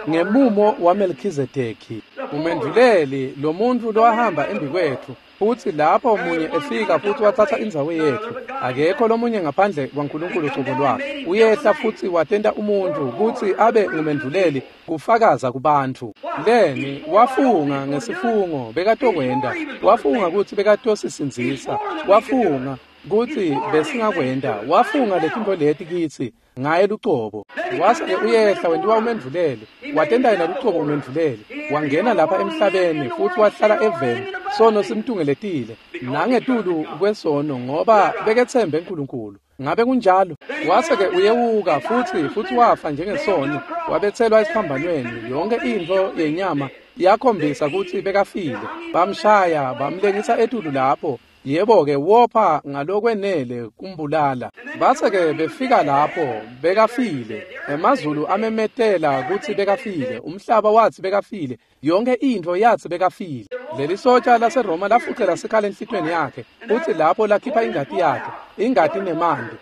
A: ngemumo waMelkhizedeki. Umendvuleli, lo muntfu lowahamba embikwetfu, futsi lapho munye efika futsi watsatsa indzawo yetfu. Akekho lomunye ngaphandle kwaNkulunkulu cobo lwakhe. Uyehla futsi watenta umuntfu kutsi abe ngumendvuleli kufakaza kubantfu. Leni wafunga ngesifungo bekatokwenta, wafunga kutsi bekatosisindzisa, wafunga kutsi besingakwenta, wafunga letintfo leti kitsi ngaye lucobo. Wase-ke uyehla wentiwa umendvuleli, watenta yena lucobo umendvuleli, wangena lapha emhlabeni futsi wahlala eveni, sono simtungeletile, nangetulu kwesono ngoba beketsembe uNkulunkulu. Ngabe kunjalo? Wase-ke uyewuka futsi wafa njengesoni, wabetselwa esiphambanweni. Yonke intfo yenyama yakhombisa kutsi bekafile. Bamshaya, bamlengisa etulu lapho. Yebo-ke wopha ngalokwenele kumbulala. Base-ke befika lapho bekafile. Emazulu amemetela kutsi bekafile. Umhlaba watsi bekafile. Yonke intfo yatsi bekafile. Leli sotsha laseRoma lafucela sikhala enhlitiyweni yakhe, futsi lapho lakhipha ingati yakhe, ingati nemanti,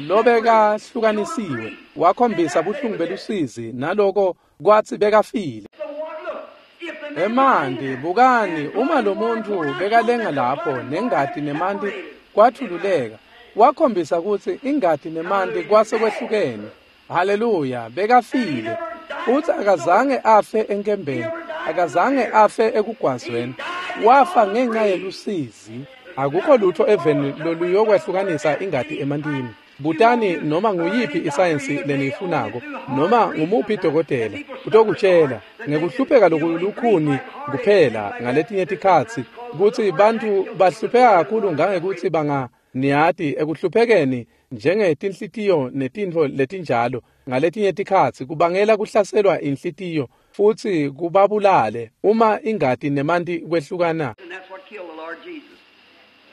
A: lobekahlukanisiwe. Wakhombisa buhlungu belusizi naloko kwatsi bekafile. Emanti, bukani, uma lo muntfu bekalenga lapho nengati nemanti kwathululeka, wakhombisa kutsi ingati nemanti kwase kwehlukene. Haleluya, bekafile. Futsi akazange afe enkembeni, akazange afe ekugwazweni. Wafa ngenxa yelusizi. Akukho lutho eveni loluyokwehlukanisa ingati emantini. Butani noma nguyiphi isayensi leniyifunako, noma ngumuphi dokotela, utokutshela ngekuhlupheka lokulukhuni kuphela ngaletinye tikhatsi kutsi bantfu bahlupheka kakhulu ngangekutsi niyati ekuhluphekeni njengetinhlitiyo netintfo letinjalo ngaletinye tikhatsi kubangela kuhlaselwa inhlitiyo futsi kubabulale uma ingati nemanti kwehlukana.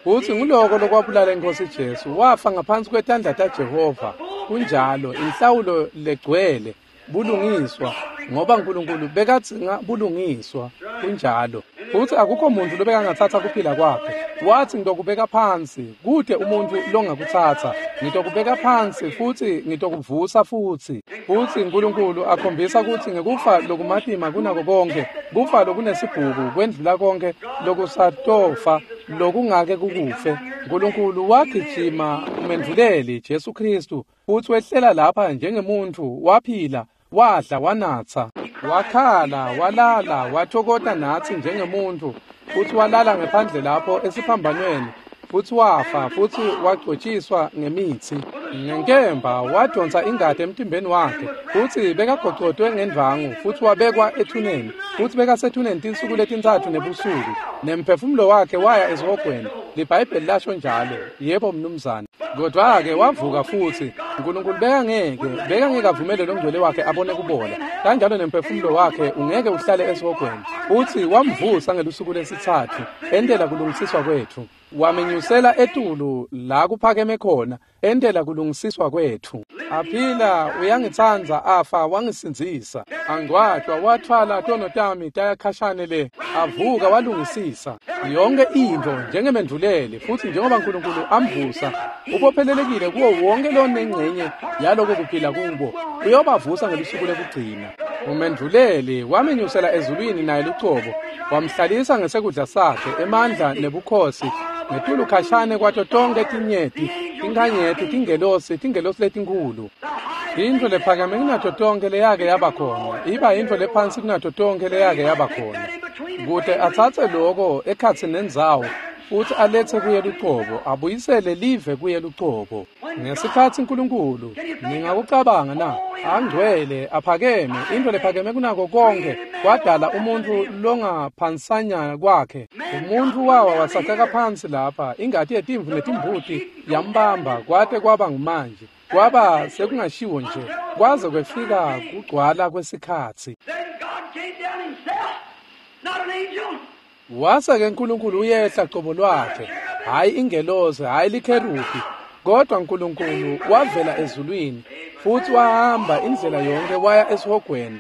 A: Futsi nguloko lokwabulala iNkhosi Jesu, wafa ngaphansi kwetandla taJehova. Kunjalo, inhlawulo legcwele bulungiswa, ngoba uNkulunkulu bekadzinga bulungiswa. Kunjalo. Futsi akukho muntfu lobekangatsatsa kuphila kwakhe. Watsi ngitokubeka phansi, kute umuntfu longakutsatsa. Ngitokubeka phansi futsi ngitokuvusa futsi. Futsi uNkulunkulu akhombisa kutsi ngekufa lokumatima kunako konke, kufa lokunesibhuku kwendlula konke lokusatofa lokungake kukufe. uNkulunkulu wagijima umendvuleli Jesu Khristu futsi wehlela lapha njengemuntfu, waphila, wadla, wanatsa, wakhala, walala, wathokota natsi njengemuntfu, futsi walala ngephandle lapho esiphambanweni, futsi wafa, futsi wagcotjiswa ngemitsi. Ngenkemba wadonsa ingati emtimbeni wakhe, futsi bekagocotwe ngendvangu, futsi wabekwa ethuneni, futsi bekasethuneni tinsuku letintsatfu nebusuku, nemphefumulo wakhe waya esihogweni. LiBhayibheli lasho njalo. Yebo mnumzane. Kodwa-ke wavuka futsi. uNkulunkulu bekangeke avumele longcwele wakhe abone kubola. Kanjalo nemphefumulo wakhe ungeke uhlale esihogweni. Futsi wamvusa ngelusuku lesitsatfu, entela kulungisiswa kwetfu. Wamenyusela etulu la kuphakeme khona, entela kulungisiswa kwetfu. Aphila uyangitsandza, afa wangisindzisa. Angcwatjwa wathwala tono tami tayakhashane le. Avuka walungisisa yonke intfo njengemendvuleli, futsi njengoba uNkulunkulu amvusa, ubophelelekile kuwo wonke lonengcenye yaloko kuphila kubo. Uyobavusa ngelusuku lekugcina. Umendvuleli wamenyusela ezulwini naye lucobo, wamhlalisa ngesekudla sakhe emandla nebukhosi ngetulu khashane kwato tonke tinyeti, tinkhanyeti, tingelosi, tingelosi letinkhulu. Intfo lephakeme kunato tonke leyake yaba khona, iba intfo lephansi kunato tonke leyake yaba khona. Kute atsatse loko ekhatsi nendzawo, futsi aletse kuye lucobo, abuyisele live kuye lucobo. Ngesikhatsi uNkulunkulu, ningakucabanga na? Angcwele, aphakeme, intfo lephakeme kunako konke, wadala umuntfu longaphansanyana kwakhe. Umuntfu wawa wasaceka phansi lapha, ingati yetimvu netimbuti yambamba kwate kwaba ngumanje. Kwaba sekungashiwo nje, kwaze kwefika kugcwala kwesikhatsi. Wase-ke uNkulunkulu uyehla cobo lwakhe, hhayi ingelosi, hhayi likherubi, kodwa uNkulunkulu wavela ezulwini futsi wahamba indlela yonke waya esihogweni,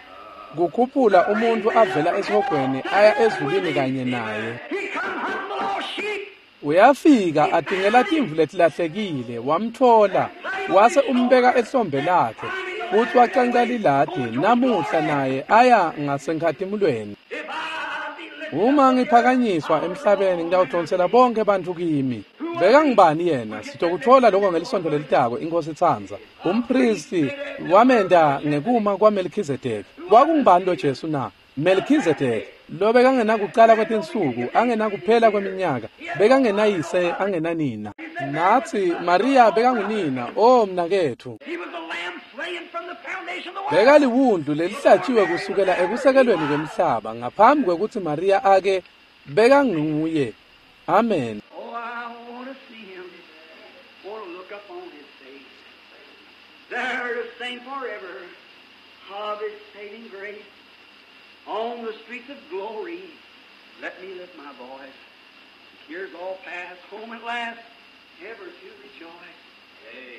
A: kukhuphula umuntfu avela esihogweni aya ezulwini kanye naye. Uyafika atingela timvu letilahlekile, wamtfola, wase umbeka ehlombe lakhe, futsi wacanca liladi namuhla naye aya ngasenkhatimulweni. Uma ngiphakanyiswa emhlabeni ngitawudonsela bonke bantfu kimi. Bekangubani yena? Sitokutfola lokho ngelisonto lelitako, iNkosi itsandza. Umpristi wamenta ngekuma kwaMelkhizedeki. Kwakungubani lo Jesu na? Melkhizedeki lo bekangenakucala kwetinsuku, angenakuphela kweminyaka, bekangenayise, angenanina. Natsi Maria bekangunina. O mnaketfu,
B: He was the lamb slain from the foundation of the world.
A: bekaliwundlu lelihlatshiwe kusukela ekusekelweni kwemhlaba ngaphambi kwekutsi Maria ake bekanguye. Amen.
B: Oh, I want to see him. Want to look up on his face. There to sing forever of his saving grace. On the streets of glory, let me lift my voice. Tears all pass, home at last, ever to rejoice.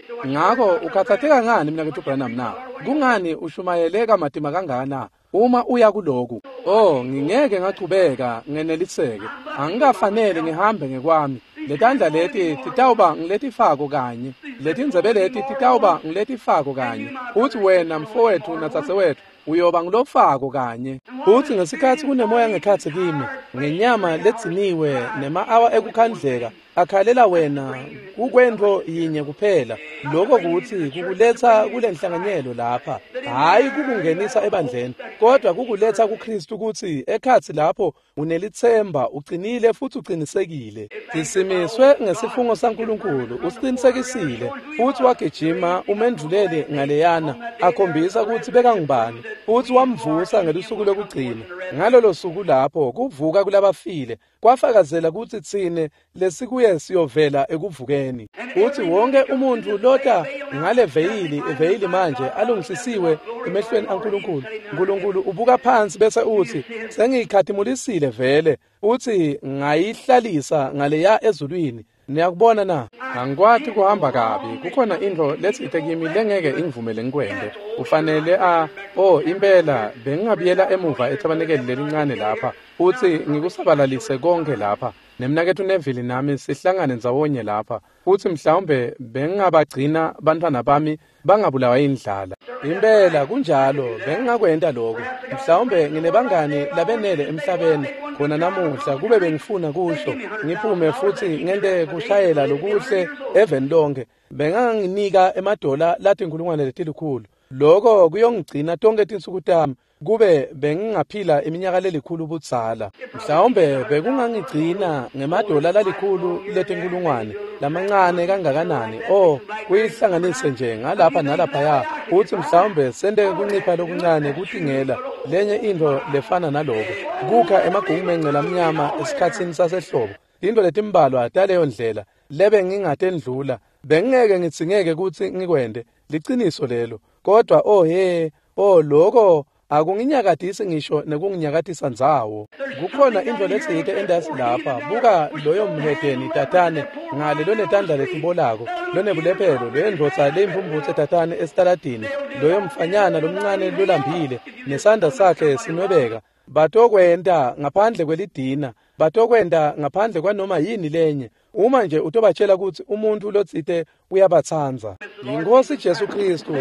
B: So what you
A: Ngako
B: worried about, Brother
A: ukhathatheka
B: Branham?
A: ngani mnaketfu Branham na? Kungani ushumayele kamatima kangana uma uya kuloku? Oh, ngingeke ngachubeka ngeneliseke. Angikafanele ngihambe ngekwami. Letandla leti titawuba ngiletifako kanye. Letindzebe leti titawuba ngiletifako kanye. Uthi wena mfowethu nadzadzewethu uyoba ngilofako kanye. Uthi ngesikhatsi kunemoya ngekhatsi kimi, ngenyama ledziniwe nema-awa ekukhandleka, akhalela wena kukwento yinye kuphela. Lokho kutsi kukuletsa kulenhlanganyelo lapha, hhayi kukungenisa ebandleni, kodwa kukuletsa kuKristu kutsi ekhatsi lapho unelitsemba, uqinile futhi uqinisekile. Sisimiswe ngesifungo saNkulunkulu, usiqinisekisile futhi wagijima umendvulele ngaleyana, akhombisa kutsi bekangubani, futhi wamvusa ngelusuku lokugcina. Ngalolo suku lapho kuvuka kulabafile kwafakazela kutsi tsine lesikuye siyovela ekuvukeni. Uthi wonke umuntfu lota ngale veyili, iveyili manje alungisisiwe emehlweni aNkulunkulu. Nkulunkulu ubuka phansi bese uthi sengiyikhatimulisile vele, uthi ngayihlalisa ngaleya ezulwini. Niyakubona na? Angikwati kuhamba kabi. Kukhona intfo letsite kimi lengeke ingivumele ngikwente. Ufanele a oh impela bengingabuyela emuva ethabanekeli lelincane lapha uthi ngikusabalalise konke lapha. Nemnaketfu Neville nami sihlangane ndzawonye lapha. Futhi mhlawumbe bengingabagcina bantfwana bami bangabulawa yindlala. Impela kunjalo, bengingakwenta lokho. Mhlawumbe nginebangani labenele emhlabeni khona namuhla kube bengifuna kusho ngiphume futhi ngente kushayela lokuhle eveni lonke. Benganginika emadola latinkhulungwane letilikhulu. Lokho kuyongigcina tonke tinsuku tami kube bengingaphila iminyaka lelikhulu budzala. Mhlawumbe bekungangigcina ngemadola lalikhulu letinkhulungwane lamancane kangakanani. Oh, kuyihlanganise nje ngalapha nalaphaya. Uthi mhlawumbe sente kuncipha lokuncane kutingela lenye intfo lefana naloko. Kukha emagungumence lamnyama esikhatsini sasehlobo. Tintfo letimbalwa taleyo ndlela lebe ngingatendlula bengingeke ngitsingeke kutsi ngikwente. Liciniso lelo. Kodwa oh he, oh lokho akunginyakatisi ngisho nekunginyakatisa ndzawo. Kukhona intfo letsite entasi lapha. Buka loyo mhedeni tatane ngale lonetandla letibolako, lonebulephelo, leyo ndvodza leyimphumphutse tatane esitaladini, loyo mfanyana lomncane lolambile nesandla sakhe sinwebeka. Batokwenta ngaphandle kwelidina, batokwenta ngaphandle kwanoma yini lenye. Uma nje utobatshela kutsi umuntfu lotsite uyabatsandza. Yinkosi Jesu Kristu,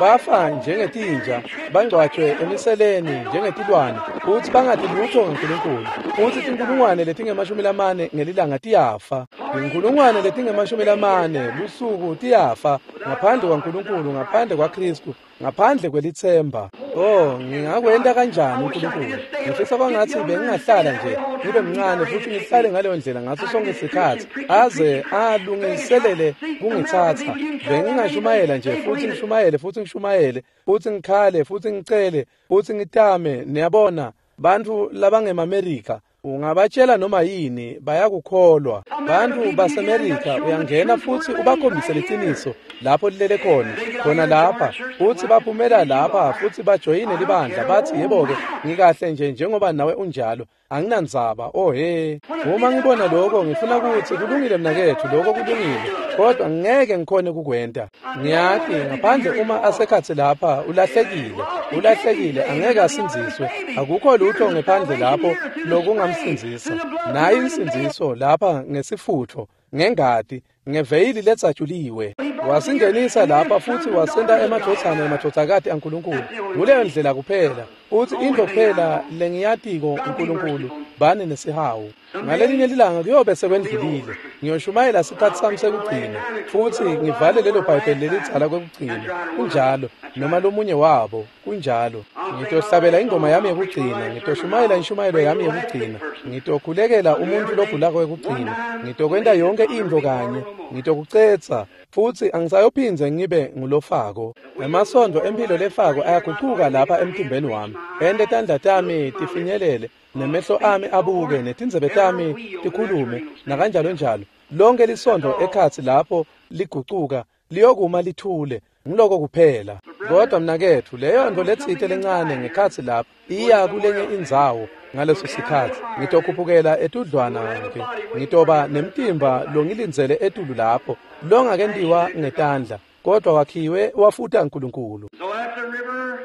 A: bafa njengetinja, bangcwatjwe emiseleni njengetilwane, futsi bangati lutfo ngaNkulunkulu. Futsi tinkhulungwane letinge-40 ngelilanga tiyafa. Tinkhulungwane letinge-40 lusuku tiyafa ngaphandle kwaNkulunkulu, ngaphandle kwaKristu, ngaphandle kwelitsemba. Oh, ngingakwenta kanjani uNkulunkulu? Ngifisa kwangatsi bengingahlala nje ngibe mncane futhi ngihlale ngaleyo ndlela ngaso sonke isikhathi aze alungiselele kungitsatsa. Bengingashumayela nje futhi ngishumayele futhi ngishumayele futhi ngikhale futhi ngicele futhi ngitame. Niyabona, bantfu labangemaMerika ungabatshela noma yini bayakukholwa. Bantfu baseMerika uyangena futhi ubakhombise liciniso lapho lilele khona, khona lapha, futhi baphumela lapha futhi bajoyine libandla bathi yebo-ke ngikahle nje njengoba nawe unjalo. Anginandzaba. Oh he, uma ngibona lokho ngifuna ukuthi kulungile mnaketfu, lokho kulungile, kodwa ngeke ngikhone kukwenta. Ngiyati ngaphandle uma asekhatsi lapha ulahlekile, ulahlekile, angeke asindziswe. Akukho lutho ngephandle lapho lokungamsindzisa. Nayi insindziso lapha ngesifutho, ngengati, Ngeveyili letsatshuliwe. Wasingenisa lapha futhi wasenta emadvodzana nemadvodzakati aNkulunkulu. Nguleyo ndlela kuphela. Uthi intfo kuphela lengiyatiko uNkulunkulu bani nesihawu. Ngalelinye lilanga kuyobe sekwendlulile. Ngiyoshumayela sikhatsi sami sekugcina futhi ngivale lelo Bhayibheli lelidzala kwekugcina. Kunjalo, noma lomunye wabo, kunjalo. Ngitohlabela ingoma yami yekugcina, ngitoshumayela inshumayelo yami yekugcina, ngitokhulekela umuntfu logulako wekugcina, ngitokwenta yonke intfo kanye, ngitokucetsa futhi angisayophindze ngibe ngulofako. Emasondvo emphilo lefako ayagucuka lapha emtimbeni wami. Ente tandla tami tifinyelele, nemehlo ami abuke, netindzebe tami tikhulume, nakanjalo njalo. Lonke lisondvo ekhatsi lapho ligucuka, liyokuma lithule. Ngiloko kuphela. Kodwa mnaketfu, leyo ntfo letsite lencane ngekhatsi lapho iya kulenye indzawo ngaleso sikhatsi. Ngitokhuphukela etudlwana ke. Ngitoba nemtimba longilindzele etulu lapho, longakentiwa ngetandla, kodwa wakhiwe wafuta uNkulunkulu.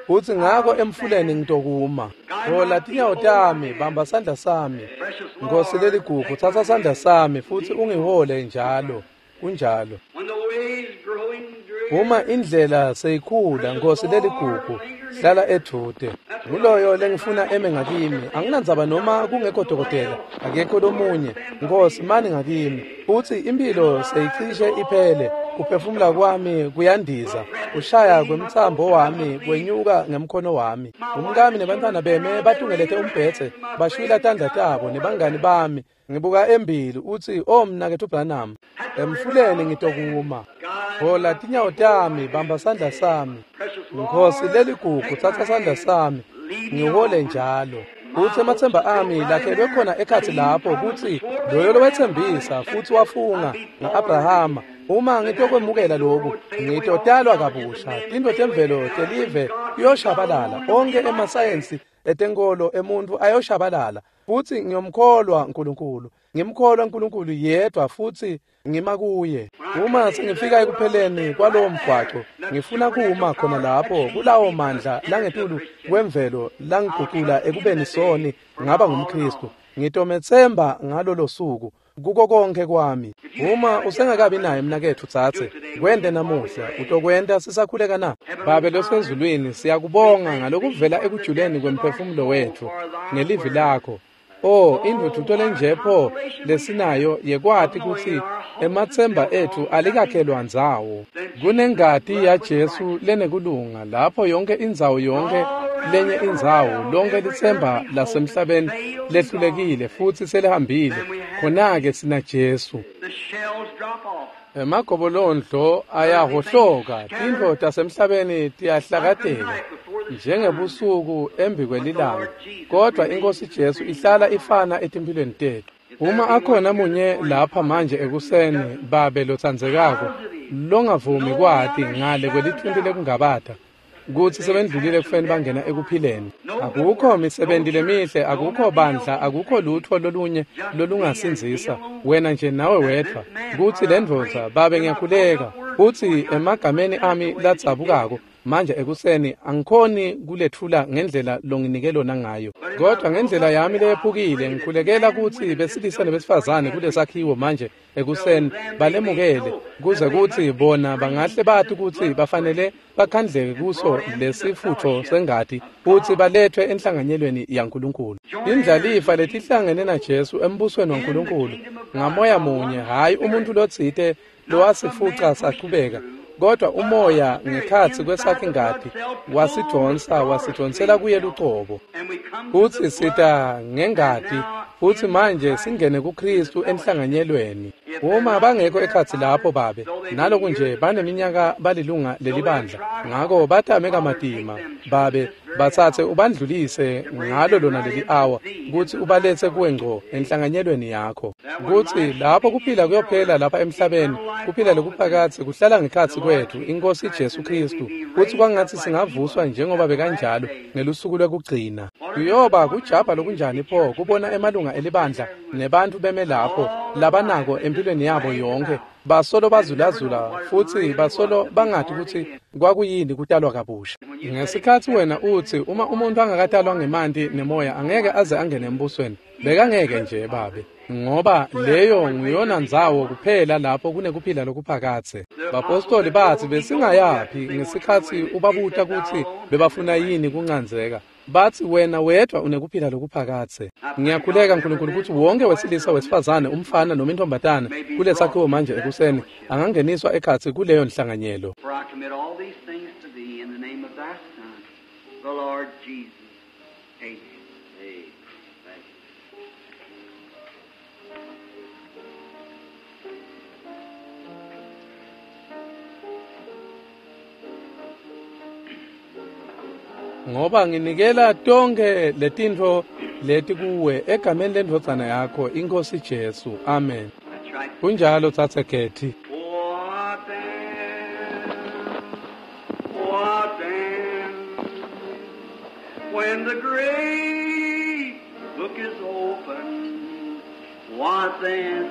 A: Uthi ngako emfuleni ngitokuma. Hola tinyawo tami, bamba sandla sami. Nkosi leligugu, tsatsa sandla sami futhi ungihole njalo. Kunjalo. Uma indlela seyikhula, Nkosi leligugu, hlala edvute. Nguloyo lengifuna eme ngakimi. Anginandzaba noma kungekho dokotela, akekho lomunye. Nkosi, mani ngakimi. Uthi impilo seyicishe iphele, kuphefumula kwami kuyandiza, kushaya kwemtsambo wami kwenyuka ngemkhono wami. Umkami nebantfwana beme batungelete umbhedze, bashwila tandla tabo nebangani bami. Ngibuka embili uthi, "Oh mnaketfu Branham, emfuleni ngitokuma. Hola tinyawo tami, bamba sandla sami. Nkosi leligugu, tsatsa sandla sami, ngihole njalo." Kutsi ematsemba ami lakhelwe khona ekhatsi lapho kutsi loyo lowetsembisa futhi wafunga nga-Abrahama, uma ngitokwemukela loku, ngitotalwa kabusha. Tintfo temvelo telive tiyoshabalala, onke emasayensi etenkolo emuntfu ayoshabalala. Futhi ngiyomkholwa uNkulunkulu, ngimkholwa uNkulunkulu yedwa futhi ngima kuye. Uma sengifika ekupheleni kwalowo mgwaco, ngifuna kuma khona lapho kulawo mandla langetulu kwemvelo langigucula ekubeni soni ngaba ngumKristu. Ngitometsemba ngalolo suku kuko konke kwami. Uma usengakabi naye mnaketfu tsatse, kwente namuhla. Utokwenta sisakhuleka na? Babe losezulwini, siyakubonga ngalokuvela ekujuleni kwemphefumulo wetfu ngelivi lakho. Oh, indvudvuto lenje pho lesinayo yekwati kutsi ematsemba etfu alikakhelwa ndzawo. Kunengati yaJesu lenekulunga lapho yonke indzawo, yonke lenye indzawo, lonke litsemba lasemhlabeni lehlulekile futhi selihambile. Khona-ke sina Jesu. Emagobolondlo ayahohloka, tintfo tasemhlabeni tiyahlakateka njengebusuku embi kwelilanga, kodwa iNkosi Jesu ihlala ifana etimphilweni tetfu. Uma akhona munye lapha manje ekuseni, Babe lotsandzekako, longavumi kwati ngale kwelithunti lekungabata kutsi sebendlulile ekufeni bangena ekuphileni. Akukho misebenti lemihle, akukho bandla, akukho lutfo lolunye lolungasindzisa wena nje nawe wedvwa. Kutsi lendvodza, Babe ngiyakhuleka kutsi emagameni ami ladzabukako manje ekuseni angikhoni kuletfula ngendlela longinike lona ngayo, kodwa ngendlela yami leyephukile ngikhulekela kutsi besilisa nebesifazane kulesakhiwo manje ekuseni balemukele, kuze kutsi bona bangahle bati kutsi bafanele bakhandleke kuso lesifutfo sengati futsi baletfwe enhlanganyelweni yaNkulunkulu. Indlalifa letihlangene naJesu embusweni waNkulunkulu ngamoya munye, hhayi umuntfu lotsite lowasifuca sachubeka, kodwa umoya ngekhatsi kwesakhe ngati wasidvonsa, wasidvonsela kuye lucobo. Futsi sita ngengati, futsi manje singene kuKristu enhlanganyelweni. Uma bangekho ekhatsi lapho, Babe, naloku nje baneminyaka balilunga lelibandla, ngako batame kamatima, Babe, batsatse ubandlulise ngalo lona leli awa kutsi ubaletse kuwe ngco enhlanganyelweni yakho, kutsi lapho kuphila kuyophela lapha emhlabeni, kuphila lokuphakadze kuhlala ngekhatsi kwetfu, iNkosi Jesu Kristu, kutsi kwangatsi singavuswa njengoba bekanjalo ngelusuku lwekugcina. Kuyoba kujabha lokunjani pho kubona emalunga elibandla nebantfu beme lapho labanako empilweni yabo yonke, Basolo bazulazula futsi basolo bangati kutsi kwakuyini kutalwa kabusha. Ngesikhatsi wena utsi uma umuntu angakatalwa ngemanti nemoya angeke aze angene embusweni, bekangeke nje babe, ngoba leyo nguyona ndzawo kuphela lapho kunekuphila lokuphakadze. Bapostoli batsi besingayaphi ngesikhatsi ubabuta kutsi bebafuna yini kuncandzeka. Batsi wena wedvwa unekuphila lokuphakadze. Ngiyakhuleka Nkulunkulu kutsi wonke wesilisa, wesifazane, umfana noma intombatana kulesakhiwo manje ekuseni angangeniswa ekhatsi kuleyo nhlanganyelo.
B: For I commit all these things to thee in the name of thy Son, the Lord Jesus. Amen. Amen. Thank you.
A: Ngoba nginikela tonke letintfo leti kuwe egameni lendvodzana yakho iNkhosi Jesu. Amen.
B: That's right.
A: Kunjalo tsatse Kethi.
B: What then? What then? When the great book is opened, what then?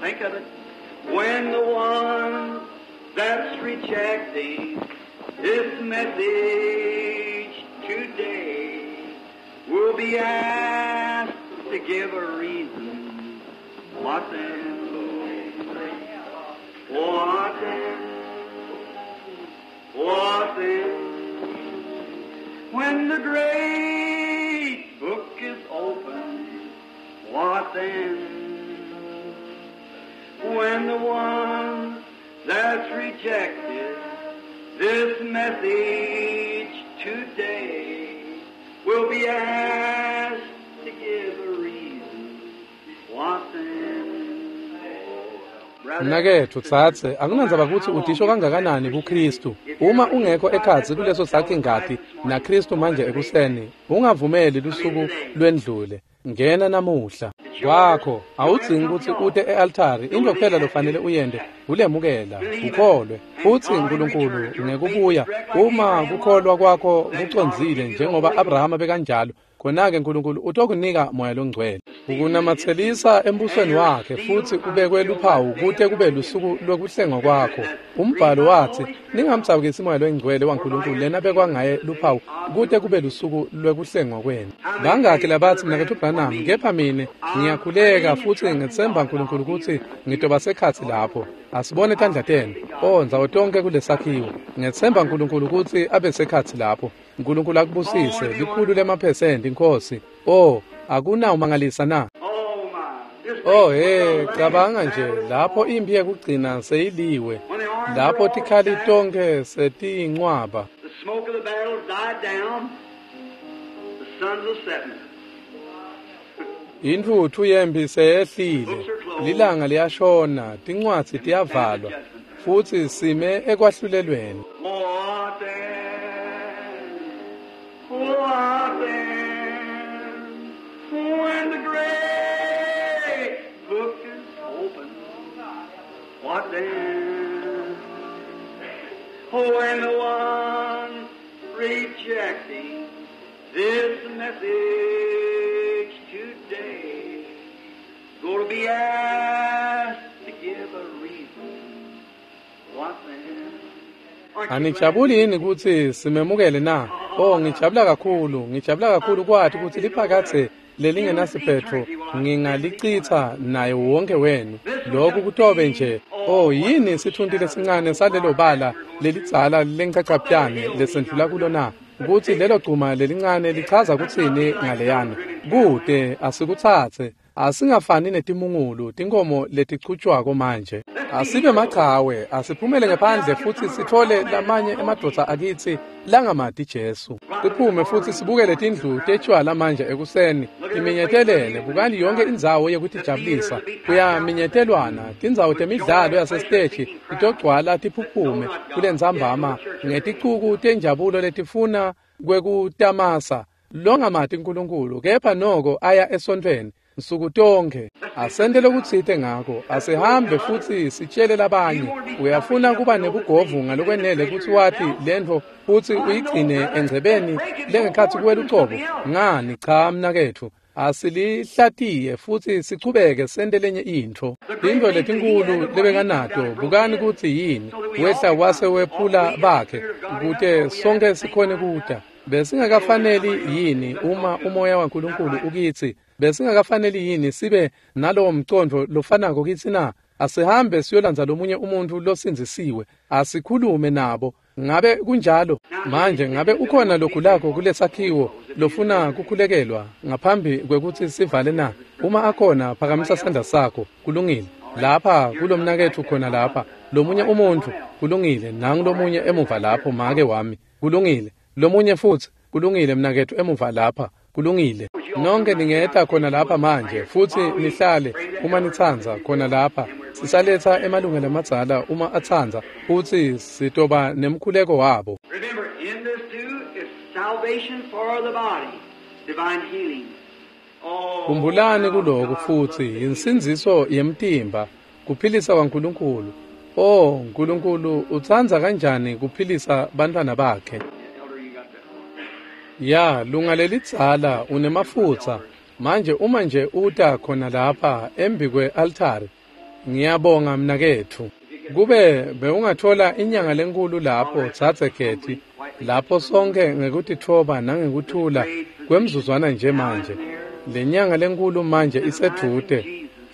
B: Think of it. When the one that's rejecting this message today will be asked to give a reason, what then? What then? What then? When the great book is opened, what then? When the one that's rejected this message today will be asked to give a reason, what then?
A: Mnaketfu tsatse, akunandzaba kutsi udisho kangakanani kuKristu. Uma ungekho ekhatsi kuleso sakhi ngati naKristu manje ekuseni, ungavumeli lusuku lwendlule. Ngena namuhla. Kwakho awudzingi kutsi ute e-altari. Into kuphela lofanele uyente ulemukela, ukholwe. Futsi Nkulunkulu ngekubuya, uma kukholwa kwakho kucondzile njengoba Abrahama bekanjalo, khona-ke Nkulunkulu utokunika Moya Longcwele. Ukunamatselisa embusweni wakhe futsi ubekwe luphawu kute kube lusuku lwekuhlengwa kwakho. Umbhalo watsi ningamdzabukisi Moya Longcwele waNkulunkulu lena bekwa ngaye luphawu kute kube lusuku lwekuhlengwa kwenu. Bangakhi labatsi mnaketfu Branham, kepha mine ngiyakhuleka futsi ngitsemba Nkulunkulu kutsi ngitoba sekhatsi lapho. Asibone tandla tenu. O, ndzawo tonke kulesakhiwo. Ngitsemba Nkulunkulu kutsi abe sekhatsi lapho. Nkulunkulu akubusise 100% Inkosi. Oh, akunawumangalisa na?
B: Oh my.
A: Oh hey, cabanga nje lapho imphi yekugcina seyiliwe, lapho tikhali tonke setiyincwaba.
B: The smoke of the battle died down. The sun's a setting.
A: Intfutfu yemphi seyehlile, lilanga liyashona, tincwadzi tiyavalwa, futsi sime ekwahlulelweni.
B: What then? What then? When the great book is opened, what then? When the one rejecting this message today going to be asked to give a reason, what then? Aren't you glad?
A: Anijabuli yini kutsi simemukele na? Oh, ngijabula kakhulu, ngijabula kakhulu kwati kutsi liphakadze lelingenasiphetfo ngingalicitsa naye wonke wenu. Lokhu kutobe nje, oh, yini sithunti lesincane salelo bala lelidzala lenchachapyane lesendlula kulo na? Kutsi lelo gcuma lelincane lichaza kutsini ngaleyana? Kute asikutsatse, asingafani netimungulu, tinkhomo letichutjwako manje. Asibe machawe, asiphumele ngephandle futsi sitfole lamanye emadvodza akitsi langamati Jesu. Siphume futsi sibukele tindlu tetshwala manje ekuseni, timinyetelene, bukani yonke indzawo yekutijabulisa. Kuyaminyetelwana, tindzawo temidlalo yasesiteji titogcwala tiphuphume kulentsambama ngeticuku tenjabulo letifuna kwekutamasa. Longamati Nkulunkulu kepha noko aya esontfweni nsuku tonke. Asente lokutsite ngako, asihambe futsi sitshele labanye. Uyafuna kuba nebugovu ngalokwenele kutsi wati lentfo futsi uyigcine engcebeni lengekhatsi kuwe lucobo? Ngani, cha mnaketfu. Asilihlatiye futsi sichubeke sente lenye intfo. Tintfo letinkulu lebekanato, bukani kutsi yini. Wehla wase wephula bakhe kute sonke sikhone kuta. Besingakafaneli yini uma umoya waNkulunkulu ukitsi? Besingakafaneli yini sibe nalowo mcondvo lofanako kitsi na? Asihambe siyolandza lomunye umuntfu losindzisiwe, asikhulume nabo. Ngabe kunjalo? Manje ngabe ukhona logulako kulesakhiwo lofuna kukhulekelwa ngaphambi kwekutsi sivale na? Uma akhona, phakamisa sandla sakho. Kulungile. Lapha kulomnaketfu khona lapha, lomunye umuntfu. Kulungile. Nangu lomunye emuva lapho, make wami. Kulungile. Lomunye futsi. Kulungile mnaketfu emuva lapha. Kulungile. Nonke ningeta khona lapha manje futsi nihlale uma nitsandza khona lapha. Sisaletsa emalungelo amadzala uma atsandza futsi sitoba nemkhuleko wabo.
B: Remember, in this too is salvation for the body, divine healing. Oh,
A: Khumbulani kuloko futsi insindziso yemtimba, kuphilisa kwaNkulunkulu. Oh, Nkulunkulu utsandza kanjani kuphilisa bantfwana bakhe.
B: Elder, you got that.
A: Ya, lunga lelidzala unemafutsa. Manje uma nje uta khona lapha embi kwe-altari, ngiyabonga mnaketfu. Kube bewungathola inyanga lenkulu lapho, Dzadze Getty, lapho sonke ngekutitfoba nangekuthula kwemzuzwana nje manje. Le nyanga lenkulu manje isedvute.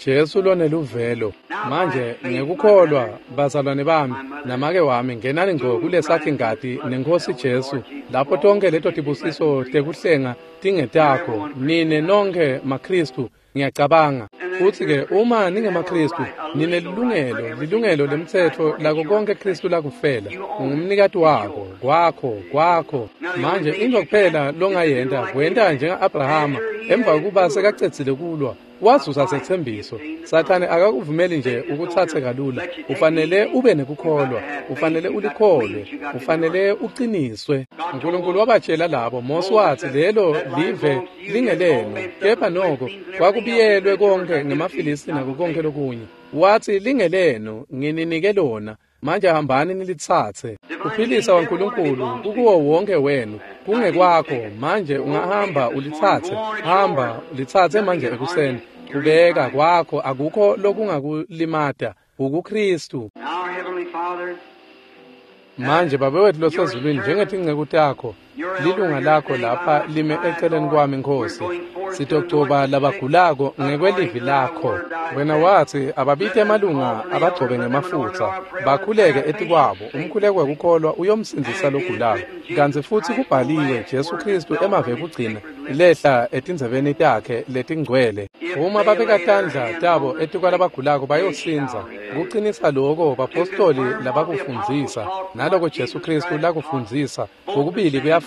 A: Jesu loneluvelo. Manje ngekukholwa bazalwane bami namake wami, ngenani ngco kulesakhi ngati neNkhosi Jesu, lapho tonke leto tibusiso tekuhlenga tingetakho nine nonke maKhristu. Ngiyacabanga futsi-ke uma ningemaKhristu ninelilungelo, lilungelo lemtsetfo lako konke Khristu lakufela. Ungumnikati wako, kwakho, kwakho. Manje intfo kuphela longayenta kwenta njenga-Abrahama emva kokuba sekacedzile kulwa, wazuza setsembiso. Sathane akakuvumeli nje ukutsatse kalula. Ufanele ube nekukholwa, ufanele ulikholwe, ufanele uqiniswe. Nkulunkulu wabatshela labo, Mose watsi lelo live lingelenu, kepha noko kwakubiyelwe konke ngemaFilisti nako konke lokunye. Watsi lingelenu, ngininike lona. Manje hambani nilitsatse. Kuphilisa kwaNkulunkulu kukuwo wonke wenu, kungekwakho. Manje ungahamba ulitsatse. Hamba ulitsatse manje ekuseni. Kubeka kwakho akukho lokungakulimata. UkuKristu.
B: Our Heavenly Father,
A: Manje Babe wethu losezulwini, njengetinceku takho, lilunga lakho lapha lime eceleni kwami, Nkhosi. Sitogcoba labagulako ngekwelivi lakho. Wena watsi ababite emalunga abagcobe ngemafutsa, bakhuleke etikwabo. Umkhuleko wekukholwa uyomsindzisa logulako. Kantsi futsi kubhaliwe, Jesu Khristu emave ekugcina lehla etindzebeni takhe letingcwele. Uma babeka tandla tabo etikwalabagulako bayosindza. Kucinisa loko bapostoli labakufundzisa naloko Jesu Khristu lakufundzisa, kokubili kuyafana.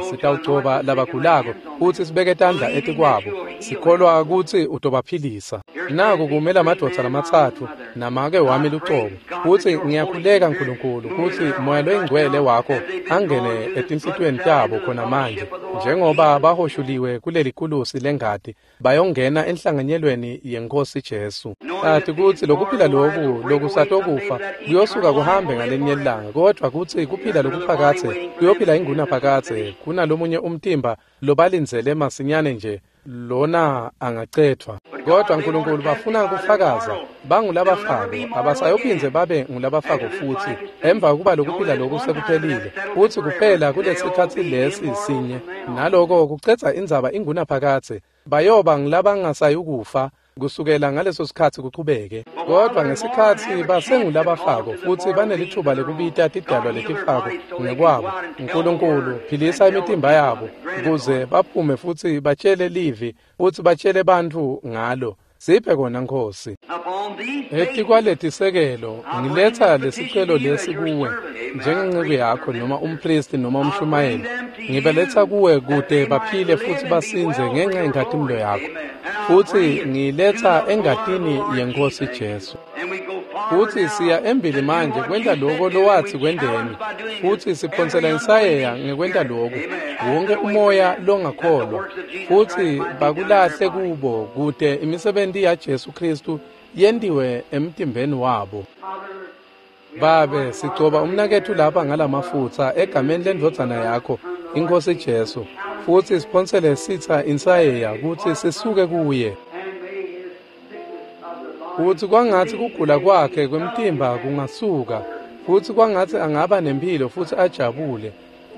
A: Sitawugcoba labagulako futsi sibeke tandla etikwabo, sikholwa kutsi utobaphilisa. Naku kume lamadvodza lamatsatfu namake wami lucobo, futsi ngiyakhuleka Nkulunkulu kutsi Moya loyiNgcwele wakho angene etinhlitiyweni tabo khona manje, njengoba bahoshuliwe kuleli kulusi lengati, bayongena enhlanganyelweni yeNkhosi Jesu. Ati kutsi lokuphila loku lokusatokufa kuyosuka kuhambe ngalinye ilanga, kodvwa kutsi kuphila lokuphakadze kuyophila ingunaphakadze kunalomunye umtimba lobalindzele masinyane nje lona angacedvwa. Kodwa Nkulunkulu bafuna kufakaza bangulabafako, abasayophindze babe ngulabafako futsi emva kokuba lokuphila loku sekuphelile. Futsi kuphela kulesikhatsi lesi sinye, naloko kucedza indzaba ingunaphakadze, bayoba ngulabangasayukufa kusukela ngaleso sikhatsi kuchubeke. Kodvwa ngesikhatsi basengulabafako futsi banelitfuba lekubita tidalwa letifako ngekwabo, Nkulunkulu philisa imitimba yabo kuze baphume futsi batshele livi futsi batshele bantfu ngalo. Siphe kona Nkhosi.
B: upon these
A: Etikwaletisekelo ngiletsa lesicelo lesi kuwe njengenceku yakho noma umpristi noma umshumayeli. Ngibaletsa kuwe kute baphile futsi basindze ngenxa yenkhatimulo yakho. Futsi ngiletsa engatini yeNkhosi Jesu.
B: and we go forward
A: Futsi
B: now
A: siya embili
B: to do
A: manje
B: what
A: kwenta
B: you
A: loko
B: said do,
A: lowatsi
B: and we
A: kwenteni.
B: challenge by doing
A: Futsi
B: this.
A: siphonsela
B: Every
A: insayeya
B: unbelieving
A: ngekwenta
B: spirit.
A: loku.
B: Amen.
A: Wonke
B: Away from
A: umoya
B: them, that the
A: longakholwa
B: works of Jesus
A: futsi
B: Christ might be done in their
A: bakulahle
B: body.
A: kubo kute imisebenti yaJesu Khristu yentiwe emtimbeni wabo. Babe, sigcoba umnaketfu lapha ngalamafutsa egameni lendvodzana yakho, iNkhosi Jesu. Futsi siphonsele sitsa insayeya kutsi sisuke kuye.
B: And may his sickness of the body
A: Futsi kwangatsi kugula kwakhe kwemtimba kungasuka, futsi kwangatsi angaba nemphilo futsi ajabule,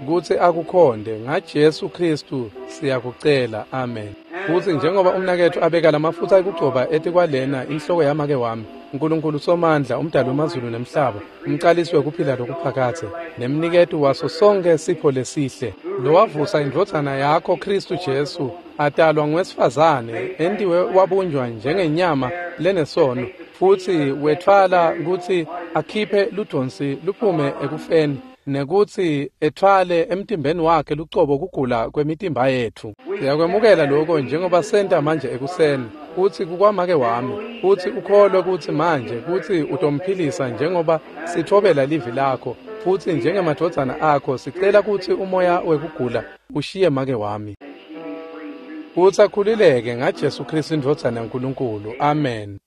A: kutsi akukhonde ngaJesu Khristu siyakucela. Amen. Futsi njengoba umnaketfu abeka lamafutsa ekugcoba etikwalena inhloko yamake wami, Nkulunkulu Somandla, umdali wemazulu nemhlaba, umcalisi wekuphila lokuphakadze, nemniketi waso sonkhe sipho lesihle, lowavusa indvodzana yakho Khristu Jesu, atalwa nguwesifazane, entiwe wabunjwa njengenyama lenesono, futsi wetfwala kutsi akhiphe ludonsi luphume ekufeni, nekutsi etfwale emtimbeni wakhe lucobo kugula kwemitimba yetfu. Siyakwemukela lokho njengoba senta manje ekuseni, kutsi kukwamake wami, futsi ukholwe kutsi manje kutsi utomphilisa njengoba sitfobela livi lakho, futsi njengemadvodzana akho sicela kutsi umoya wekugula ushiye make wami,
B: and she be free through
A: kutsi akhululeke ngaJesu Khristu indvodzana yaNkulunkulu. Amen.